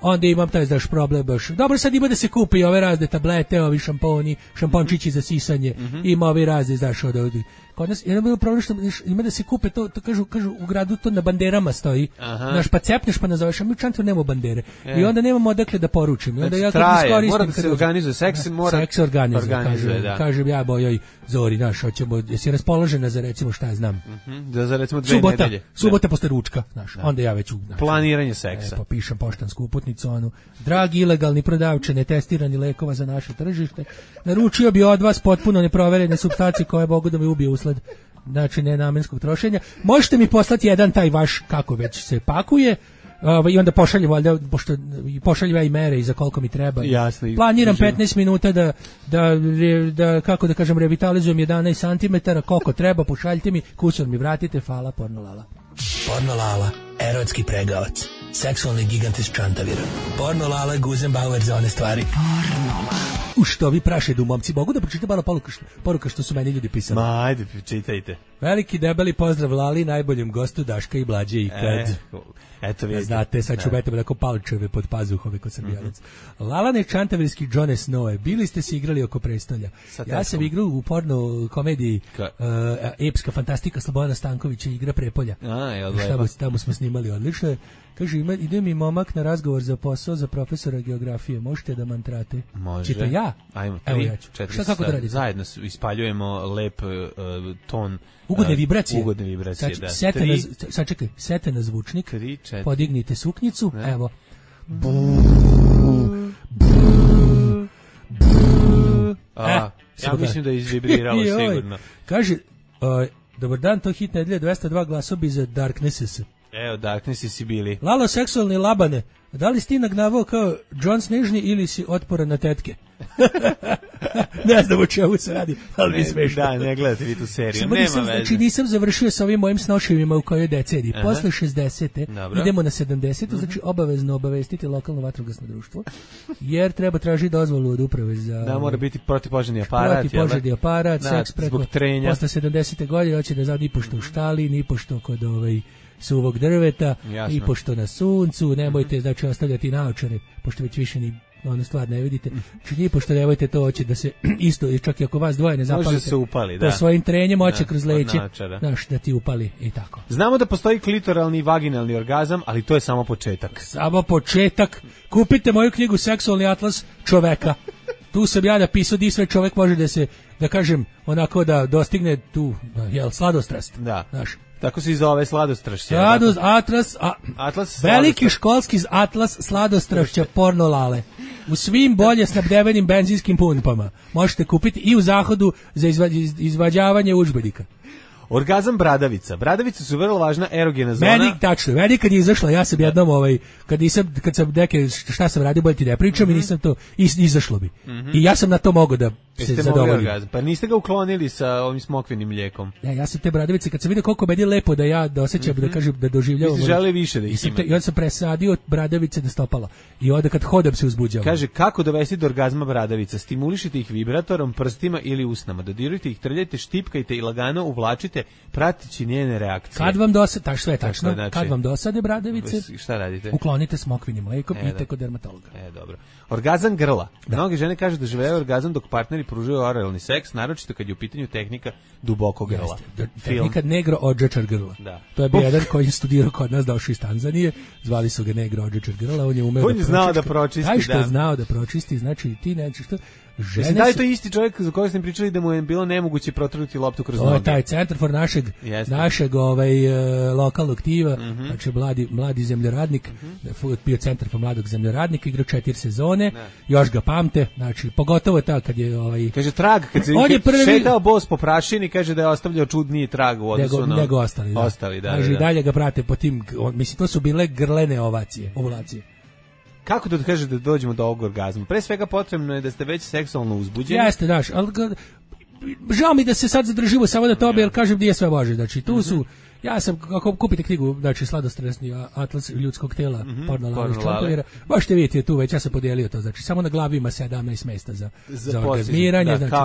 onda imam taj, znaš, problem baš. Dobro, sad ima da se kupi ove razne tablete, ovi šamponi, šampončići za sisanje, ima ovi razne, znaš, ovdje. Kod nas je bilo problem što ima da se kupe to kažu u gradu, to na banderama stoji. Znaš, pa cepneš pa nazoveš, a mi u Čantru nemamo bandere. I onda nemamo odakle da poručim. I onda ja kad iskoristim, mora da se organizuje seks, organizuje. Kažem ja bojoj Zori, znaš, hoćemo, jesi raspoložena za, recimo, šta ja znam. Za recimo 2 nedelje. Subota posle ručka, znaš. Onda ja već planiranje seksa. Pa pišem poštansku uputnicu, dragi ilegalni prodavče netestirani lekova za naše tržište, naručio bi od vas potpuno neproverene supstance koje mogu da me ubiju usled, znači, nenamenskog trošenja. Možete mi poslati jedan taj vaš, kako već se pakuje, i onda pošaljem, valjda, pošto pošaljem ja i mere i za koliko mi treba. Jasno, planiram 15 minuta da kako da kažem, revitalizujem 11 cm, koliko treba, pošaljite mi, kusur mi vratite, hvala, Porno Lala. Porno Lala, erotski pregavac. seksualni gigant iz Čantavira. Porno Lala, Guzenbauer za one stvari. U što vi prašedu, momci, mogu da pročitam malo poruka što su meni ljudi pisali? Ma, ajde, čitajte. Veliki debeli pozdrav Lali, najboljem gostu Daška i Mlađe ikad. Eto vidite. Znate, sad ću metamo tako palčeve pod pazuhove kod Srbijanac. Lalane Čantavirski Johne Snowe, bili ste se igrali oko prestolja. Ja sam igrao u porno komediji epska fantastika Slobodana Stankovića, igra Prepolja. Tamo smo snimali odlično. Kaže, ide mi momak na razgovor za posao za profesora geografije. Možete da mantrate? Može. Čito ja? Ajmo, 3, 4, šta kako da radite? Zajedno ispaljujemo lep ton. Ugodne vibracije. Ugodne vibracije, da. Sad čekaj, sete na zvučnik. 3, 4. Podignite suknjicu, evo. Ja mislim da je izvibriralo sigurno. Kaže, dobar dan, to hit nedelje, 202 glasobi za Darknesses. Evo, Darknessi si bili. Lalo, seksualni labane, da li si ti nagnavao kao John Snežni ili si otporan na tetke? Ne znam o čemu se radi, ali mi smešno. Da, ne gledate vi tu seriju, nema veze. Znači, nisam završio sa ovim mojim snoševima u kojoj deceniji. Posle 60. idemo na 70. Znači, obavezno obavestiti lokalno vatrogasno društvo, jer treba tražiti dozvolu od uprave za... Da, mora biti protivpožarni aparat. Protivpožarni aparat, seks preko... Zbog trenja. Posle 70. godine hoće da ni pošto u štali, ni pošto kod suvog drveta, i pošto na suncu, nemojte znači ostavljati naočare, pošto već više ni onu stvar ne vidite. Znači nije pošto nemojte to hoće da se isto, čak i ako vas dvoje ne zapalite, se upali, da. To svojim trenjem hoće kroz leće, znaš, da ti upali i tako. Znamo da postoji klitoralni i vaginalni orgazam, ali to je samo početak. Samo početak. Kupite moju knjigu Seksualni atlas čoveka. Tu sam ja napisao di sve čovek može da se, da kažem, onako da dostigne tu, sladostrast. Da. Znaš. Tako se i zove sladostrašće. Atlas veliki školski atlas sladostrašća porno Lale. U svim bolje snabdevenim benzinskim pumpama. Možete kupiti i u Zahodu za izvađavanje udžbenika. Orgazam bradavica. Bradavice su vrlo važna erogena zona. Meni kad je izašla, ja sam jednom kad sam neke, šta sam radio, bolje ti ne pričam i nisam to, izašlo bi. I ja sam na to mogao da se zadovoljim. Pa niste ga uklonili sa ovim smokvinim mlijekom? Ne, ja sam te bradavice, kad sam vidio koliko meni je lepo da osjećam, da kažem, da doživljavam. Vi ste želi više da ih ima. I onda sam presadio bradavice na stopala. I onda kad hodam se uzbuđavam. Kaže, kako dovesti do orgazma bradavica? Stimulišite ih vibratorom, prstima ili usnama. Dodirujte ih, trljajte, štipkajte i lagano uvlačite, pratići njene reakcije. Kad vam dosade, sve tačno, znači, kad vam dosade bradavice, šta radite? Uklonite smokvinim mlekom i idete kod dermatologa. Dobro. Orgazam grla. Mnoge žene kažu da žele orgazam dok partneri pružaju oralni seks, naročito kad je u pitanju tehnika duboko grla. Tehnika negro odžečar grla. Da. To je bio jedan koji je studirao kod nas, došao iz Tanzanije, zvali su ga negro odžečar grla, on je umeo da znao da pročisti. Taj što je znao da pročisti, znači ti nećeš što... Mislim, da je to isti čovjek za kojeg ste pričali da mu je bilo nemoguće protrnuti loptu kroz noge. To je taj centar for našeg lokalnog tiva, znači mladi zemljoradnik, bio centar for mladog zemljoradnika, igrao 4 sezone, još ga pamte, znači pogotovo ta kad je kaže trag, kad se šetao bos po prašini, kaže da je ostavljao čudniji trag u odnosu na nego ostali. Kaže dalje ga prate po tim, mislim to su bile grlene ovulacije. Kako da kaže da dođemo do ovog orgazma? Pre svega potrebno je da ste već seksualno uzbuđeni. Jeste, daš, ali žao mi da se sad zadržimo samo na tome, jer kažem nije sve važno. Znači, tu su, ja sam, ako kupite knjigu, znači, sladostresni atlas ljudskog tela, porno Lale iz Čantavira, možete vidjeti tu već, ja sam podijelio to, znači, samo na glavi ima 17 mesta za orgazmiranje, znači,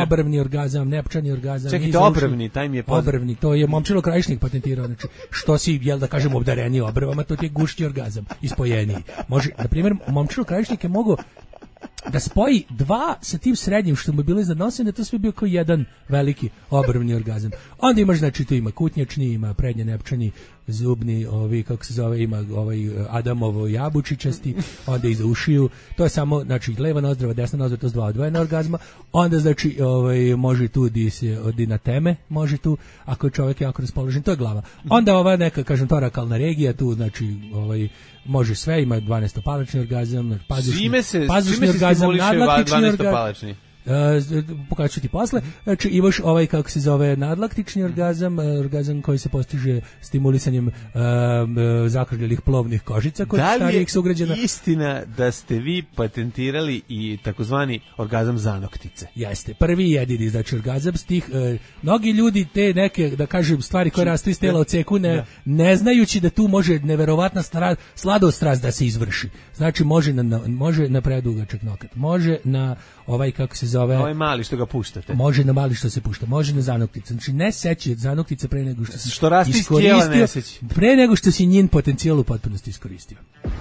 obrvni orgazam, nepčani orgazam. Čekajte, obrvni, taj mi je poznat. Obrvni, to je Momčilo Krajišnik patentirao, znači, što si, da kažem, obdareniji obrvama, to ti je gušći orgazam, ispojeniji. Može, na primjer, Momčilo Krajišnik je mogao da spoji 2 sa tim srednjim što mu je bilo iznad nosa, da to sve bio kao jedan veliki obrvni orgazam. Onda imaš, znači, tu ima kutnjačni, ima prednje nepčani, zubni, kako se zove, ima Adamovo jabučičasti, onda iza ušiju, to je samo, znači, leva nozdrava, desna nozdrava, to su 2 odvojena orgazma, onda, znači, može tu di na teme, može tu, ako je čovjek jako raspoložen, to je glava. Onda ova neka, kažem, torakalna regija, tu, znači, može sve, ima 12-palačni orgazam, pazušni orgazam, nadmlatnični orgazam. pokazat ću ti posle. Znači imaš ovaj, kako se zove, nadlaktični orgazam, orgazam koji se postiže stimulisanjem zakrljelih plovnih kožica kod starijih sugrađana. Da li je istina da ste vi patentirali i takozvani orgazam zanoktice? Jeste, prvi i jedini, znači orgazam stih, mnogi ljudi te neke, da kažem, stvari koje rastu iz tela odseku, ne znajući da tu može neverovatna sladostrast da se izvrši. Znači može na predugačak nokat, može na ovaj, kako se zove, ovaj mali što ga puštate, može na mali što se pušta, može na zanoktice, znači ne seći od zanoktice pre nego što si raste iz tijela, ne seći, pre nego što si njen potencijal u potpunosti iskoristio.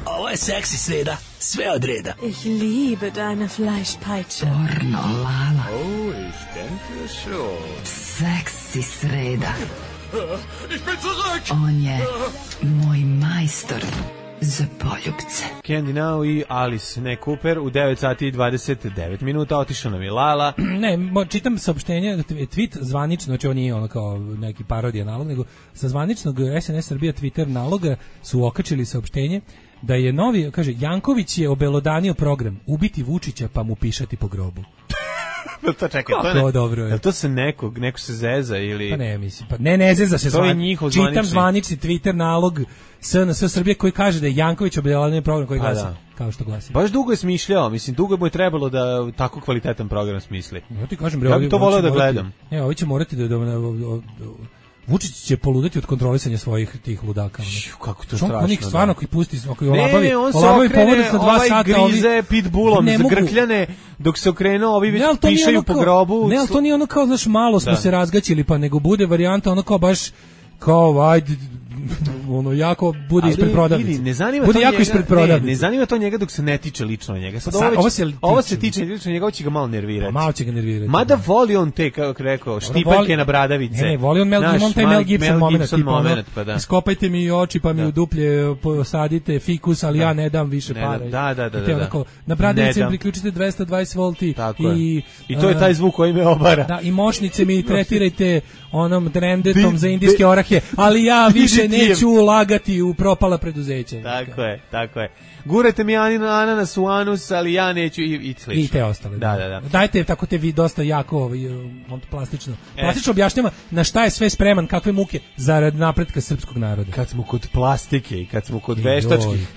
Ovo je seksi sreda, sve od reda. Ich liebe deine Fleischpeitsche. Pornolala. Oh, ich denke schon. Seksi sreda. Ich bin zurück. On je moj majstor za poljupce. Candy Now i Alice Ne Cooper u 9 sati i 29 minuta. Otišao nam je Lala. Ne, čitam saopštenje, tweet zvanično, znači on nije ono kao neki parodija nalog, nego sa zvaničnog SNS Srbija Twitter naloga su okačili saopštenje da je novi, kaže, Janković je obelodanio program ubiti Vučića pa mu pišati po grobu. To čekaj, to dobro je. Jel to se neko se zeza ili... Pa ne, mislim, pa ne zeza se. To je njihov zvanični. Čitam zvanični Twitter nalog SNS Srbije koji kaže da je Janković obelodanio program koji glasi, kao što glasi. Baš dugo je smišljao, mislim, dugo mu je trebalo da tako kvalitetan program smisli. Ja ti kažem, ja bih to voleo da gledam. Ovi će morati da Vučić će poludeti od kontrolisanja svojih tih ludaka. Kako to strašno. Onih stvarno koji pusti, koji olabavi, on se okrene, na 2 sata, grize pitbullom, zagrkljane, dok se okrenuo, ovi već pišaju po grobu. Ne, ali to nije ono kao, znaš, malo smo se razgaćili, pa nego bude varijanta ono kao baš, kao, ajde, ono jako bude ispred prodavnice. Bude jako ispred prodavnice. Ne zanima to njega dok se ne tiče lično njega. Sad ovo se tiče lično njega, ovo će ga malo nervirati. Malo će ga nervirati. Mada voli on te, kako rekao, štipaljke na bradavice. Ne, voli on taj Mel Gibson moment. Pa da. Iskopajte mi oči pa mi u duplje posadite fikus, ali ja ne dam više para. Da. Na bradavice priključite 220 volti. I to je taj zvuk koji me obara. Da, i moćnice mi tretirajte onom drendetom za indijske orahe, ali ja više neću ulagati u propala preduzeća. Tako je. Gurajte mi ananas u anus, ali ja neću i slično. I te ostale. Da. Dajte, tako te vi dosta jako plastično. Plastično objašnjava na šta je sve spreman, kakve muke zarad napretka srpskog naroda. Kad smo kod plastike i kad smo kod veštačkih,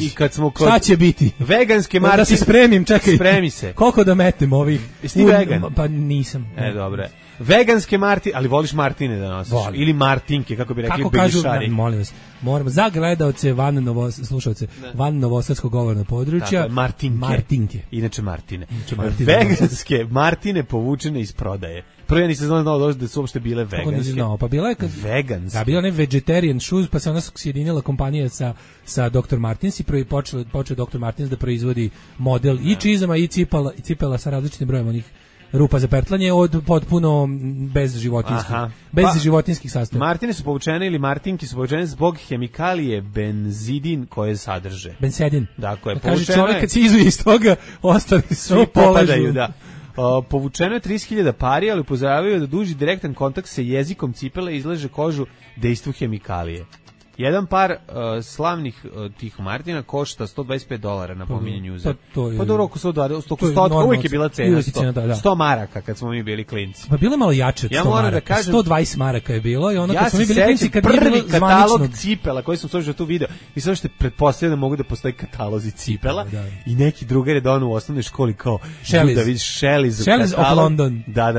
i kad smo kod... Šta će biti? Veganske martine. Da se spremim, čekaj. Spremi se. Koliko da metem ovih? Jesi ti vegan? Pa nisam. Dobro. Veganske martine, ali voliš martine da nosiš? Ili martinke, kako bi rekli begišari. Kako kažu, molim vas, moramo za gledaoce slušalce van novosadskog govornog područja. Martinke. Inače Martine. Veganske martine povučene iz prodaje. Prvo ja nisam znao da su uopšte bile veganske. Pa bila je veganske. Da, bila je vegetarian shoes, pa se ona sjedinila kompanija sa Dr. Martens i prvi počeo Dr. Martens da proizvodi model i čizama i cipela sa različitim brojem onih rupa za pertlanje od potpuno bez životinskih sastojaka. Martine su povučene ili martinke su povučene zbog hemikalije benzidin koje sadrže. Bensedin. Dakle, kaže čovjek kad se izuje iz toga, ostali svi popadaju, da. Povučeno je 30.000 pari, ali upozoravaju da duži direktan kontakt sa jezikom cipele izlaže kožu dejstvu hemikalije. Jedan par slavnih tih Martina košta $125 na pominjanju uzer. Pa dobro, oko 100, uvijek je bila cena 100 maraka kad smo mi bili klinci. Pa bilo je malo jače od 100 maraka, kažem, 120 maraka je bilo i ono kad smo mi bili klinci kad prvi katalog cipela koji sam slušao tu video i sve što pretpostavljam da mogu da postoji katalozi cipela i neki drugar je donao u osnovnoj školi kao da vidiš Shelley's of London. Da.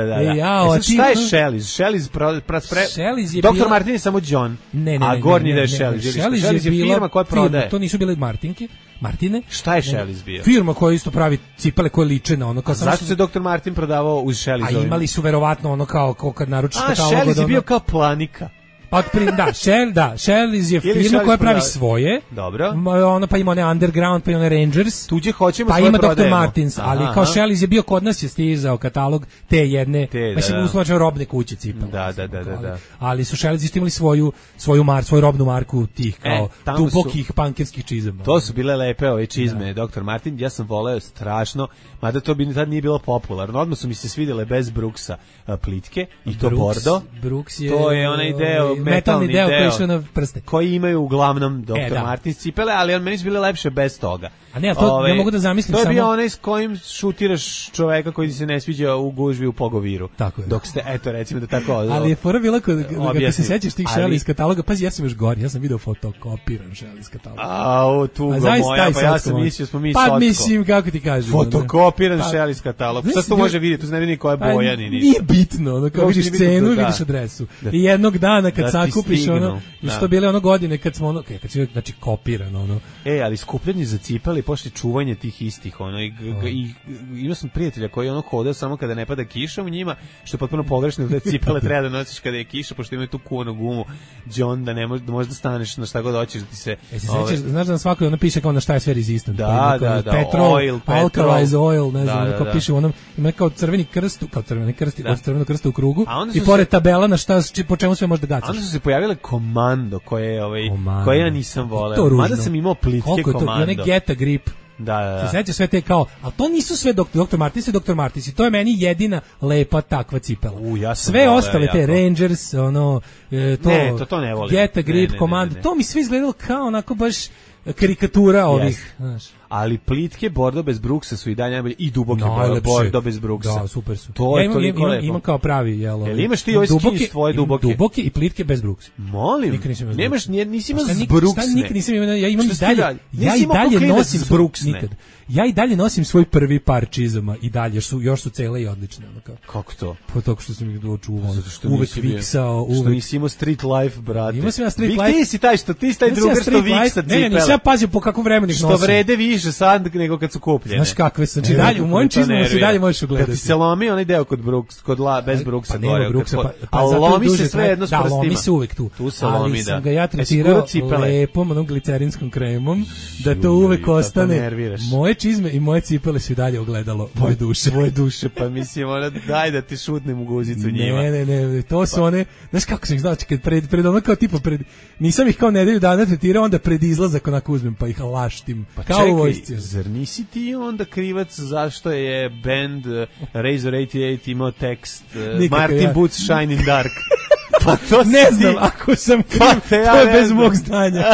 Šta je Shelley's? Dr. Martin je samo John, a gornji da je Shelley's je firma koja prodaje. To nisu bile Martine. Šta je Shelley's bio? Firma koja isto pravi cipele koje liče na ono kao. Zašto se Dr. Martin prodavao uz Shelley's? A imali su verovatno ono kao kad naručiš katalog. Shelley's je bio kao Planika. Shelley's je firma koja pravi svoje. Dobro. Ono pa ima one Underground, pa ima one Rangers. Tuđe hoćemo pa svoje ima prodajemo. Dr. Martins, ali kao Shelley's je bio kod nas je stizao katalog te jedne, mislim uslovno robne kuće cipela. Da. Ali su Shelley's isto imali svoju robnu marku tih kao dubokih pankerskih čizama. To su bile lepe ove čizme, Dr. Martin, ja sam voleo strašno, mada to bi tad nije bilo popularno. Odmah su mi se svidjele bez Brooksa plitke i to bordo. Brooks je, to je onaj deo metalni deo koji išao na prste. Koji imaju uglavnom Dr. Martins cipele, ali meni su bile lepše bez toga. A ne, to ja mogu da zamislim samo. To je bio onaj s kojim šutiraš čoveka koji ti se ne sviđa u gužvi u Pogoviru. Tako je. Dok ste, eto, recimo da tako... Ali je fora bila kada se sećaš tih Shelley iz kataloga, pazi, ja sam još gori, ja sam video fotokopiran Shelley iz kataloga. Tuga moja, pa ja sam mislio, smo mi socko. Pa mislim, kako ti kažem. Fotokopiran Shelley iz kataloga. Šta to može vidjeti, tu se ne vidi koja je boja, ni ništa. Nije bitno, ono, kao vidiš cenu, vidiš adresu. I jednog dana kad sakupiš, ono, i što bile ono godine kad smo, ono, kad si, znači, kopiran, ono. Ali skupljanje za cipele, pošli čuvanje tih istih, ono, i imao sam prijatelja koji ono hodao samo kada ne pada kiša u njima, što je potpuno pogrešno da cipele treba da nosiš kada je kiša, pošto imaju tu kuvanu gumu, John, da ne možda staneš na šta god hoćeš da ti se... Znaš da na svakoj ono piše kao na šta je sve rezistant. Da, petrol, oil, alkalize oil, ne znam, kao piše u onom, ima kao crveni krst, od crvenog krsta u krugu, i pored tabela na šta, po čemu sve možda gacaš. Onda su se pojavile Komando, koje ja nisam voleo. Mada sam imao plitke Komando. I one Get a Grip. Da. Se seća sve te kao, ali to nisu sve Dr. Martins i Dr. Martins, i to je meni jedina lepa takva cipela. Sve ostale te Rangers, ono, to ne volim. Get a Grip, Komando, to mi sve izgledalo kao onako baš karikatura ovih, znaš. Ali plitke bordo bez bruksa su i dalje najbolje, i duboke bordo bez bruksa. Da, super su. To je toliko lepo. Imam kao pravi, jel? Imaš ti ovaj skin svoje duboke? Duboke i plitke bez bruksa. Molim. Nisi imao zbruksne. Šta nikad nisam imao, ja imam i dalje. Ja i dalje nosim zbruksne. Ja i dalje nosim svoj prvi par čizama i dalje još su cele i odlične. Kako to? Pa tako što sam ih dočuvao. Uvek viksao. Što nisi imao street life, brate. Imao sam ja street life. Ti si taj drugar što viksa cipele. Ne, nisam ja pazio po kakvom vremenu ih nosim. Što vrede više sad nego kad su kupljene. Znaš kakve su, znači dalje, u mojim čizmama se dalje možeš ugledati. Kad ti se lomi onaj deo bez bruksa gore. Pa lomi se sve jedno s prstima. Da, lomi se uvek tu. Tu se lomi, da. Ali sam ga ja tretirao lepom, onom glicerinskom kremom, da to uvek ostane. Moje čizme i moje cipele su i dalje ogledalo moje duše. Pa mislim, daj da ti šutnem u guzicu njima. Ne, to su one, znaš kako sam ih znao, kad pred ono kao tipa nisam ih kao nedelju dana tretirao, onda pred izlazak onako uzmem pa ih laštim. Kao u vojsci. Zar nisi ti onda krivac zašto je band Razor 88 imao tekst Martin Boots Shine in Dark? Pa to ne znam, ako sam kriv, to je bez mog znanja.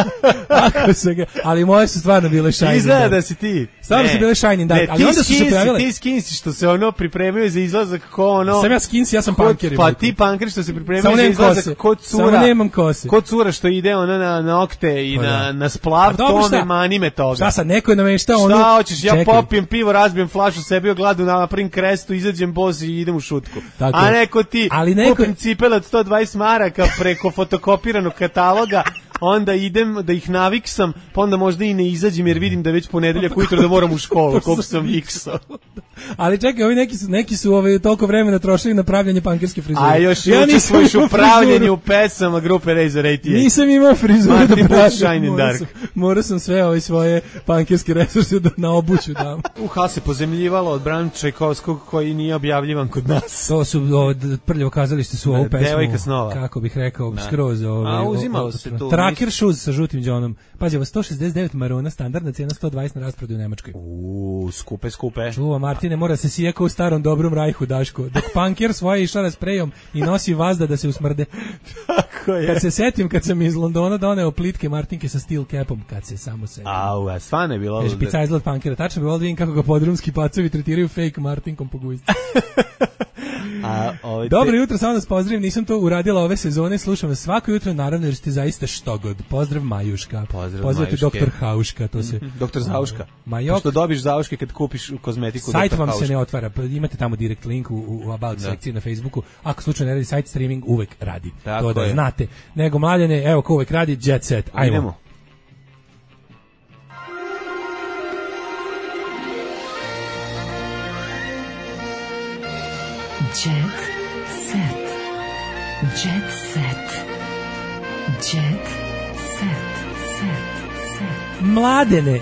Ako sam ga, ali moje su stvarno bile Shine in Dark. Izgleda da si ti. Stvarno su bile Shine in Dark, ali onda su se pojavile. Ti skinsi što se ono pripremaju za izlazak ko ono... Sam ja skinsi, ja sam punker. Pa ti punker što se pripremaju za izlazak ko cura. Samo nemam kose. Ko cura što ide ono na okte i na splav, to ne mani me toga. Šta sad, neko je nameštao ono... Šta hoćeš, ja popijem pivo, razbijem flašu, sebi ogladu, napravim krestu, izađem bos i idem u šutku. A neko ti, kupim cipele od 120 maraka preko fotokopiranog kataloga, onda idem da ih naviksam, pa onda možda i ne izađem jer vidim da već ponedeljak ujutro da moram u školu, koliko sam viksao. Ali čekaj, ovi neki su toliko vremena trošili na pravljanje pankerske frizure. A još učestvuješ u pravljenju pesama grupe Razor 88. Nisam imao frizuru da pravljam. Morao sam sve svoje pankerske resurse na obuću dam. Se pozemljivalo od Bram Čajkovskog koji nije objavljivan kod nas. To su prljavo kazalište su ovu pesmu. Devojka snova. Kako bih rekao, skroz. Uzimalo se tu. Tracker shoes sa žutim džonom. Pazi, ovo 169 marona, standardna cijena 120 na rasprodaju u Nemačkoj. Skupe. Čuva, Martine, mora se sija kao u starom dobrom Rajhu, Daško. Dok punker svoje išara sprejom i nosi vazda da se usmrde. Tako je. Kad se setim, kad sam iz Londona doneo plitke Martinke sa steel capom, kad se samo setim. Stvarno je bilo... Špica izgled punkera, tačno bi volio da vidim kako ga podrumski pacovi tretiraju fake Martinkom po gujsci. Dobro jutro, samo da vas pozdravim, nisam to uradila ove sezone, slušam vas svako jutro, naravno, jer ste zaista štogod. Pozdrav Majuška. Pozdravite doktor Hauška, to se... Doktor Zauška. Što dobiš Zauške kad kupiš kozmetiku. Sajt vam se ne otvara, imate tamo direkt link u About sekciji na Facebooku. Ako slučajno ne radi sajt, streaming uvek radi. To da znate. Nego Mladene, evo ko uvek radi, Jet Set. Ajmo. Jet set. Jet set. Jet set. Mladene,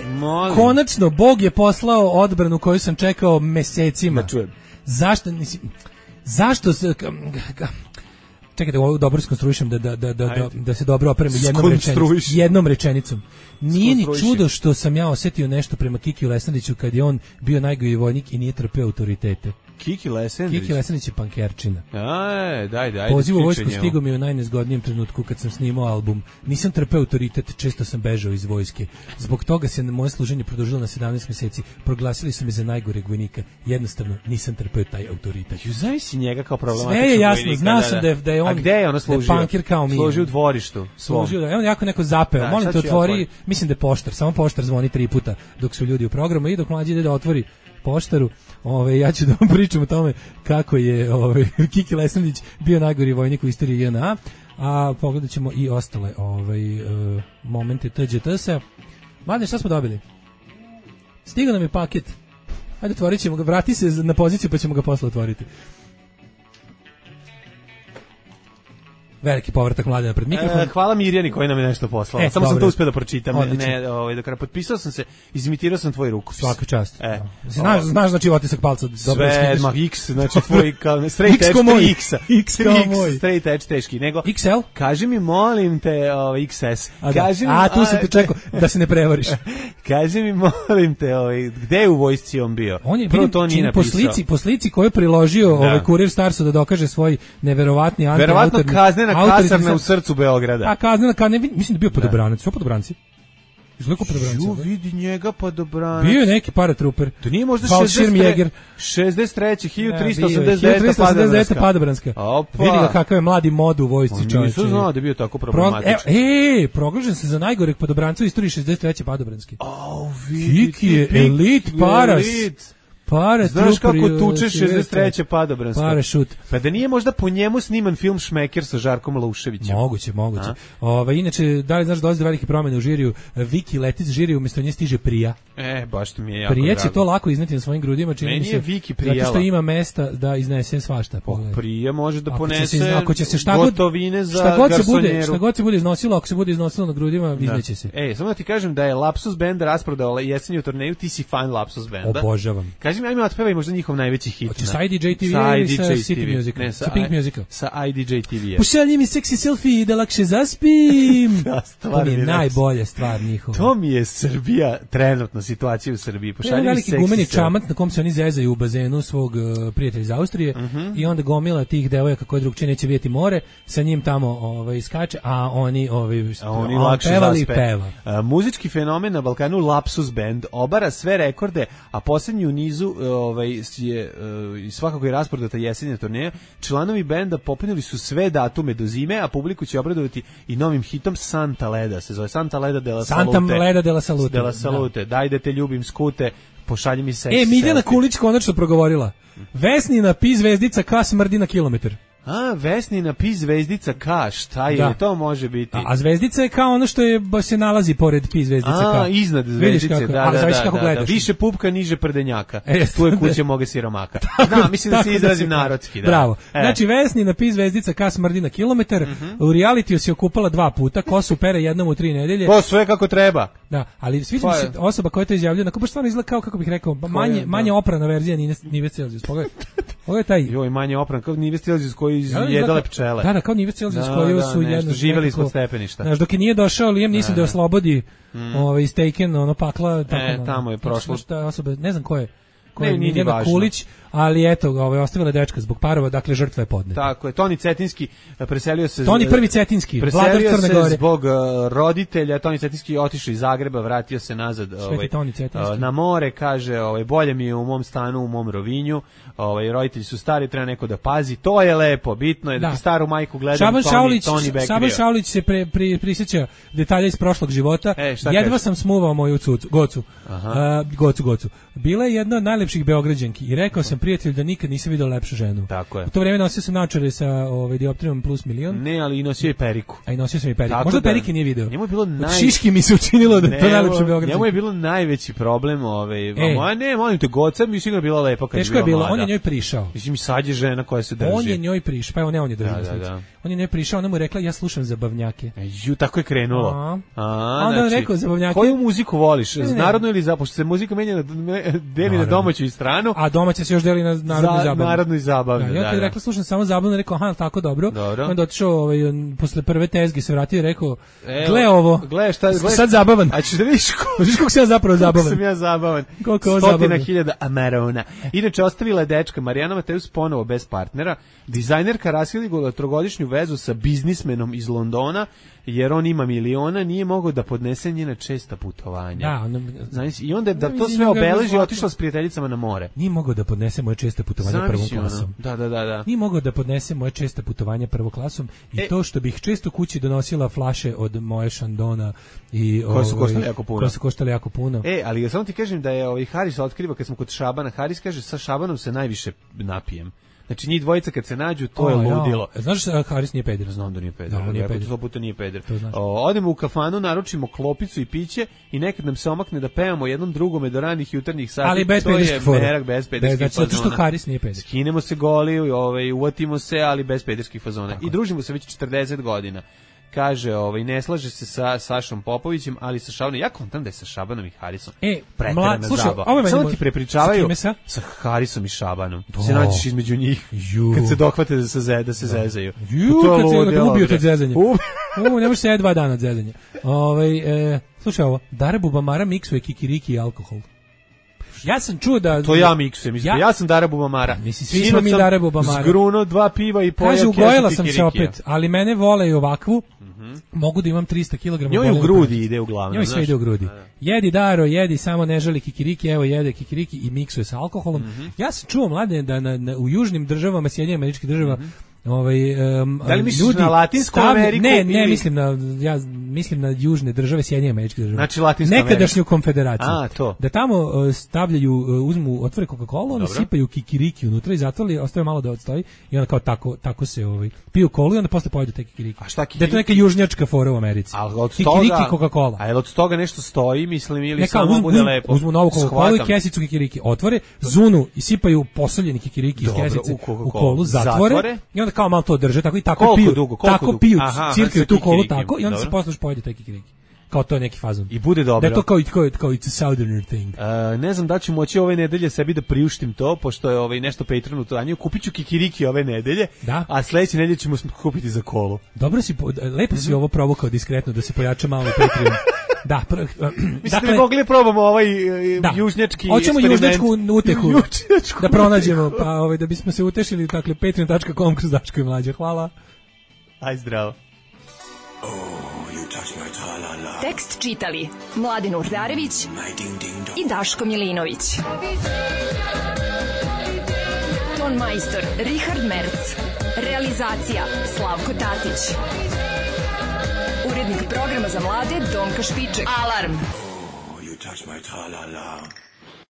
konačno Bog je poslao odbranu koju sam čekao mesecima. Da čujem. Zašto se... Čekajte, ovo dobro skonstruišem da se dobro opremi jednom rečenicom. Nije ni čudo što sam ja osetio nešto prema Kikiju Lesnadiću kad je on bio najgori vojnik i nije trpeo autoritete. Kiki Lesendrić. Kiki Lesendrić je pankerčina. Daj. Poziv u vojsku stigao mi u najnezgodnijem trenutku kad sam snimao album. Nisam trpeo autoritet, često sam bežao iz vojske. Zbog toga se moje služenje produžilo na 17 meseci. Proglasili su me za najgoreg vojnika. Jednostavno nisam trpeo taj autoritet. Zavisi njega kao problematičnog sve je jasno, vojnika. Znao sam da je on. A gde je ono služio? Pankir kao mi. Služio u dvorištu. Služio da on jako neko zapeo. Molim te otvori, mislim da je poštar, samo poštar zvoni 3 puta dok su ljudi u programu i dok mlađi ide da otvori poštaru, ja ću da vam pričam o tome kako je Kiki Lesendrić bio najgori vojnik u istoriji JNA, a pogledat ćemo i ostale momente TGT-a. Mladine, šta smo dobili? Stigao nam je paket. Ajde, otvorit ćemo ga, vrati se na poziciju pa ćemo ga posle otvoriti. Veliki povratak Mladena pred mikrofon. Hvala Mirjani koji nam je nešto poslala. Samo sam to uspeo da pročitam. Do kraja potpisao sam se, izimitirao sam tvoj rukopis. Svaka čast. Znaš znači otisak palca. Sve, X, znači tvoj straight edge X-a. X kao moj. Straight edge teški. Nego, XL? Kaži mi, molim te, XS. Tu sam te čekao da se ne prevariš. Kaži mi, molim te, gde je u vojsci on bio? On je po slici koju je priložio Kurir Starsu da dokaže svoj neverovatni anti-autorni kasarna u srcu Beograda. A kaznena, mislim da bio podobranac. Što podobranci? Izgleda podobranci. Ju, vidi njega podobranac. Bio je neki paratruper. To nije možda 63. 1389. Padobranska. Vidi ga kakav je mladi mod u vojsci, čovječe. Nisam znao da je bio tako problematičan. Proglašen se za najgoreg podobranca u istoriji 63. Padobranski. Kiki je elit paras. Znaš kako tuče 63. Padobransko? Parašut. Pa da nije možda po njemu sniman film Šmeker sa Žarkom Lauševićem? Moguće. Inače, da li znaš dolazi do velike promjene u žiriju? Viki leti za žiriju, umjesto nje stiže Prija. Baš to mi je jako Prije drago. će to lako izneti na svojim grudima, čini mi se. Viki prijela. Zato što ima mesta da iznese svašta. Prije može da ponese gotovine za garsonjeru. Šta god se bude iznosilo, ako se bude iznosilo na grudima, izneće se. Samo da ti kažem da je Lapsus Band rasprodao jesenju turneju, ti si fan Lapsus Banda. Obožavam. Ajme otpevaj možda njihov najveći hit. Hoće sa IDJ TV ili sa City Music? Sa Pink Musica? Sa IDJ TV. Pošalji mi seksi selfie da lakše zaspim. To mi je najbolja stvar njihova. To mi je Srbija, trenutno situacija u Srbiji. Pošalji mi seksi selfie. Veliki gumeni čamac na kom se oni zezaju u bazenu svog prijatelja iz Austrije i onda gomila tih devojaka koje drugčije neće vidjeti more, sa njim tamo skače, a oni lakše pevali zaspe. Peva. Muzički fenomen na Balkanu Lapsus Band obara sve rekorde, a posljednji u nizu je svakako je rasprodata jesenja turneja. Članovi benda popunili su sve datume do zime, a publiku će obradovati i novim hitom Santa Leda. Se zove Santa Leda de la Salute. Santa Leda de la Salute. De la Salute. Daj da te ljubim skute, pošalji mi seksi. Miljana Kulić konačno progovorila. Vesnina pi zvezdica K smrdi na kilometar. Vesnina pi zvezdica K, šta je, to može biti? A zvezdica je kao ono što se nalazi pored pi zvezdica K. Iznad zvezdice, da. Više pupka, niže prdenjaka. Tu je kuća moga siromaka. Mislim da se izrazim narodski. Bravo. Znači, Vesnina pi zvezdica K smrdi na kilometar, u realitiju se okupala 2 puta, kosu pere jednom u 3 nedelje. To sve kako treba. Da, ali sviđa mi se osoba koja to izjavljuje, onako baš stvarno izgleda kao, kako bih rekao, manje oprana verzija Nive Celzijus. Pogledaj taj. Joj, manje oprana, kao Nive Celzijus koji jedale pčele. Da, kao Nive Celzijus koji su jedno živeli ispod stepeništa. Znaš, dok je nije došao Liam Neeson da oslobodi iz Taken, pakla. Tamo je prošlo. Osoba, ne znam ko je. Miljana Kulić, ali eto, ostavila dečka zbog parova, dakle žrtva je podneta. Tako je, Toni Cetinski preselio se... Toni prvi Cetinski, vladar Crne Gore. Preselio se zbog roditelja, Toni Cetinski otišao iz Zagreba, vratio se nazad na more, kaže, bolje mi je u mom stanu, u mom Rovinju, roditelji su stari, treba neko da pazi, to je lepo, bitno je da ti staru majku gledam, Toni Bekrio. Šaban Šaulić se prisjeća detalja iz prošlog života, jedva sam smuvao moju Gocu. Bila je jedna od najlepših Beograđanki i rekao sam prijatelju da nikad nisam vidio lepšu ženu. Tako je. U to vrijeme nosio sam naočare sa dioptrijom plus milion. Ne, ali i nosio je periku. A i nosio sam i periku. Možda perike nije video. Njemu je bilo Šiški mi se učinilo da je to najlepše Beograđanka. Njemu je bilo najveći problem, molim te, Goca mi sigurno bila lepa kad je bila mlada. Teško je bilo, on je njoj prišao. Mislim, sad je žena koja se drži. On je njoj prišao, pa on je drži. On je njoj prišao, ona mu je rekla ja slušam zabavnjake. Tako je krenulo. Onda on rekao zabavnjake. Koju muziku voliš? Narodnu ili zapošto se muzika menja deli na domaću i stranu? A domaća se još uzeli na narodnoj zabavi. Da, ja kad je rekla, slušam samo zabavno, rekao, aha, tako dobro. Onda otišao, posle prve tezge se vratio i rekao, gle ovo, sad zabavan. A ćeš da vidiš kako sam ja zapravo zabavan. Kako sam ja zabavan. 100.000 Amarona. Inače, ostavila je dečka Marijana Mateus ponovo bez partnera. Dizajnerka raskidigla trogodišnju vezu sa biznismenom iz Londona, jer on ima miliona, nije mogao da podnese njena česta putovanja. I onda da to sve obeleži, otišla s prijateljicama na more. Nije mogao da podnese moje česte putovanja prvom klasom. Da. Nije mogao da podnese moje česte putovanja prvom klasom i to što bih često kući donosila flaše od moje Šandona i koje su koštale jako puno. Ali samo ti kažem da je Haris otkriva kad smo kod Šabana. Haris kaže sa Šabanom se najviše napijem. Znači njih dvojica kad se nađu, to je ludilo. Znaš da Haris nije peder? Znam da nije peder, ali ja to puta nije peder. Odemo u kafanu, naručimo klopicu i piće i nekad nam se omakne da pevamo jednom drugome do ranih jutarnjih sati. Ali bez pederskih fazona. Bez pederskih fazona. Zato što Haris nije peder. Skinemo se goli, uvatimo se, ali bez pederskih fazona. I družimo se već 40 godina. Kaže, ne slaže se sa Sašom Popovićem, ali sa Šabanom, ja kontam da je sa Šabanom i Harisom preterana zabava. Samo ti prepričavaju sa Harisom i Šabanom. Se nađeš između njih kad se dohvate da se zezaju. Kad se ubiju od zezanja. Ne može se 2 dana od zezanja. Slušaj ovo, Dara Bubamara miksuje kikiriki i alkohol. Ja sam čuo da... To ja miksujem, ja sam Dara Bubamara. Svi smo mi Dara Bubamara. Zgruno 2 piva i pojak. Kaže, ugojila sam se opet, ali mene vole i ovakvu. Mogu da imam 300 kg. Njoj u grudi ide uglavnom. Njoj sve ide u grudi. Jedi Daro, jedi, samo ne želi kikiriki, evo jede kikiriki i miksuje sa alkoholom. Ja sam čuo, mlade, da u južnim državama, Sjedinjenih Američkih država, da li misliš na Latinsku Ameriku? Ne, mislim na južne države, Sjedinjenih Američkih država. Znači Latinska Amerika. Nekadašnju konfederaciju. To. Da tamo uzmu, otvore Coca-Cola, onda sipaju kikiriki unutra i zatvori, ostaje malo da odstoji i onda kao tako se piju kolu i onda posle pojedu te kikiriki. A šta kikiriki? Da je to neka južnjačka fora u Americi. Kikiriki Coca-Cola. A je od toga nešto stoji, mislim, ili samo bude lepo? Uzmu novu Coca-Cola i kesicu kikiriki, otvore, zunu i sipaju posoljeni kikiriki iz kesice u kolu, zatvore i onda kao malo to drže, tako piju, cirkaju tu kolu tako i onda se posle pojede taj kikiriki. Kao to je neki fazon. I bude dobro. Da je to kao it's a southerner thing. Ne znam da ću moći ove nedelje sebi da priuštim to, pošto je nešto Patreonu to danju. Kupit ću kikiriki ove nedelje, a sledeće nedelje ćemo kupiti za kolu. Dobro si, lepo si ovo provokao diskretno da se pojača malo Patreon. Da, mislim da mogli probamo južnjački experiment. Hoćemo južnjačku utehu da pronađemo, pa da bismo se utešili, dakle, patreon.com kroz Daško i Mlađa. Hvala. Aj zdravo. Tekst čitali Mladen Urdarević i Daško Milinović. Ton majstor Richard Merc. Realizacija Slavko Tatić. Urednik programa za mlade Donka Špiček. Alarm! Oh, you touch my tra-la-la.